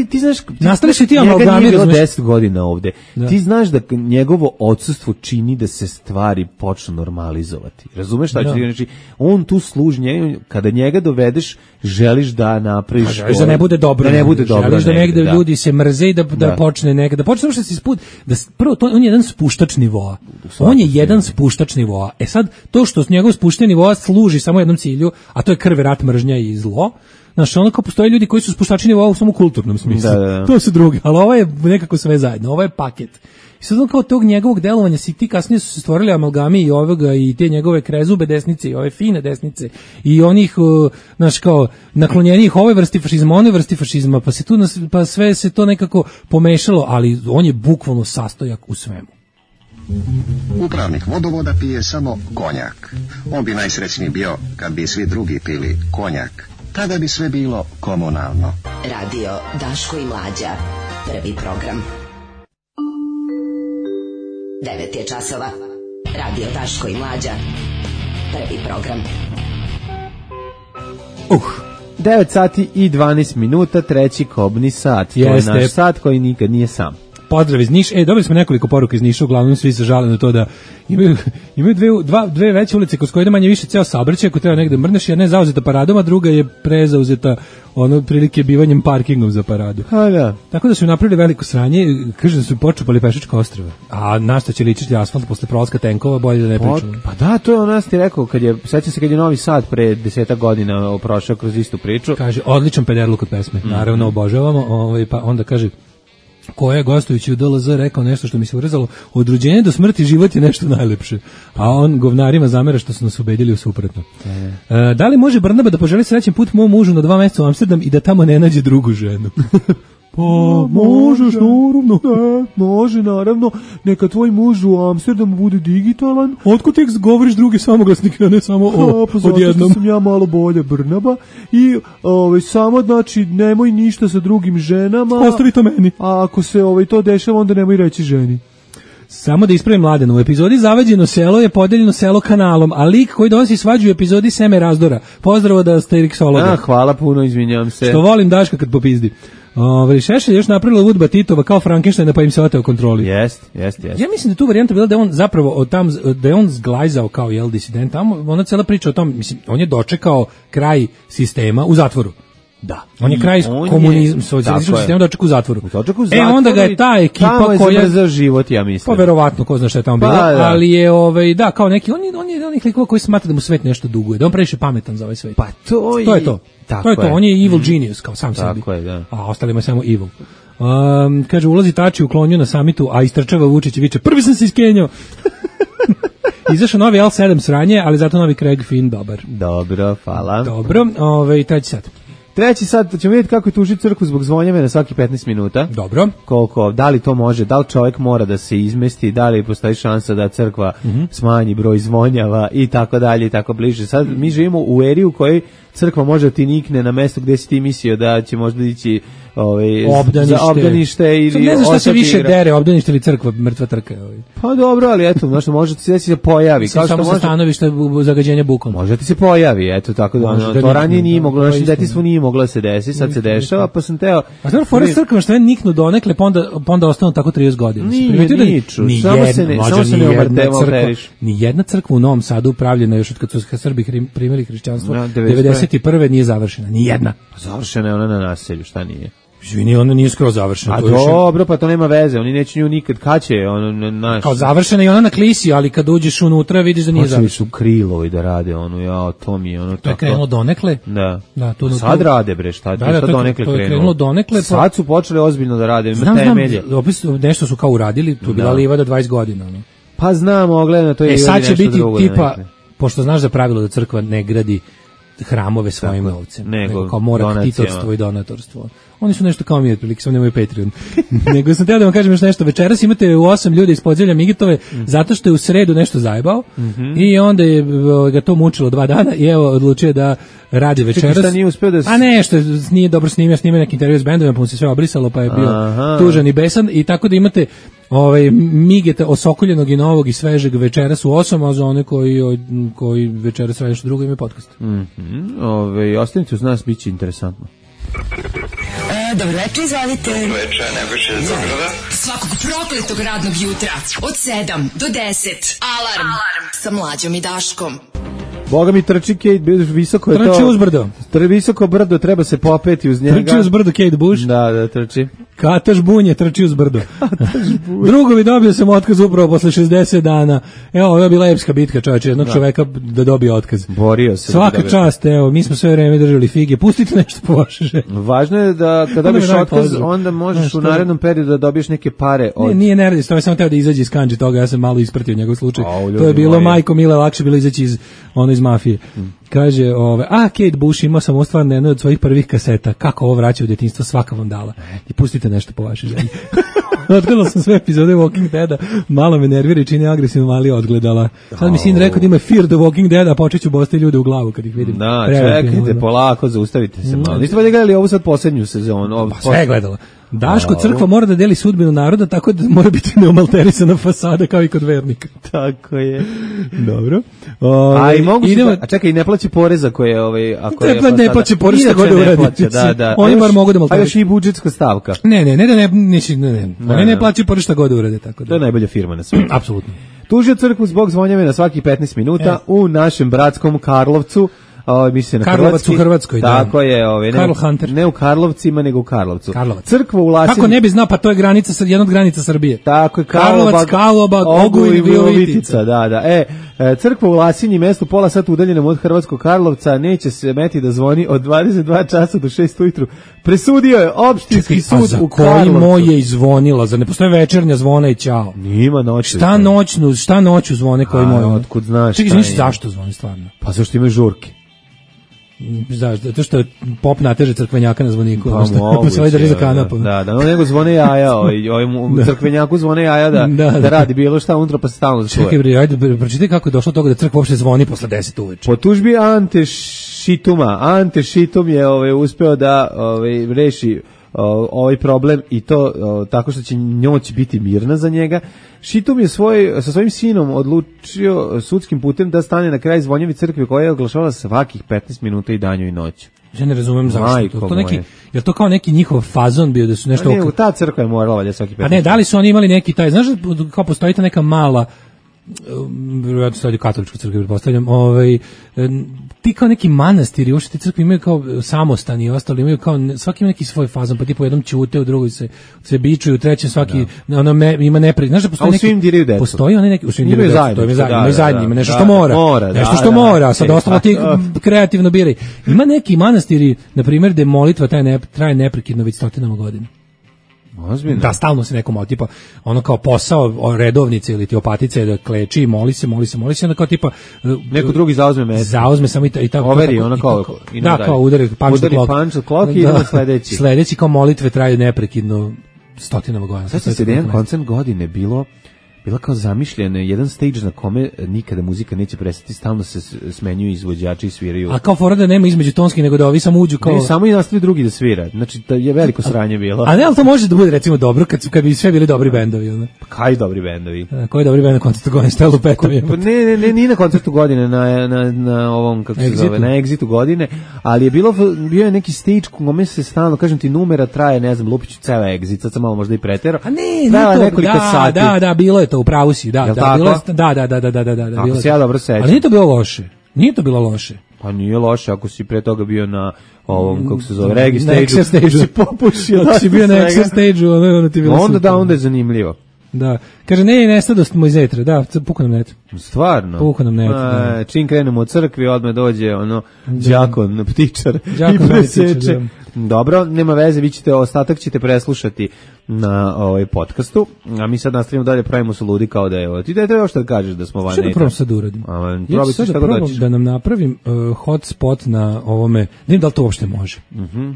ti znaš, nastaviš ti amalgame, njega nije bilo 10 godina ovde. Da. Ti znaš da njegovo odsustvo čini da se stvari počnu normalizovati. Razumeš šta ću ti? Znači, on tu služi, kada njega dovedeš, želiš da napraviš... Želiš da ne bude dobro. Želiš da negde ljudi se mrze i da počne nekada. Da počne što se isput... Prvo, on je jedan spuštač nivoa. On je jedan spuštač nivoa. Sad, to što njegov spuštanje nivoa služi samo jednom cilju, a to je krv, rat, mržnja i zlo, Znaš, ono kao postoje ljudi koji su spuštači nivoa u samo kulturnom smislu. Da. To su drugi, ali ovo je nekako sve zajedno, ovo je paket. I sad kao tog njegovog delovanja si ti kasnije su se stvorili amalgami i ovoga i te njegove krezube desnice i ove fine desnice i onih, znaš, kao naklonjenih ovoj vrsti fašizma, onoj vrsti fašizma, pa sve se to nekako pomešalo, ali on je bukvalno sastojak u svemu. Upravnik vodovoda pije samo konjak. On bi najsrećniji bio kad bi svi drugi pili konjak. Tada bi sve bilo komunalno. Radio Daško i Mlađa. Prvi program. 9 je časova. Radio Daško i Mlađa. Prvi program. 9 sati i 12 minuta, treći kobni sat. To je naš sat koji nikad nije sam. Pozdrav iz Niša. Dobili smo nekoliko poruka iz Niša, uglavnom svi se žale na to da imaju dve veće ulice kroz koje ide manje više ceo saobraćaj, ako treba negde mrneš, jedna je zauzeta paradom, a druga je prezauzeta prilike bivanjem parkingom za paradu. Da. Tako da su napravili veliko sranje, kaže da su počupali pešačka ostrva. A na šta će ličiti asfalt posle prolaska tenkova, bolje da ne pričamo. Pa da, to je ono ti rekao, sećam se kad je Novi Sad pre 10 godina prošao kroz istu priču. Kaže, odličan pederluk od pesme, naravno obožavamo, pa onda kaže, koja je gostujući u DLZ rekao nešto što mi se urezalo, od rođenja do smrti život je nešto najlepše, a on govnarima zamera što su nas ubedili u suprotno. Da li može Brnaba da poželi srećen put mom mužu na 2 meseca u Amsterdam i da tamo ne nađe drugu ženu? Pa možeš, naravno. Može, naravno. Neka tvoj muž u Amsterdamu bude digitalan. Otko tek govoriš druge samoglasnike, a ne samo odjednom? Pa zato što sam ja malo bolja Brnaba. I samo, znači, nemoj ništa sa drugim ženama. Ostavi to meni. A ako se to dešava, onda nemoj reći ženi. Samo da ispravim Mladenu, u epizodi Zavađeno selo je podeljeno selo kanalom, a lik koji donosi svađu u epizodi Seme razdora. Pozdravo da ste Riksologa. Hvala puno, izvinjavam se. Što volim Daška kad popizdi. Šešelj još napravila Udba Titova kao Frankensteina pa im se oteo kontroli. Jest. Ja mislim da tu varijanta bila da je on zapravo da je on zglajzao kao disident, tamo ona cela priča o tom, mislim, on je dočekao kraj sistema u zatvoru. Da. On je kraj komunizma, socijalističkog sistema dočekao u zatvoru. Onda ga je ta ekipa koja je za život, ja mislim. Pa verovatno, ko zna šta je tamo bilo, ali je kao neki on je onih likova koji smatra da mu svet nešto duguje, da on previše pametan za ovaj svet. Pa to je to. To je to, on je evil genius, kao sam sebi. Tako je, da. A ostalima je samo evil. Kaže, ulazi Tači u klonju na samitu, a istrčava Vučić i viče, prvi sam se iskenjao. Izašao novi L7 sranje, ali zato novi Craig Finn dobar. Dobro, hvala. Dobro, treći sat. Treći sad ćemo vidjeti kako je tužiti crkvu zbog zvonjave na svaki 15 minuta. Dobro. Koliko, da li to može, da li čovjek mora da se izmesti, da li postoji šansa da crkva smanji broj zvonjava i tako dalje i tako bliže. Sad mi živimo u eri u kojoj crkva može ti nikne na mesto gdje si ti mislio da će možda ići za obdanište ili ne znam šta se više dere, obdanište ili crkva, mrtva trka. Pa dobro, ali eto, znači može ti se pojavi. Kao samo sa stanovišta zagađenja bukom. Može ti se pojavi, eto, tako da to ranije nije moglo, našem detinjstvu nije moglo da se desi, sad se dešava, pa sam teo... A dobro, fora crkva što je niknu donekle, pa onda ostanu tako 30 godina. Niču, samo se ne omarteriš. Nijedna crkva u Novom Sadu upravljena još od kad su Srbi primili hrišćanstvo, 91. nije završena, nijedna. Završena je ona na naselju, šta nije? Izvini, ona nije skoro završena. A dobro, pa to nema veze, oni neće nju nikad, kad će, naš... Kao završena i ona na klisi, ali kad uđeš unutra vidiš da nije završena. Počeli su Krilovi da rade, to mi je tako... To je krenulo donekle? Da. Sad rade, bre, šta donekle krenulo? To je krenulo donekle. Sad su počeli ozbiljno da rade, temelje. Opet nešto su kao uradili, tu je bila livada 20 godina. Pa znamo, gledano, to je sad će biti tipa, pošto znaš za pravilo da crkva ne gradi hramove svojim novcem, nego kao mora ktitorstvo i donatorstvo. Oni su nešto kao mi, otprilike, samo nemaju Patreon. Nego sam teo da vam kažem još nešto. Večeras imate u 8 ljudi iz Podzemlja Migitove, zato što je u sredu nešto zajebao i onda je ga to mučilo 2 dana i evo odlučio da radi večeras. Šta nije uspeo da... A ne, što nije dobro snimio neki intervju s bendovima, pa mu se sve obrisalo, pa je bio tužan i besan i tako da imate Migeta osokoljenog i novog i svežeg večeras u 8, a za one koji večeras radi nešto drugo imaju podcast. Ostanite uz nas, bit će interesantno. Dobro večer, izvalite. Dobro večer, Nebojša iz Zagrada. Svakog prokletog radnog jutra od 7 do 10. Alarm sa Mlađom i Daškom. Boga mi trči Kate Bush, visoko je to. Trči uz brdo. Visoko brdo, treba se popeti uz njega. Trči uz brdo Kate Bush. Da, trči. Kataš bunje trči uz brdo. Drugovi, dobio sam otkaz upravo posle 60 dana. Evo, ovo je bila epska bitka, čovječe, jednog čoveka da dobije otkaz. Borio se. Svaka čast, evo, mi smo sve vreme držali fige. Pustite nešto po vaše želje. Važno je da kada dobiješ otkaz, onda možeš u narednom periodu da dobiješ neke pare od... Nije ne radi, to je samo teo da izađe iz kanđe toga, ja sam malo ispratio njegov slučaj. To je bilo majko mile, lakše bilo izaći iz mafije. Kaže, Kate Bush, imao sam ostvarno jednu od svojih prvih kaseta, kako ovo vraća u djetinjstvo, svaka vam dala. I pustite nešto po vašoj želji. Odgledala sam sve epizode Walking Deada, malo me nervira i čini agresivno, ali odgledala. Sad mi sin rekao da ima Fear the Walking Dead, a počeću bosti ljude u glavu kad ih vidim. Da, čekajte, polako, zaustavite se malo. Niste valjda gledali ovu sad posljednju sezonu? Pa sve je gledala. Daško, crkva mora da deli sudbinu naroda, tako da mora biti neomalterisana fasada kao i kod vernika. Tako je. Dobro. A i mogu a čekaj, i ne plaći poreza koje ako je ne plaći porez šta god uradi. Da. Oni bar mogu da malterišu. A još i budžetska stavka. Ne plaći porez šta god urade, tako da. To je najbolja firma na svijetu. Apsolutno. Tužio crkvu zbog zvonjave na svakih 15 minuta u našem bratskom Karlovcu. Mislim na Karlovac u Hrvatskoj, da. Tako je, Karl Hunter. Ne u Karlovcima, nego u Karlovcu. Karlovac. Crkva u Lasinju. Kako ne bi znao, pa to je granica, jedna od granica Srbije. Tako je, Karlovac, Ogulj i Virovitica. Da. Crkva u Lasinji, mesto pola sata udaljenom od Hrvatskog Karlovca, neće se meti da zvoni od 22 časa do 6 ujutru. Presudio je opštinski sud u Karlovcu. Koji moj je izvonila? Zar ne postoje večernja zvona i ćao? Nima noću. Šta noću zvone koji moj? Otkud znaš? Čekaj, zašto zvoni stvarno? Pa zašto imaju žurke? Zato što je pop nateže crkvenjaka na zvoniku, pa se ovaj drži za kanapom. Da, nego zvone jaja, crkvenjaku zvone jaja da radi bilo šta unutra pa se stalno čuje. Čekaj bre, ajde, pročitaj kako je došlo do toga da crkva uopšte zvoni posle 10 uveče. Po tužbi Ante Šitum je uspeo da reši ovaj problem i to tako što će noć biti mirna za njega. Šitum je sa svojim sinom odlučio sudskim putem da stane na kraj zvonjavi crkve koja je oglašavala svakih 15 minuta i danju i noću. Ja ne razumem zašto. Je to kao neki njihov fazon bio da su nešto... Ne, ta crkva je morala valjda svaki 15 minuta. A ne, da li su oni imali neki taj, znaš kao postoji ta neka mala vjerojatno stavljaju katoličku crkvu, pretpostavljam, ti kao neki manastiri, uopšte te crkve imaju kao samostani i ostali imaju kao, svaki ima neki svoj fazon, pa ti po jednom ćute, u drugoj se bičuju, u trećem svaki ima neprijed. Znaš da postoji neki... A u svim diraju decu. Postoji oni neki... U svim diraju decu, to imaju zajedno, ima nešto što mora. Nešto što mora, sad ostalo ti kreativno biraj. Ima neki manastiri, na primjer, gde molitva traje neprekidno već stotinama godina. Ozbiljno. Da, stalno se nekom tipa ono kao posao redovnice ili ti opatice da kleči i moli se, onda kao tipa neko drugi zauzme mesto. Zauzme samo i tako. Overi ono kao kao udari punch clock i idemo sledeći. Sledeći kao molitve traju neprekidno stotinama godina. Sad se jedan koncert godine bila kao zamišljena, jedan stage na kome nikada muzika neće prestati, stalno se smenjuju izvođači i sviraju. A kao fora da nema između tonski, nego da ovi samo uđu kao... Ne, samo i nastavi drugi da svira. Znači, da je veliko sranje bilo. A ne, ali to može da bude recimo dobro kad bi sve bili dobri bendovi. Ono. Pa kaj dobri bendovi? Koji dobri bend na koncertu godine? Šta je lupetovi? Ne, nije na koncertu godine, na ovom, kako se zove, na Exitu godine, ali je bio je neki stage kome se stalno, kažem ti, numera traje, ne znam, Lupiću ceo Exit, sad sam malo možda i pretero. A ne, da, bilo je to, u pravu si, da, bilo je, ako se ja dobro sećam. Ali nije to bilo loše. Nije to bilo loše. Pa nije loše ako si pre toga bio na ovom, kako se zove, regi stage-u. Si popušio. Ako si bio na Exer stage-u, onda ti bilo super. Onda je zanimljivo. Da. Kaže, nestadost mu iz etra. Da, puka nam net. Stvarno? Puka nam net. Čim krenemo od crkvi, odmah dođe đakon, ptičar i preseče. Dobro, nema veze, vi ćete, ostatak ćete preslušati na podcastu, a mi sad nastavimo dalje, pravimo se ludi kao da je ti da treba još da kažeš da smo van neta. Što da probam sad uradim? Ja ću sad da probam da nam napravim hotspot na ovome, ne znam da li to uopšte može.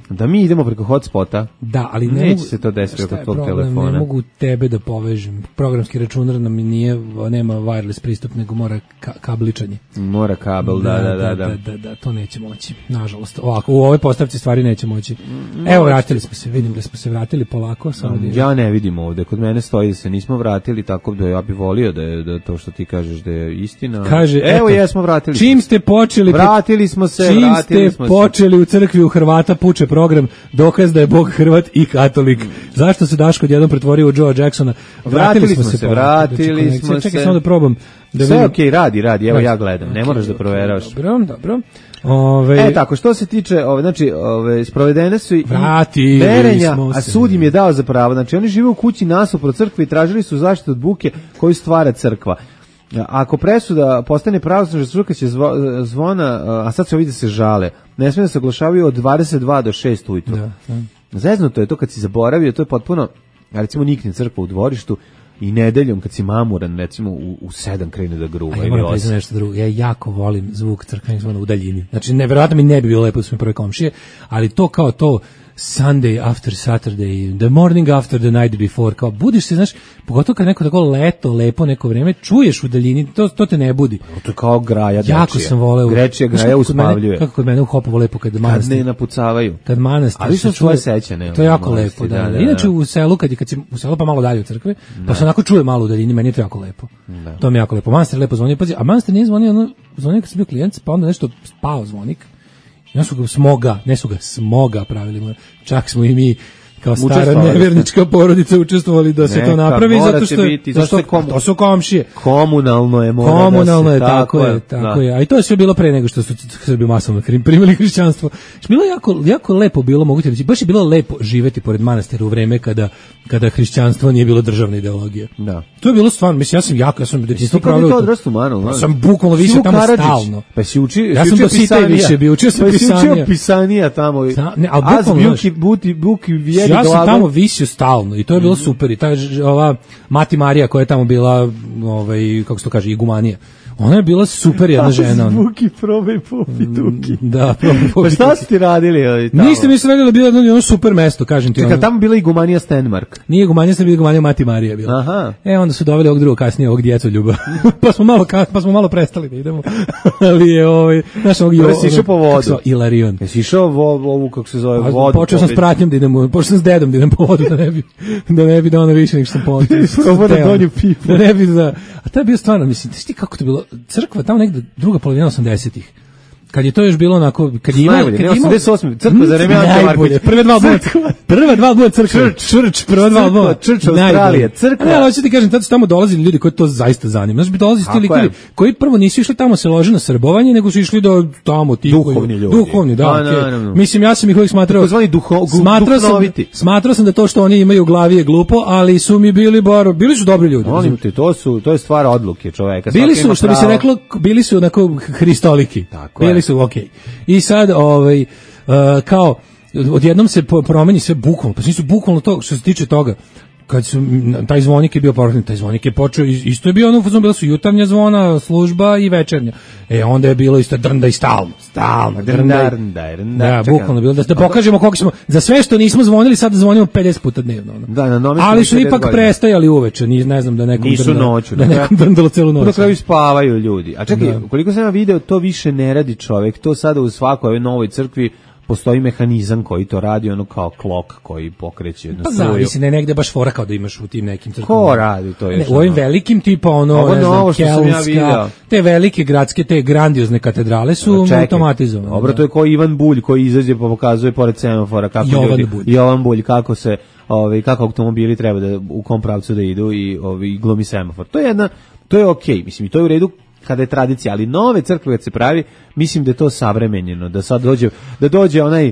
Da mi idemo preko hotspota? Da, ali ne neće mogu, se to desiti preko tvog telefona. Ne mogu tebe da povežem. Programski računar nam nema wireless pristup, nego mora kabličanje. Mora kabel, da, to neće moći. Nažalost, ovako, u ovoj postavci stvari neće moći. Evo, vratili smo se, vidim da smo se vratili polako. Ja ne vidim ovde, kod mene stoji da se nismo vratili, tako da ja bih volio da to što ti kažeš da je istina. Kaže, evo jesmo vratili. Čim ste počeli, vratili smo se. Čim ste počeli u crkvi u Hrvata puče program, dokaz da je Bog Hrvat i katolik. Zašto se Daško odjednom pretvorio u Joea Jacksona? Vratili smo se. Čekaj samo da probam. Sve okej, radi, evo ja gledam, ne moraš da proveravaš. Dobro. Tako, što se tiče, znači, sprovedene su i Vratili merenja, a sud im je dao za pravo. Znači, oni žive u kući nasuprot crkve i tražili su zaštitu od buke koju stvara crkva. Ako presuda postane pravosnažna, struka će zvona, a sad se ovdje se žale, ne smije da se oglašavaju od 22 do 6 ujutru. Zeznuto je to kad si zaboravio, to je potpuno, recimo nikne crkva u dvorištu i nedeljom kad si mamuran, recimo u 7 krene da gruva. Ja moram priznati nešto drugo, ja jako volim zvuk crkvenih zvona u daljini. Znači, nevjerojatno mi ne bi bilo lepo da su mi prve komšije, ali to kao to Sunday after Saturday, the morning after the night before, kao budiš se, znaš, pogotovo kad neko tako lepo neko vreme, čuješ u daljini, to te ne budi. To je kao graja dečija. Jako sam voleo. Grečija graja uspavljuje. Kako kod mene u Hopovo lepo kad manastir. Kad ne napucavaju. Kad manastir. Ali što svoje sećane. To je jako lepo, da. Inače u selu, kad si u selu pa malo dalje u crkve, pa se onako čuje malo u daljini, meni je to jako lepo. To mi je jako lepo. Manastir lepo zvonio, pazi, a manastir nije zvonio, zvonio kad sam bio klijent, pa onda nešto spao zvonik. Ja su ga smoga pravili, čak smo i mi kao stara nevjernička porodica učestvovali da se to napravi, zato što to su komšije. Komunalno je, tako je. A i to je sve bilo pre nego što su Srbi masovno primili hrišćanstvo. Bilo jako lepo bilo, mogu ti reći, baš je bilo lepo živeti pored manastira u vreme kada hrišćanstvo nije bilo državna ideologija. Da. To je bilo stvarno, mislim, ja sam detinjstvo pravio. Ti odrastu Manu, sam bukvalno više tamo stalno. Pa si učio, ja sam do site više bio, učio sam pisanija tamo. Az buki ja sam tamo visio stalno i to je bilo super. I ova Mati Marija koja je tamo bila, kako se to kaže, igumanija. Ona je bila super jedna žena. Zvuki, probaj popi duki. Da, probaj popi. Pa šta ste ti radili tamo? Ništa mi se radili, bilo jedno super mesto, kažem ti. Čekaj, tamo bila igumanija Stenmark. Nije igumanija, sam bila igumanija Mati Marija bila. Aha. Onda su doveli ovog drugog kasnije, ovog djecoljuba. pa smo malo prestali da idemo. Ali je naš ovog jesi išao po vodu. Ilarion. Jesi išao ovu, kako se zove, vodu. Počeo sam s pratnjom da idemo, počeo sam s dedom da idem po vodu, da ne bi da ono više nego što sam da ne bi da. A to je bio stvarno, mislim, ti kako to bilo, crkva tamo negde druga polovina 80-ih. Kad je to još bilo onako, kad je imao 88. crkva za vreme Ante Markovića. Prva dva albuma crkva. Prva dva albuma. Church Australije. Crkva. Ne, hoću ti kažem, tad su tamo dolazili ljudi koji to zaista zanima. Znaš, bi dolazili ti likovi koji prvo nisu išli tamo se lože na srbovanje, nego su išli do tamo ti duhovni ljudi. Duhovni, da. Mislim, ja sam ih uvijek smatrao. Smatrao sam da to što oni imaju u glavi je glupo, ali su mi bili su dobri ljudi. Molim te, to je stvar odluke čoveka. Bili su, što bi se reklo, bili su onako hristoliki. Tako su okej. I sad kao odjednom se promeni sve bukvalno, pa nisu bukvalno to što se tiče toga. Kad su taj zvonik je bio poručen, taj zvonik je počeo, isto je bio ono, bila su jutarnja zvona, služba i večernja. Onda je bilo isto drnda i stalno. Drnda. Da, bukvalno bilo da pokažemo koliko smo, za sve što nismo zvonili, sad zvonimo 50 puta dnevno. Ali su ipak prestajali uveče, ne znam da nekom drndalo celu noć. Na kraju spavaju ljudi. A čekaj, koliko sam ja video, to više ne radi čovek, to sada u svakoj novoj crkvi postoji mehanizam koji to radi, ono kao klok koji pokreće jednu struju. Pa zavisi, negde baš fora kao da imaš u tim nekim crkvama. Ko radi to još? U ovim velikim tipa Kelnska, te velike gradske, te grandiozne katedrale su automatizovane. Dobro, to je kao Ivan Bulj koji izađe pa pokazuje pored semafora kako Jovan Bulj, kako se kako automobili treba da u kom pravcu da idu i glomi semafor. To je okej, mislim, i to je u redu kada je tradicija, ali nove crkve kad se pravi, mislim da je to savremenjeno, da sad dođe onaj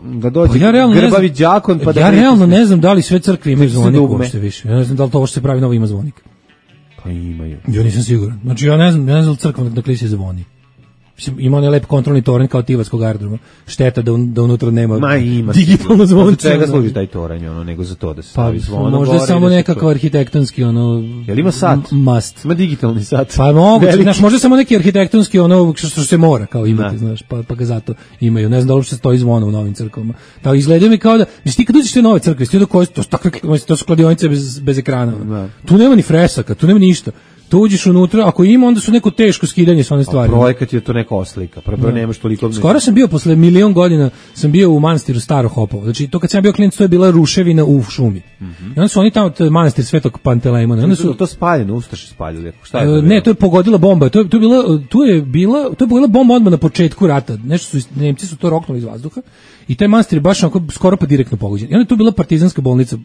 da dođe grbavi đakon pa ja realno ne znam da li sve crkve imaju zvonik uopšte više. Ja ne znam da li to što se pravi novo ima zvonik. Pa imaju. Ja nisam siguran. Znači ja ne znam da li crkva dakle se zvoni. Ima onaj lep kontrolni toranj kao Tivatskog aerodroma. Šteta da unutra nema digitalno zvonce. Za čega služi taj toranj, nego za to da se stavi zvono. Možda samo nekakav arhitektonski, Jel ima sat? Must. Ima digitalni sat. Pa moguće, znaš, možda samo neki arhitektonski, što se mora kao imati, znaš, pa ga zato imaju. Ne znam da li uopšte stoji zvono u novim crkvama. Tako izgleda mi kao da, znači ti kad uđeš te nove crkve, to su kladionice bez ekrana. Tu nema ni fresaka, tu nema ništa. Tu uđeš unutra, ako ima, onda su neko teško skidanje s one stvari. A projekat je to neka oslika, prvo nemaš toliko... Skoro sam bio, posle 1.000.000 godina, sam bio u manastiru Staro Hopovo. Znači, to kad sam bio klijent, to je bila ruševina u šumi. I onda su oni tamo, to je manastir Svetog Pantelejmona. To spaljeno, Ustaši spaljili. Ne, to je pogodila bomba. To je pogodila bomba odmah na početku rata. Nemci su to roknuli iz vazduha i taj manastir je baš skoro pa direktno pogođen. I onda je tu bila partizanska bolnica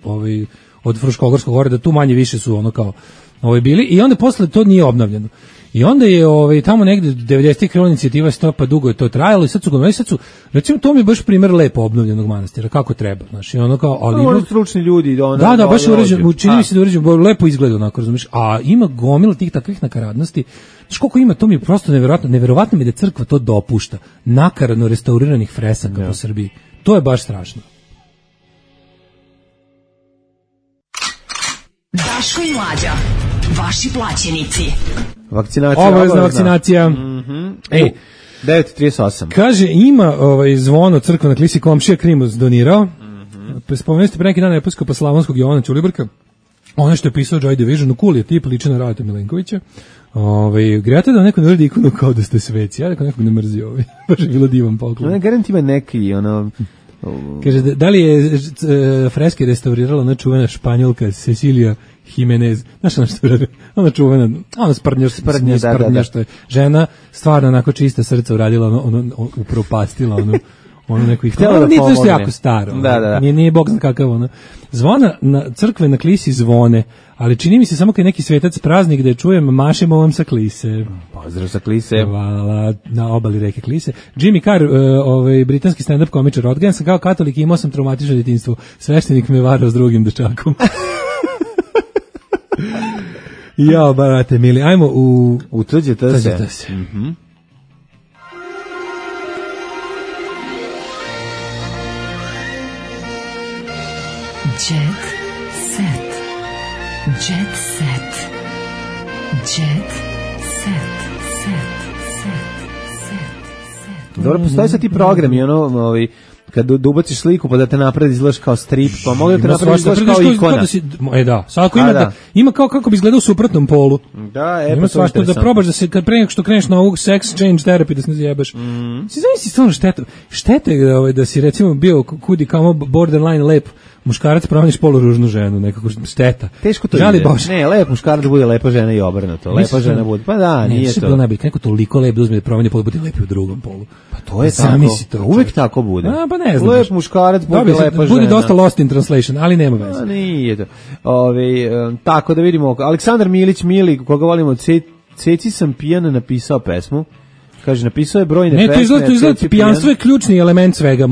od Fruškogorskog gore, da tu manje više su ono kao bili i onda posle to nije obnavljano. I onda je tamo negde 90-ih krenula inicijativa Stopa, dugo je to trajalo i sad su, recimo to mi je baš primer lepo obnovljenog manastira, kako treba, znači ono kao, ali ima stručni ljudi, da, baš je uređeno, čini mi se da uređeno, lepo izgleda onako, razumiješ, a ima gomila tih takvih nakaradnosti, znači koliko ima, to mi je prosto neverovatno mi da crkva to dopušta, nakaradno restauriranih fresaka po Srbiji, to je baš strašno. Daško i Mlađa, vaši plaćenici. Vakcinacija. Obavezna vakcinacija. 9:38. Kaže, ima zvono crkva na klisi komšija Krimos donirao. Spomenuli ste pre neki dan episkopa Slavonskog Jovana Ćulibrka. Ono što je pisao Joy Division, cool je tip, liči na Radeta Milenkovića. Grete da neko ne uredi ikonu kao da ste sveci. Ja nekog ne mrzi baš je bilo divan poklon. Ne, garant ima neki, Kaže, da li je freske restaurirala ona čuvena Španjolka Cecilia Jimenez, znaš ono što je ona čuvena, ona sprdnja što je žena, stvarno onako čista srca uradila, upropastila ono neko ih htjela da pomogne. Nije jako staro, nije bog zna kakav ono. Zvona na crkve na klisi zvone, ali čini mi se samo kad je neki svetac praznik da je čujem mašem ovom sa klise. Pozdrav sa klise. Hvala, na obali reke Klise. Jimmy Carr, britanski stand-up komičar, odgajan sam kao katolik i imao sam traumatično djetinjstvo. Sveštenik me varao s drugim dečakom. Jao, barate mili, ajmo u tuđete se. Jet set. Jet set. Jet set. Dobro, postoji sad ti programi, kad ubaciš sliku pa da te napravi izgledaš kao strip, pa mogu da te napravi izgledaš kao ikona. Da, sad ako ima kao kako bi izgledao u suprotnom polu. Da, ima svašta da probaš da se, kad pre nego što kreneš na ovog sex change therapy da se ne zjebaš. Si zavisi stvarno štete da si recimo bio kudi kao borderline lep muškarac, promeniš poluružnu ženu, nekako šteta. Teško to ide. Ne, lep muškarac bude lepa žena i obrnuto. Lepa žena bude, pa da, nije to. Neko toliko lep da uzme da promeni pol, bude lepi u drugom polu. Pa to je tako. Uvijek tako bude. Pa ne znam. Lep muškarac bude lepa žena. Bude dosta lost in translation, ali nema veze. Nije to. Tako da vidimo, Aleksandar Milić, mili, koga volimo, Ceci sam pijan napisao pesmu. Kaže, napisao je brojne pesme. Ne, to izgleda, pijanstvo je ključni element svega.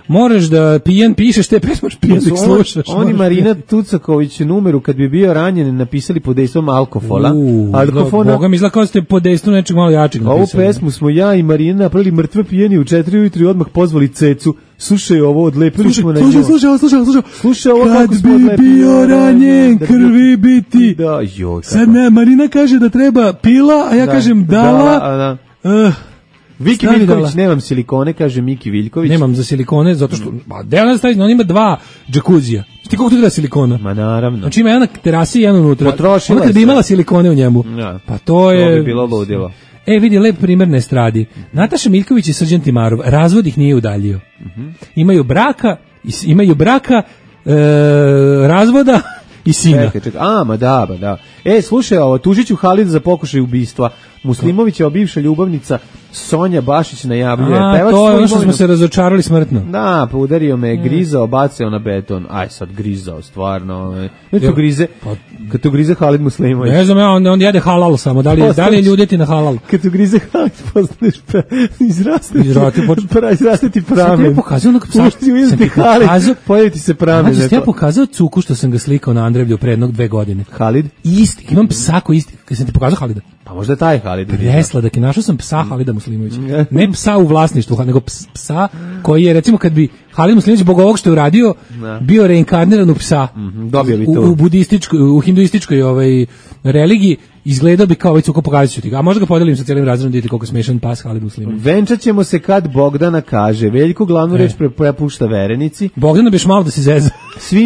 Moraš da pijan pišeš te pesme, pijan da ih slušaš. Oni Marina Tucaković numeru kad bi bio ranjen napisali pod dejstvom alkofola. Boga mi izgleda kao ste pod dejstvom nečeg malo jačeg napisali. Ovu pesmu smo ja i Marina napravili mrtve pijeni u 4 ujutru i odmah pozvali Cecu. Slušaj ovo, odlepili smo na nju. Slušaj ovo kako smo odlepili. Kad bi bio ranjen, krvi biti. Da, joj. Sad ne, Marina kaže da treba pila, a ja kažem dala. Viki Viljković, nemam silikone, kaže Miki Viljković. Nemam za silikone, zato što, on ima 2 džakuzija. Ti koliko ti da silikona? Ma naravno. Znači ima jedna terasa i jedna unutra. Potrošila kad bi imala silikone u njemu. Ja. Pa to je... To bi bilo ludilo. Vidi, lep primer na estradi. Nataša Miljković i Srđan Timarov, razvod ih nije udaljio. Imaju braka, razvoda i sina. Čekaj. Ma da. Slušaj, tužit ću Halid za pokušaj ubistva. Muslimovićeva bivša ljubavnica Sonja Bašić najavljuje. To je ono što smo se razočarali smrtno. Da, pa udario me, grizao, bacao na beton. Aj sad grizao, stvarno. Kad to grize Halid Muslimović. Ne znam, on jede halal samo. Da li je ljudeti na halal? Kad to grize Halid, postaneš izrasteti pramen. Sam ti pokazao onog psa. Pojaviti se pramen. Znači, sam ti pokazao cuku što sam ga slikao na Andrevlju pre jednog 2 godine. Halid? Isti, imam psa koji isti. Kad sam ti pokazao Halida? Pa možda taj Halid. Presladak, našao sam psa Halida Muslimovića. Ne psa u vlasništvu, nego psa koji je, recimo, kad bi Halid Muslimović zbog ovog što je uradio, bio reinkarniran u psa. Dobio bi to. U hinduističkoj religiji, izgledao bi kao ovaj cuko, pokazat ću ti ga. A možda ga podelim sa cijelim razredom, vidite koliko smešan pas Halid Muslimović. Venčat ćemo se kad Bogdana kaže. Veljko glavnu reč prepušta verenici. Bogdana biš malo da se zeza.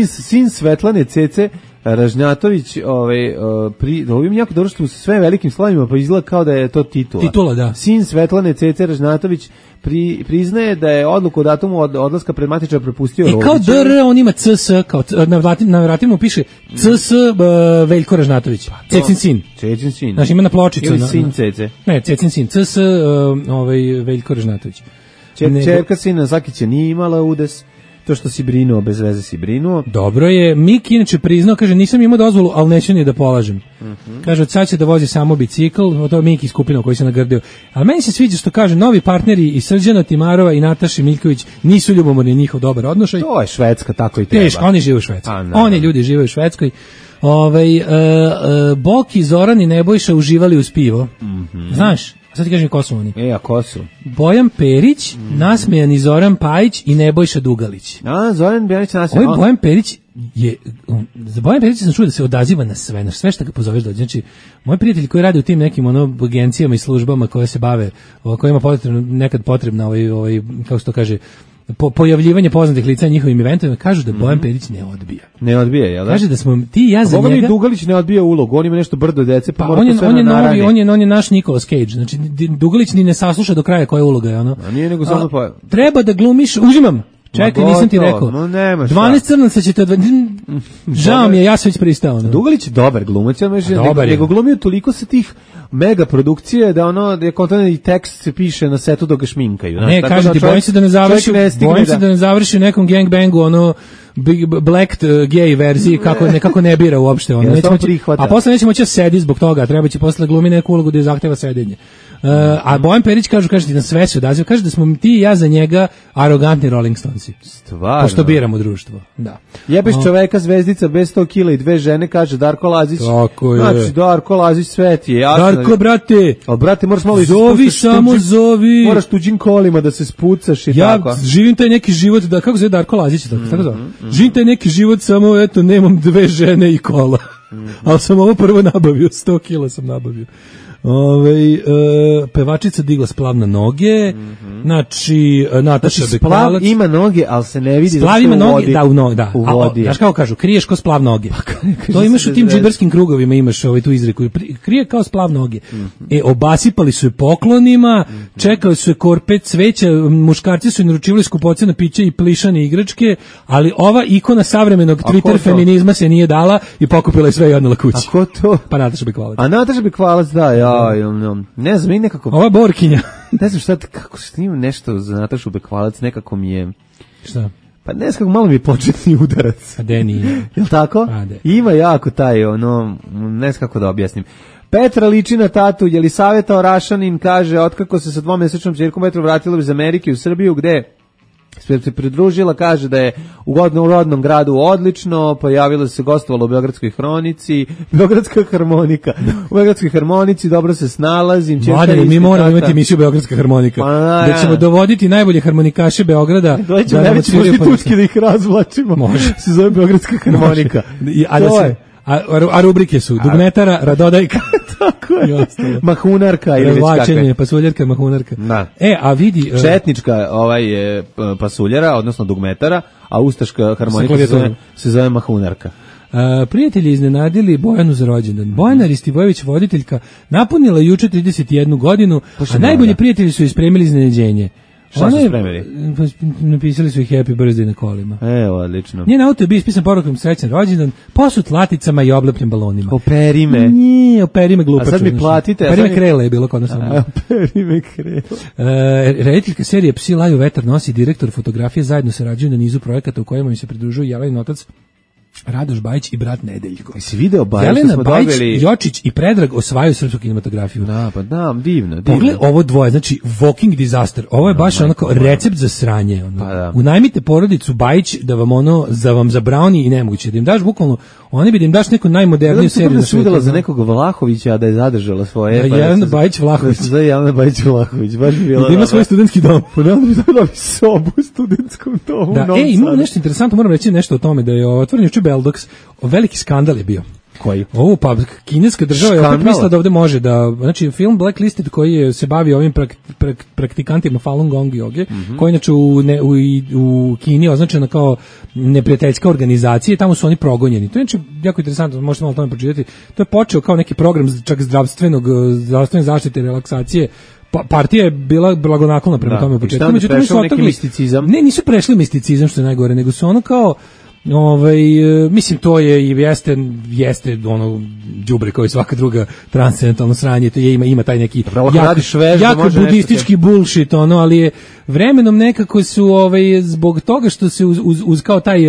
Sin Svetlane Cece Ražnjatović, ovim jako dobro što su sve velikim slovima, pa izgleda kao da je to titula. Titula, da. Sin Svetlane Cece Ražnjatović priznaje da je odluku o datumu odlaska pred matičara prepustio Rodiću. Kao DR, on ima CS, kao na vratima piše CS Veljko Ražnatović. Cecin sin. Cecin sin. Znači ima na pločicu. Ili sin Cece. Ne, Cecin sin. CS Veljko Ražnatović. Čerka sina Zakića nije imala udes. to što si brinuo, bez veze si brinuo. Dobro je, Miki inače priznao, kaže, nisam imao dozvolu, ali neću ni da polažem. Kaže, od sad će da vozi samo bicikl, to je Miki skupina koji se nagrdio. Ali meni se sviđa što kaže, novi partneri i Srđana Timarova i Nataša Miljković nisu ljubomorni, njihov dobar odnošaj. To je Švedska, tako i treba. Teško, oni žive u Švedskoj. Oni ljudi žive u Švedskoj. Boki, Zoran i Nebojša uživali uz pivo. Znaš? Sad ti kažem ko su oni. A ko su? Bojan Perić, nasmejani Zoran Pajić i Nebojša Dugalić. Zoran Perić nasmejan. Ovaj Bojan Perić je, za Bojan Perić sam čuo da se odaziva na sve što ga pozoveš dođe. Znači, moj prijatelj koji radi u tim nekim agencijama i službama koje se bave, kojima nekad potrebna kako se to kaže, pojavljivanje poznatih lica na njihovim eventovima, kažu da Bojan Perić ne odbija. Ne odbija, jel da? Kaže da smo ti i ja za njega... Dugalić ne odbija ulogu, on ima nešto brdo dece, pa mora to sve na narani. On je naš Nicolas Cage, znači Dugalić ni ne sasluša do kraja koja uloga je ono. A nije nego samo pa... Treba da glumiš, uzimam. Čekaj, nisam ti rekao. 12 crnaca ćete žao mi je, ja sam već pristao. Dugalić je dobar glumac, nego glumio toliko sa tih mega produkcije da je kontent i tekst se piše na setu dok ga šminkaju. Ne, kažem ti, bojim se da ne završi u nekom gangbangu, black gay verziji, nekako ne bira uopšte. A posle neće moći sedi zbog toga, treba će posle glumi neku ulogu da je zahteva sedenje. A Bojan Perić kaže ti na sve se odaziva, kaže da smo ti i ja za njega arogantni Rolling Stonesi. Stvarno. Pošto biramo društvo. Da. Jebeš čoveka zvezdica bez 100 kila i 2 žene, kaže Darko Lazić. Tako je. Znači, Darko Lazić sve ti je jasno. Darko, brate. Ali, brate, moraš malo zovi, samo zovi. Moraš tuđim kolima da se spucaš i tako. Ja živim taj neki život, kako zove Darko Lazić, tako zove. Živim taj neki život, samo, eto, nemam 2 žene i kola. Ali sam ovo prvo nabavio, 100 kila sam nabavio. Pevačica digla splav na noge, znači Nataša Bekvalac. Splav ima noge, ali se ne vidi splav ima noge, da, u vodi. Znaš kako kažu, kriješ ko splav noge. To imaš u tim džiberskim krugovima, imaš tu izreku, krije kao splav noge. Obasipali su je poklonima, čekali su je korpe cveća, muškarci su je naručivali skupocene piće i plišane igračke, ali ova ikona savremenog Twitter feminizma se nije dala i pokupila je sve i odnela kući. A ko to? Pa Nataša Bekvalac. A Nataša Bekvalac, da, ne znam, i nekako... Ova Borkinja. Ne znam šta, kako snimam nešto za Natašu Bekvalac, nekako mi je... Šta? Pa ne znam kako, malo mi je početni udarac. A de nije. Jel' tako? Ima jako taj, ne znam kako da objasnim. Petra liči na tatu, Jelisaveta Orašanin kaže, otkako se sa 2-mesečnom ćerkom Petra vratila iz Amerike u Srbiju, gde se pridružila, kaže da je u rodnom gradu odlično, pojavila se, gostovala u Beogradskoj hronici, Beogradska harmonika. U Beogradskoj harmonici dobro se snalazim. Mladine, mi moramo imati emisiju Beogradska harmonika. Da ćemo dovoditi najbolje harmonikaše Beograda. Dođemo najveći prostitutski da ih razvlačimo. Može. Se zove Beogradska harmonika. A rubrike su Dugmetara, Radodajka, tako je. Mahunarka ili već kakve. Pasuljarka, mahunarka. Da. A vidi... Četnička je pasuljara, odnosno dugmetara, a ustaška harmonika se zove mahunarka. Prijatelji iznenadili Bojanu za rođendan. Bojana Ristivojević, voditeljka, napunila juče 31 godinu, a najbolji prijatelji su ispremili iznenađenje. Šta su spremili? Napisali su ih Happy Birthday na kolima. Evo, odlično. Njen auto je bio ispisan porukom srećan rođendan, posut laticama i oblepljen balonima. Operi me. Nije, operi me glupaču. A sad mi platite. Operi me krele je bilo kod nas. Operi me krele. Rediteljka serije Psi laju vetar nosi direktor fotografije, zajedno sarađuju na nizu projekata u kojima im se pridružuju Jelenin otac Radoš Bajić i brat Nedeljko. Jesi video Bajić? Jelena Bajić, Jočić i Predrag osvajaju srpsku kinematografiju. Da, pa da, divno. Pogled ovo dvoje, znači walking disaster. Ovo je baš onako recept za sranje. Unajmite porodicu Bajić da vam zabrauni i nemoguće. Da im daš bukvalno, oni bi da im daš neku najmoderniju seriju na svijetu. Sudila za nekog Vlahovića, a da je zadržala svoje. Jelena Bajić Vlahović. Da je Jelena Bajić Vlahović. Baš bi bila. Da ima svoj studentski dom. Pa da bi dobila sobu u studentskom domu. Da, imamo nešto interesantno, moram reći nešto o tome, da je otvoren juče Beldox. Veliki skandal je bio. Koji? Ovo pa kineska država je opet mislila da ovde može da, znači film Blacklisted koji se bavi ovim praktikantima Falun Gong joge, koji inače u Kini je označena kao neprijateljska organizacija, tamo su oni progonjeni. To je znači jako interesantno, možete malo o tome pročitati. To je počeo kao neki program čak zdravstvene zaštite i relaksacije. Partija je bila blagonaklona prema tome u početku. Međutim, su otrgli misticizam. Ne, nisu prešli misticizam, što je najgore, nego su ono kao Mislim, to je i jeste ono đubre kao i svaka druga transcendentalno sranje, to je, ima taj neki jako budistički bullshit, ono, ali je vremenom nekako su zbog toga što se uz kao taj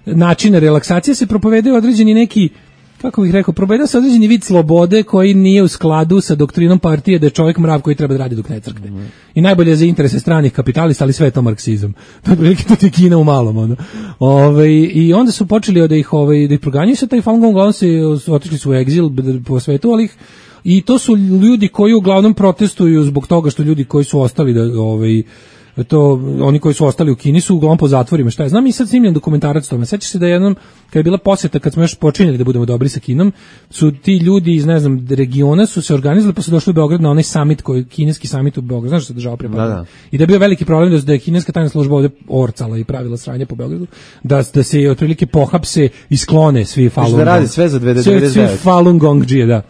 način relaksacije se propovedaju određeni neki, kako bih rekao, propoveda se određeni vid slobode koji nije u skladu sa doktrinom partije da je čovjek mrav koji treba da radi dok ne crkne. I najbolje je za interese stranih kapitalista, ali sve je to marksizam. To je prilike to je Kina u malom. Ono. I onda su počeli da ih proganjaju sa taj Falun Gong, uglavnom se otišli su u egzil po svetu, ali i to su ljudi koji uglavnom protestuju zbog toga što ljudi koji su ostali oni koji su ostali u Kini su uglavnom po zatvorima, šta je. Znam i sad snimljen dokumentarac tome. Sećaš se da jednom, kad je bila posjeta, kad smo još počinjeli da budemo dobri sa Kinom, su ti ljudi iz, ne znam, regiona su se organizovali pa su došli u Beograd na onaj summit, kineski summit u Beogradu, znaš što se država prepadala. I da je bio veliki problem da je kineska tajna služba ovde orcala i pravila sranje po Beogradu, da se otprilike pohapse i sklone svi Falun Gong. Da radi sve za 2099. Svi Falun Gongđije, da.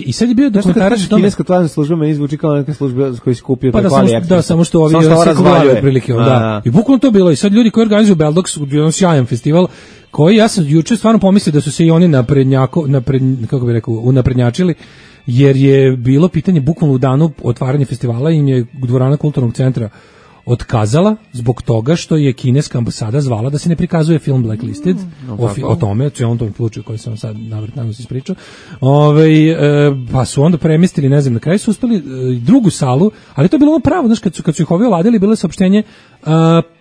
I sad je bio dokumentarac o tome. Kineska tajna služba meni zvuči kao neka služba koji se kupio pa da, samo što ovi razvaljuje prilike, da. I bukvalno to bilo i sad ljudi koji organizuju Beldox, jedan sjajan festival koji ja sam juče stvarno pomislio da su se i oni kako bih rekao, unaprednjačili, jer je bilo pitanje bukvalno u danu otvaranja festivala im je dvorana kulturnog centra otkazala zbog toga što je kineska ambasada zvala da se ne prikazuje film Blacklisted o tome, on tom slučaju koji sam sad navrtano se ispričao. Pa su onda premestili, ne znam, na kraju su uspeli drugu salu, ali to je bilo ono pravo, znaš, kad su ih ovi oladili, bilo je saopštenje,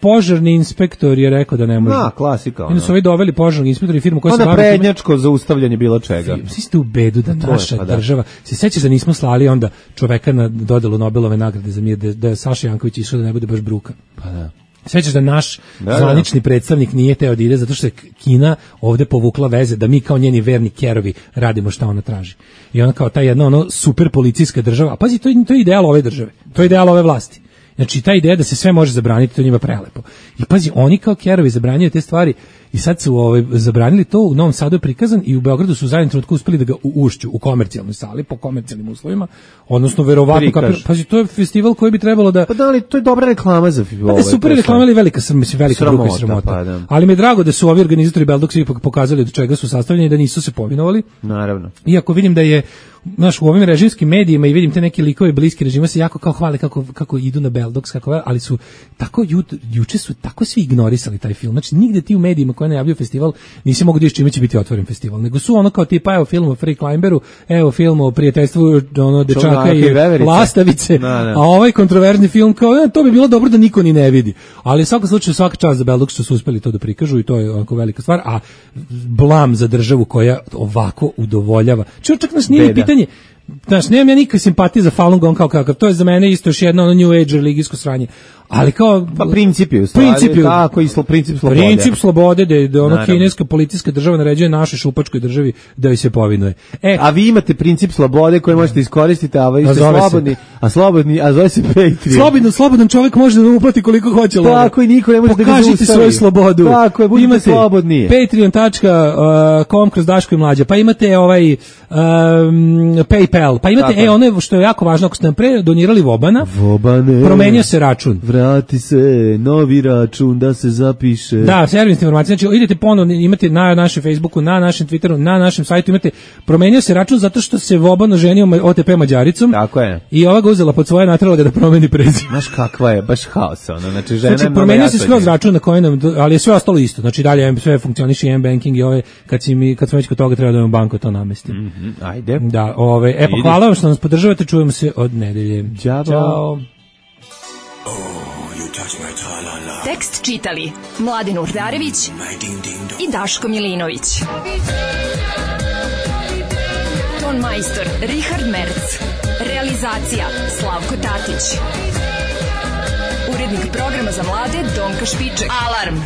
požarni inspektor je rekao da ne može. Klasika. Onda su ovi doveli požarnog inspektora i firmu koja se bavi prednjačko zaustavljanje bilo čega. Svi ste u bedu da naša država, se sećaš da nismo slali onda čoveka na dodelu Nobelove nagrade za mir, da je Saša Janković išao da ne bude baš bruka. Pa da. Sećaš da naš zvanični predstavnik nije teo da ide zato što je Kina ovde povukla veze da mi kao njeni verni kerovi radimo šta ona traži. I ona kao ta jedna super policijska država, a pazi, to je ideal ove države, to je ideal ove vlasti. Znači, ta ideja da se sve može zabraniti, to je njima prelepo. I pazi, oni kao kerovi zabranjaju te stvari i sad su zabranili to, u Novom Sadu je prikazan i u Beogradu su u zadnjem trenutku uspeli da ga ušću u komercijalnoj sali, po komercijalnim uslovima, odnosno verovatno, pazi, to je festival koji bi trebalo da... Pa da li, to je dobra reklama za ovo. Super reklama, ali velika bruka i sramota. Pa, da. Ali mi je drago da su ovi organizatori Beldoxa ipak pokazali od čega su sastavljeni i da nisu se povinovali. Naravno. Iako vidim da je u ovim režimskim medijima i vidim te neke likove bliski režima se jako kao hvale kako idu na Beldox, ali su tako juče su tako svi ignorisali taj film. Znači nigde ti u medijima koji najavljuju festival nisi mogu da čime će biti otvoren festival, nego su ono kao tipa evo film o Free Climberu, evo film o prijateljstvu dečaka i lastavice, a ovaj kontroverzni film kao to bi bilo dobro da niko ni ne vidi. Ali u svakom slučaju svaka čast za Beldox što su uspeli to da prikažu i to je onako velika stvar, a blam za državu koja ovako udovoljava. Čak nas nije pitanje. Znaš, nemam ja nikakve simpatije za Falun Gong kao kakav, to je za mene isto još jedno New Age religijsko sranje, ali kao... Pa princip je u stvari, tako i princip slobode. Princip slobode, da kineska policijska država naređuje našoj šupačkoj državi da joj se povinuje. A vi imate princip slobode koji možete iskoristiti, a vi ste slobodni, a zove se Patreon. Slobodan čovjek može da uplati koliko hoće. Tako i niko ne može da ga zaustavi. Pokažite svoju slobodu. Tako je, budite slobodni. Patreon.com kroz Daško i Mlađa, pa imate PayPal, pa imate ono što je jako važno, ako ste nam pre donirali Vobane, promenio se račun. Vrati se, novi račun da se zapiše. Da, servisne informacije, znači idete ponovno, imate na našem Facebooku, na našem Twitteru, na našem sajtu, imate, promenio se račun zato što se Voban oženio OTP Mađaricom. Tako je. I ova ga uzela pod svoje, natrala ga da promeni prezime. Znaš kakva je, baš haos, znači žena je promenio se skroz račun na koji nam, ali je sve ostalo isto, znači dalje sve funkcioniše i M-banking i kad smo već kod toga treba da imamo banku to namesti. Ajde. Da, pa hvala vam što nas podržavate, čujemo se od nedelje. Ćao. Tekst čitali Mladen Urdarević i Daško Milinović. Ton majstor Richard Merc. Realizacija Slavko Tatić. Urednik programa za mlade Donka Špiček. Alarm!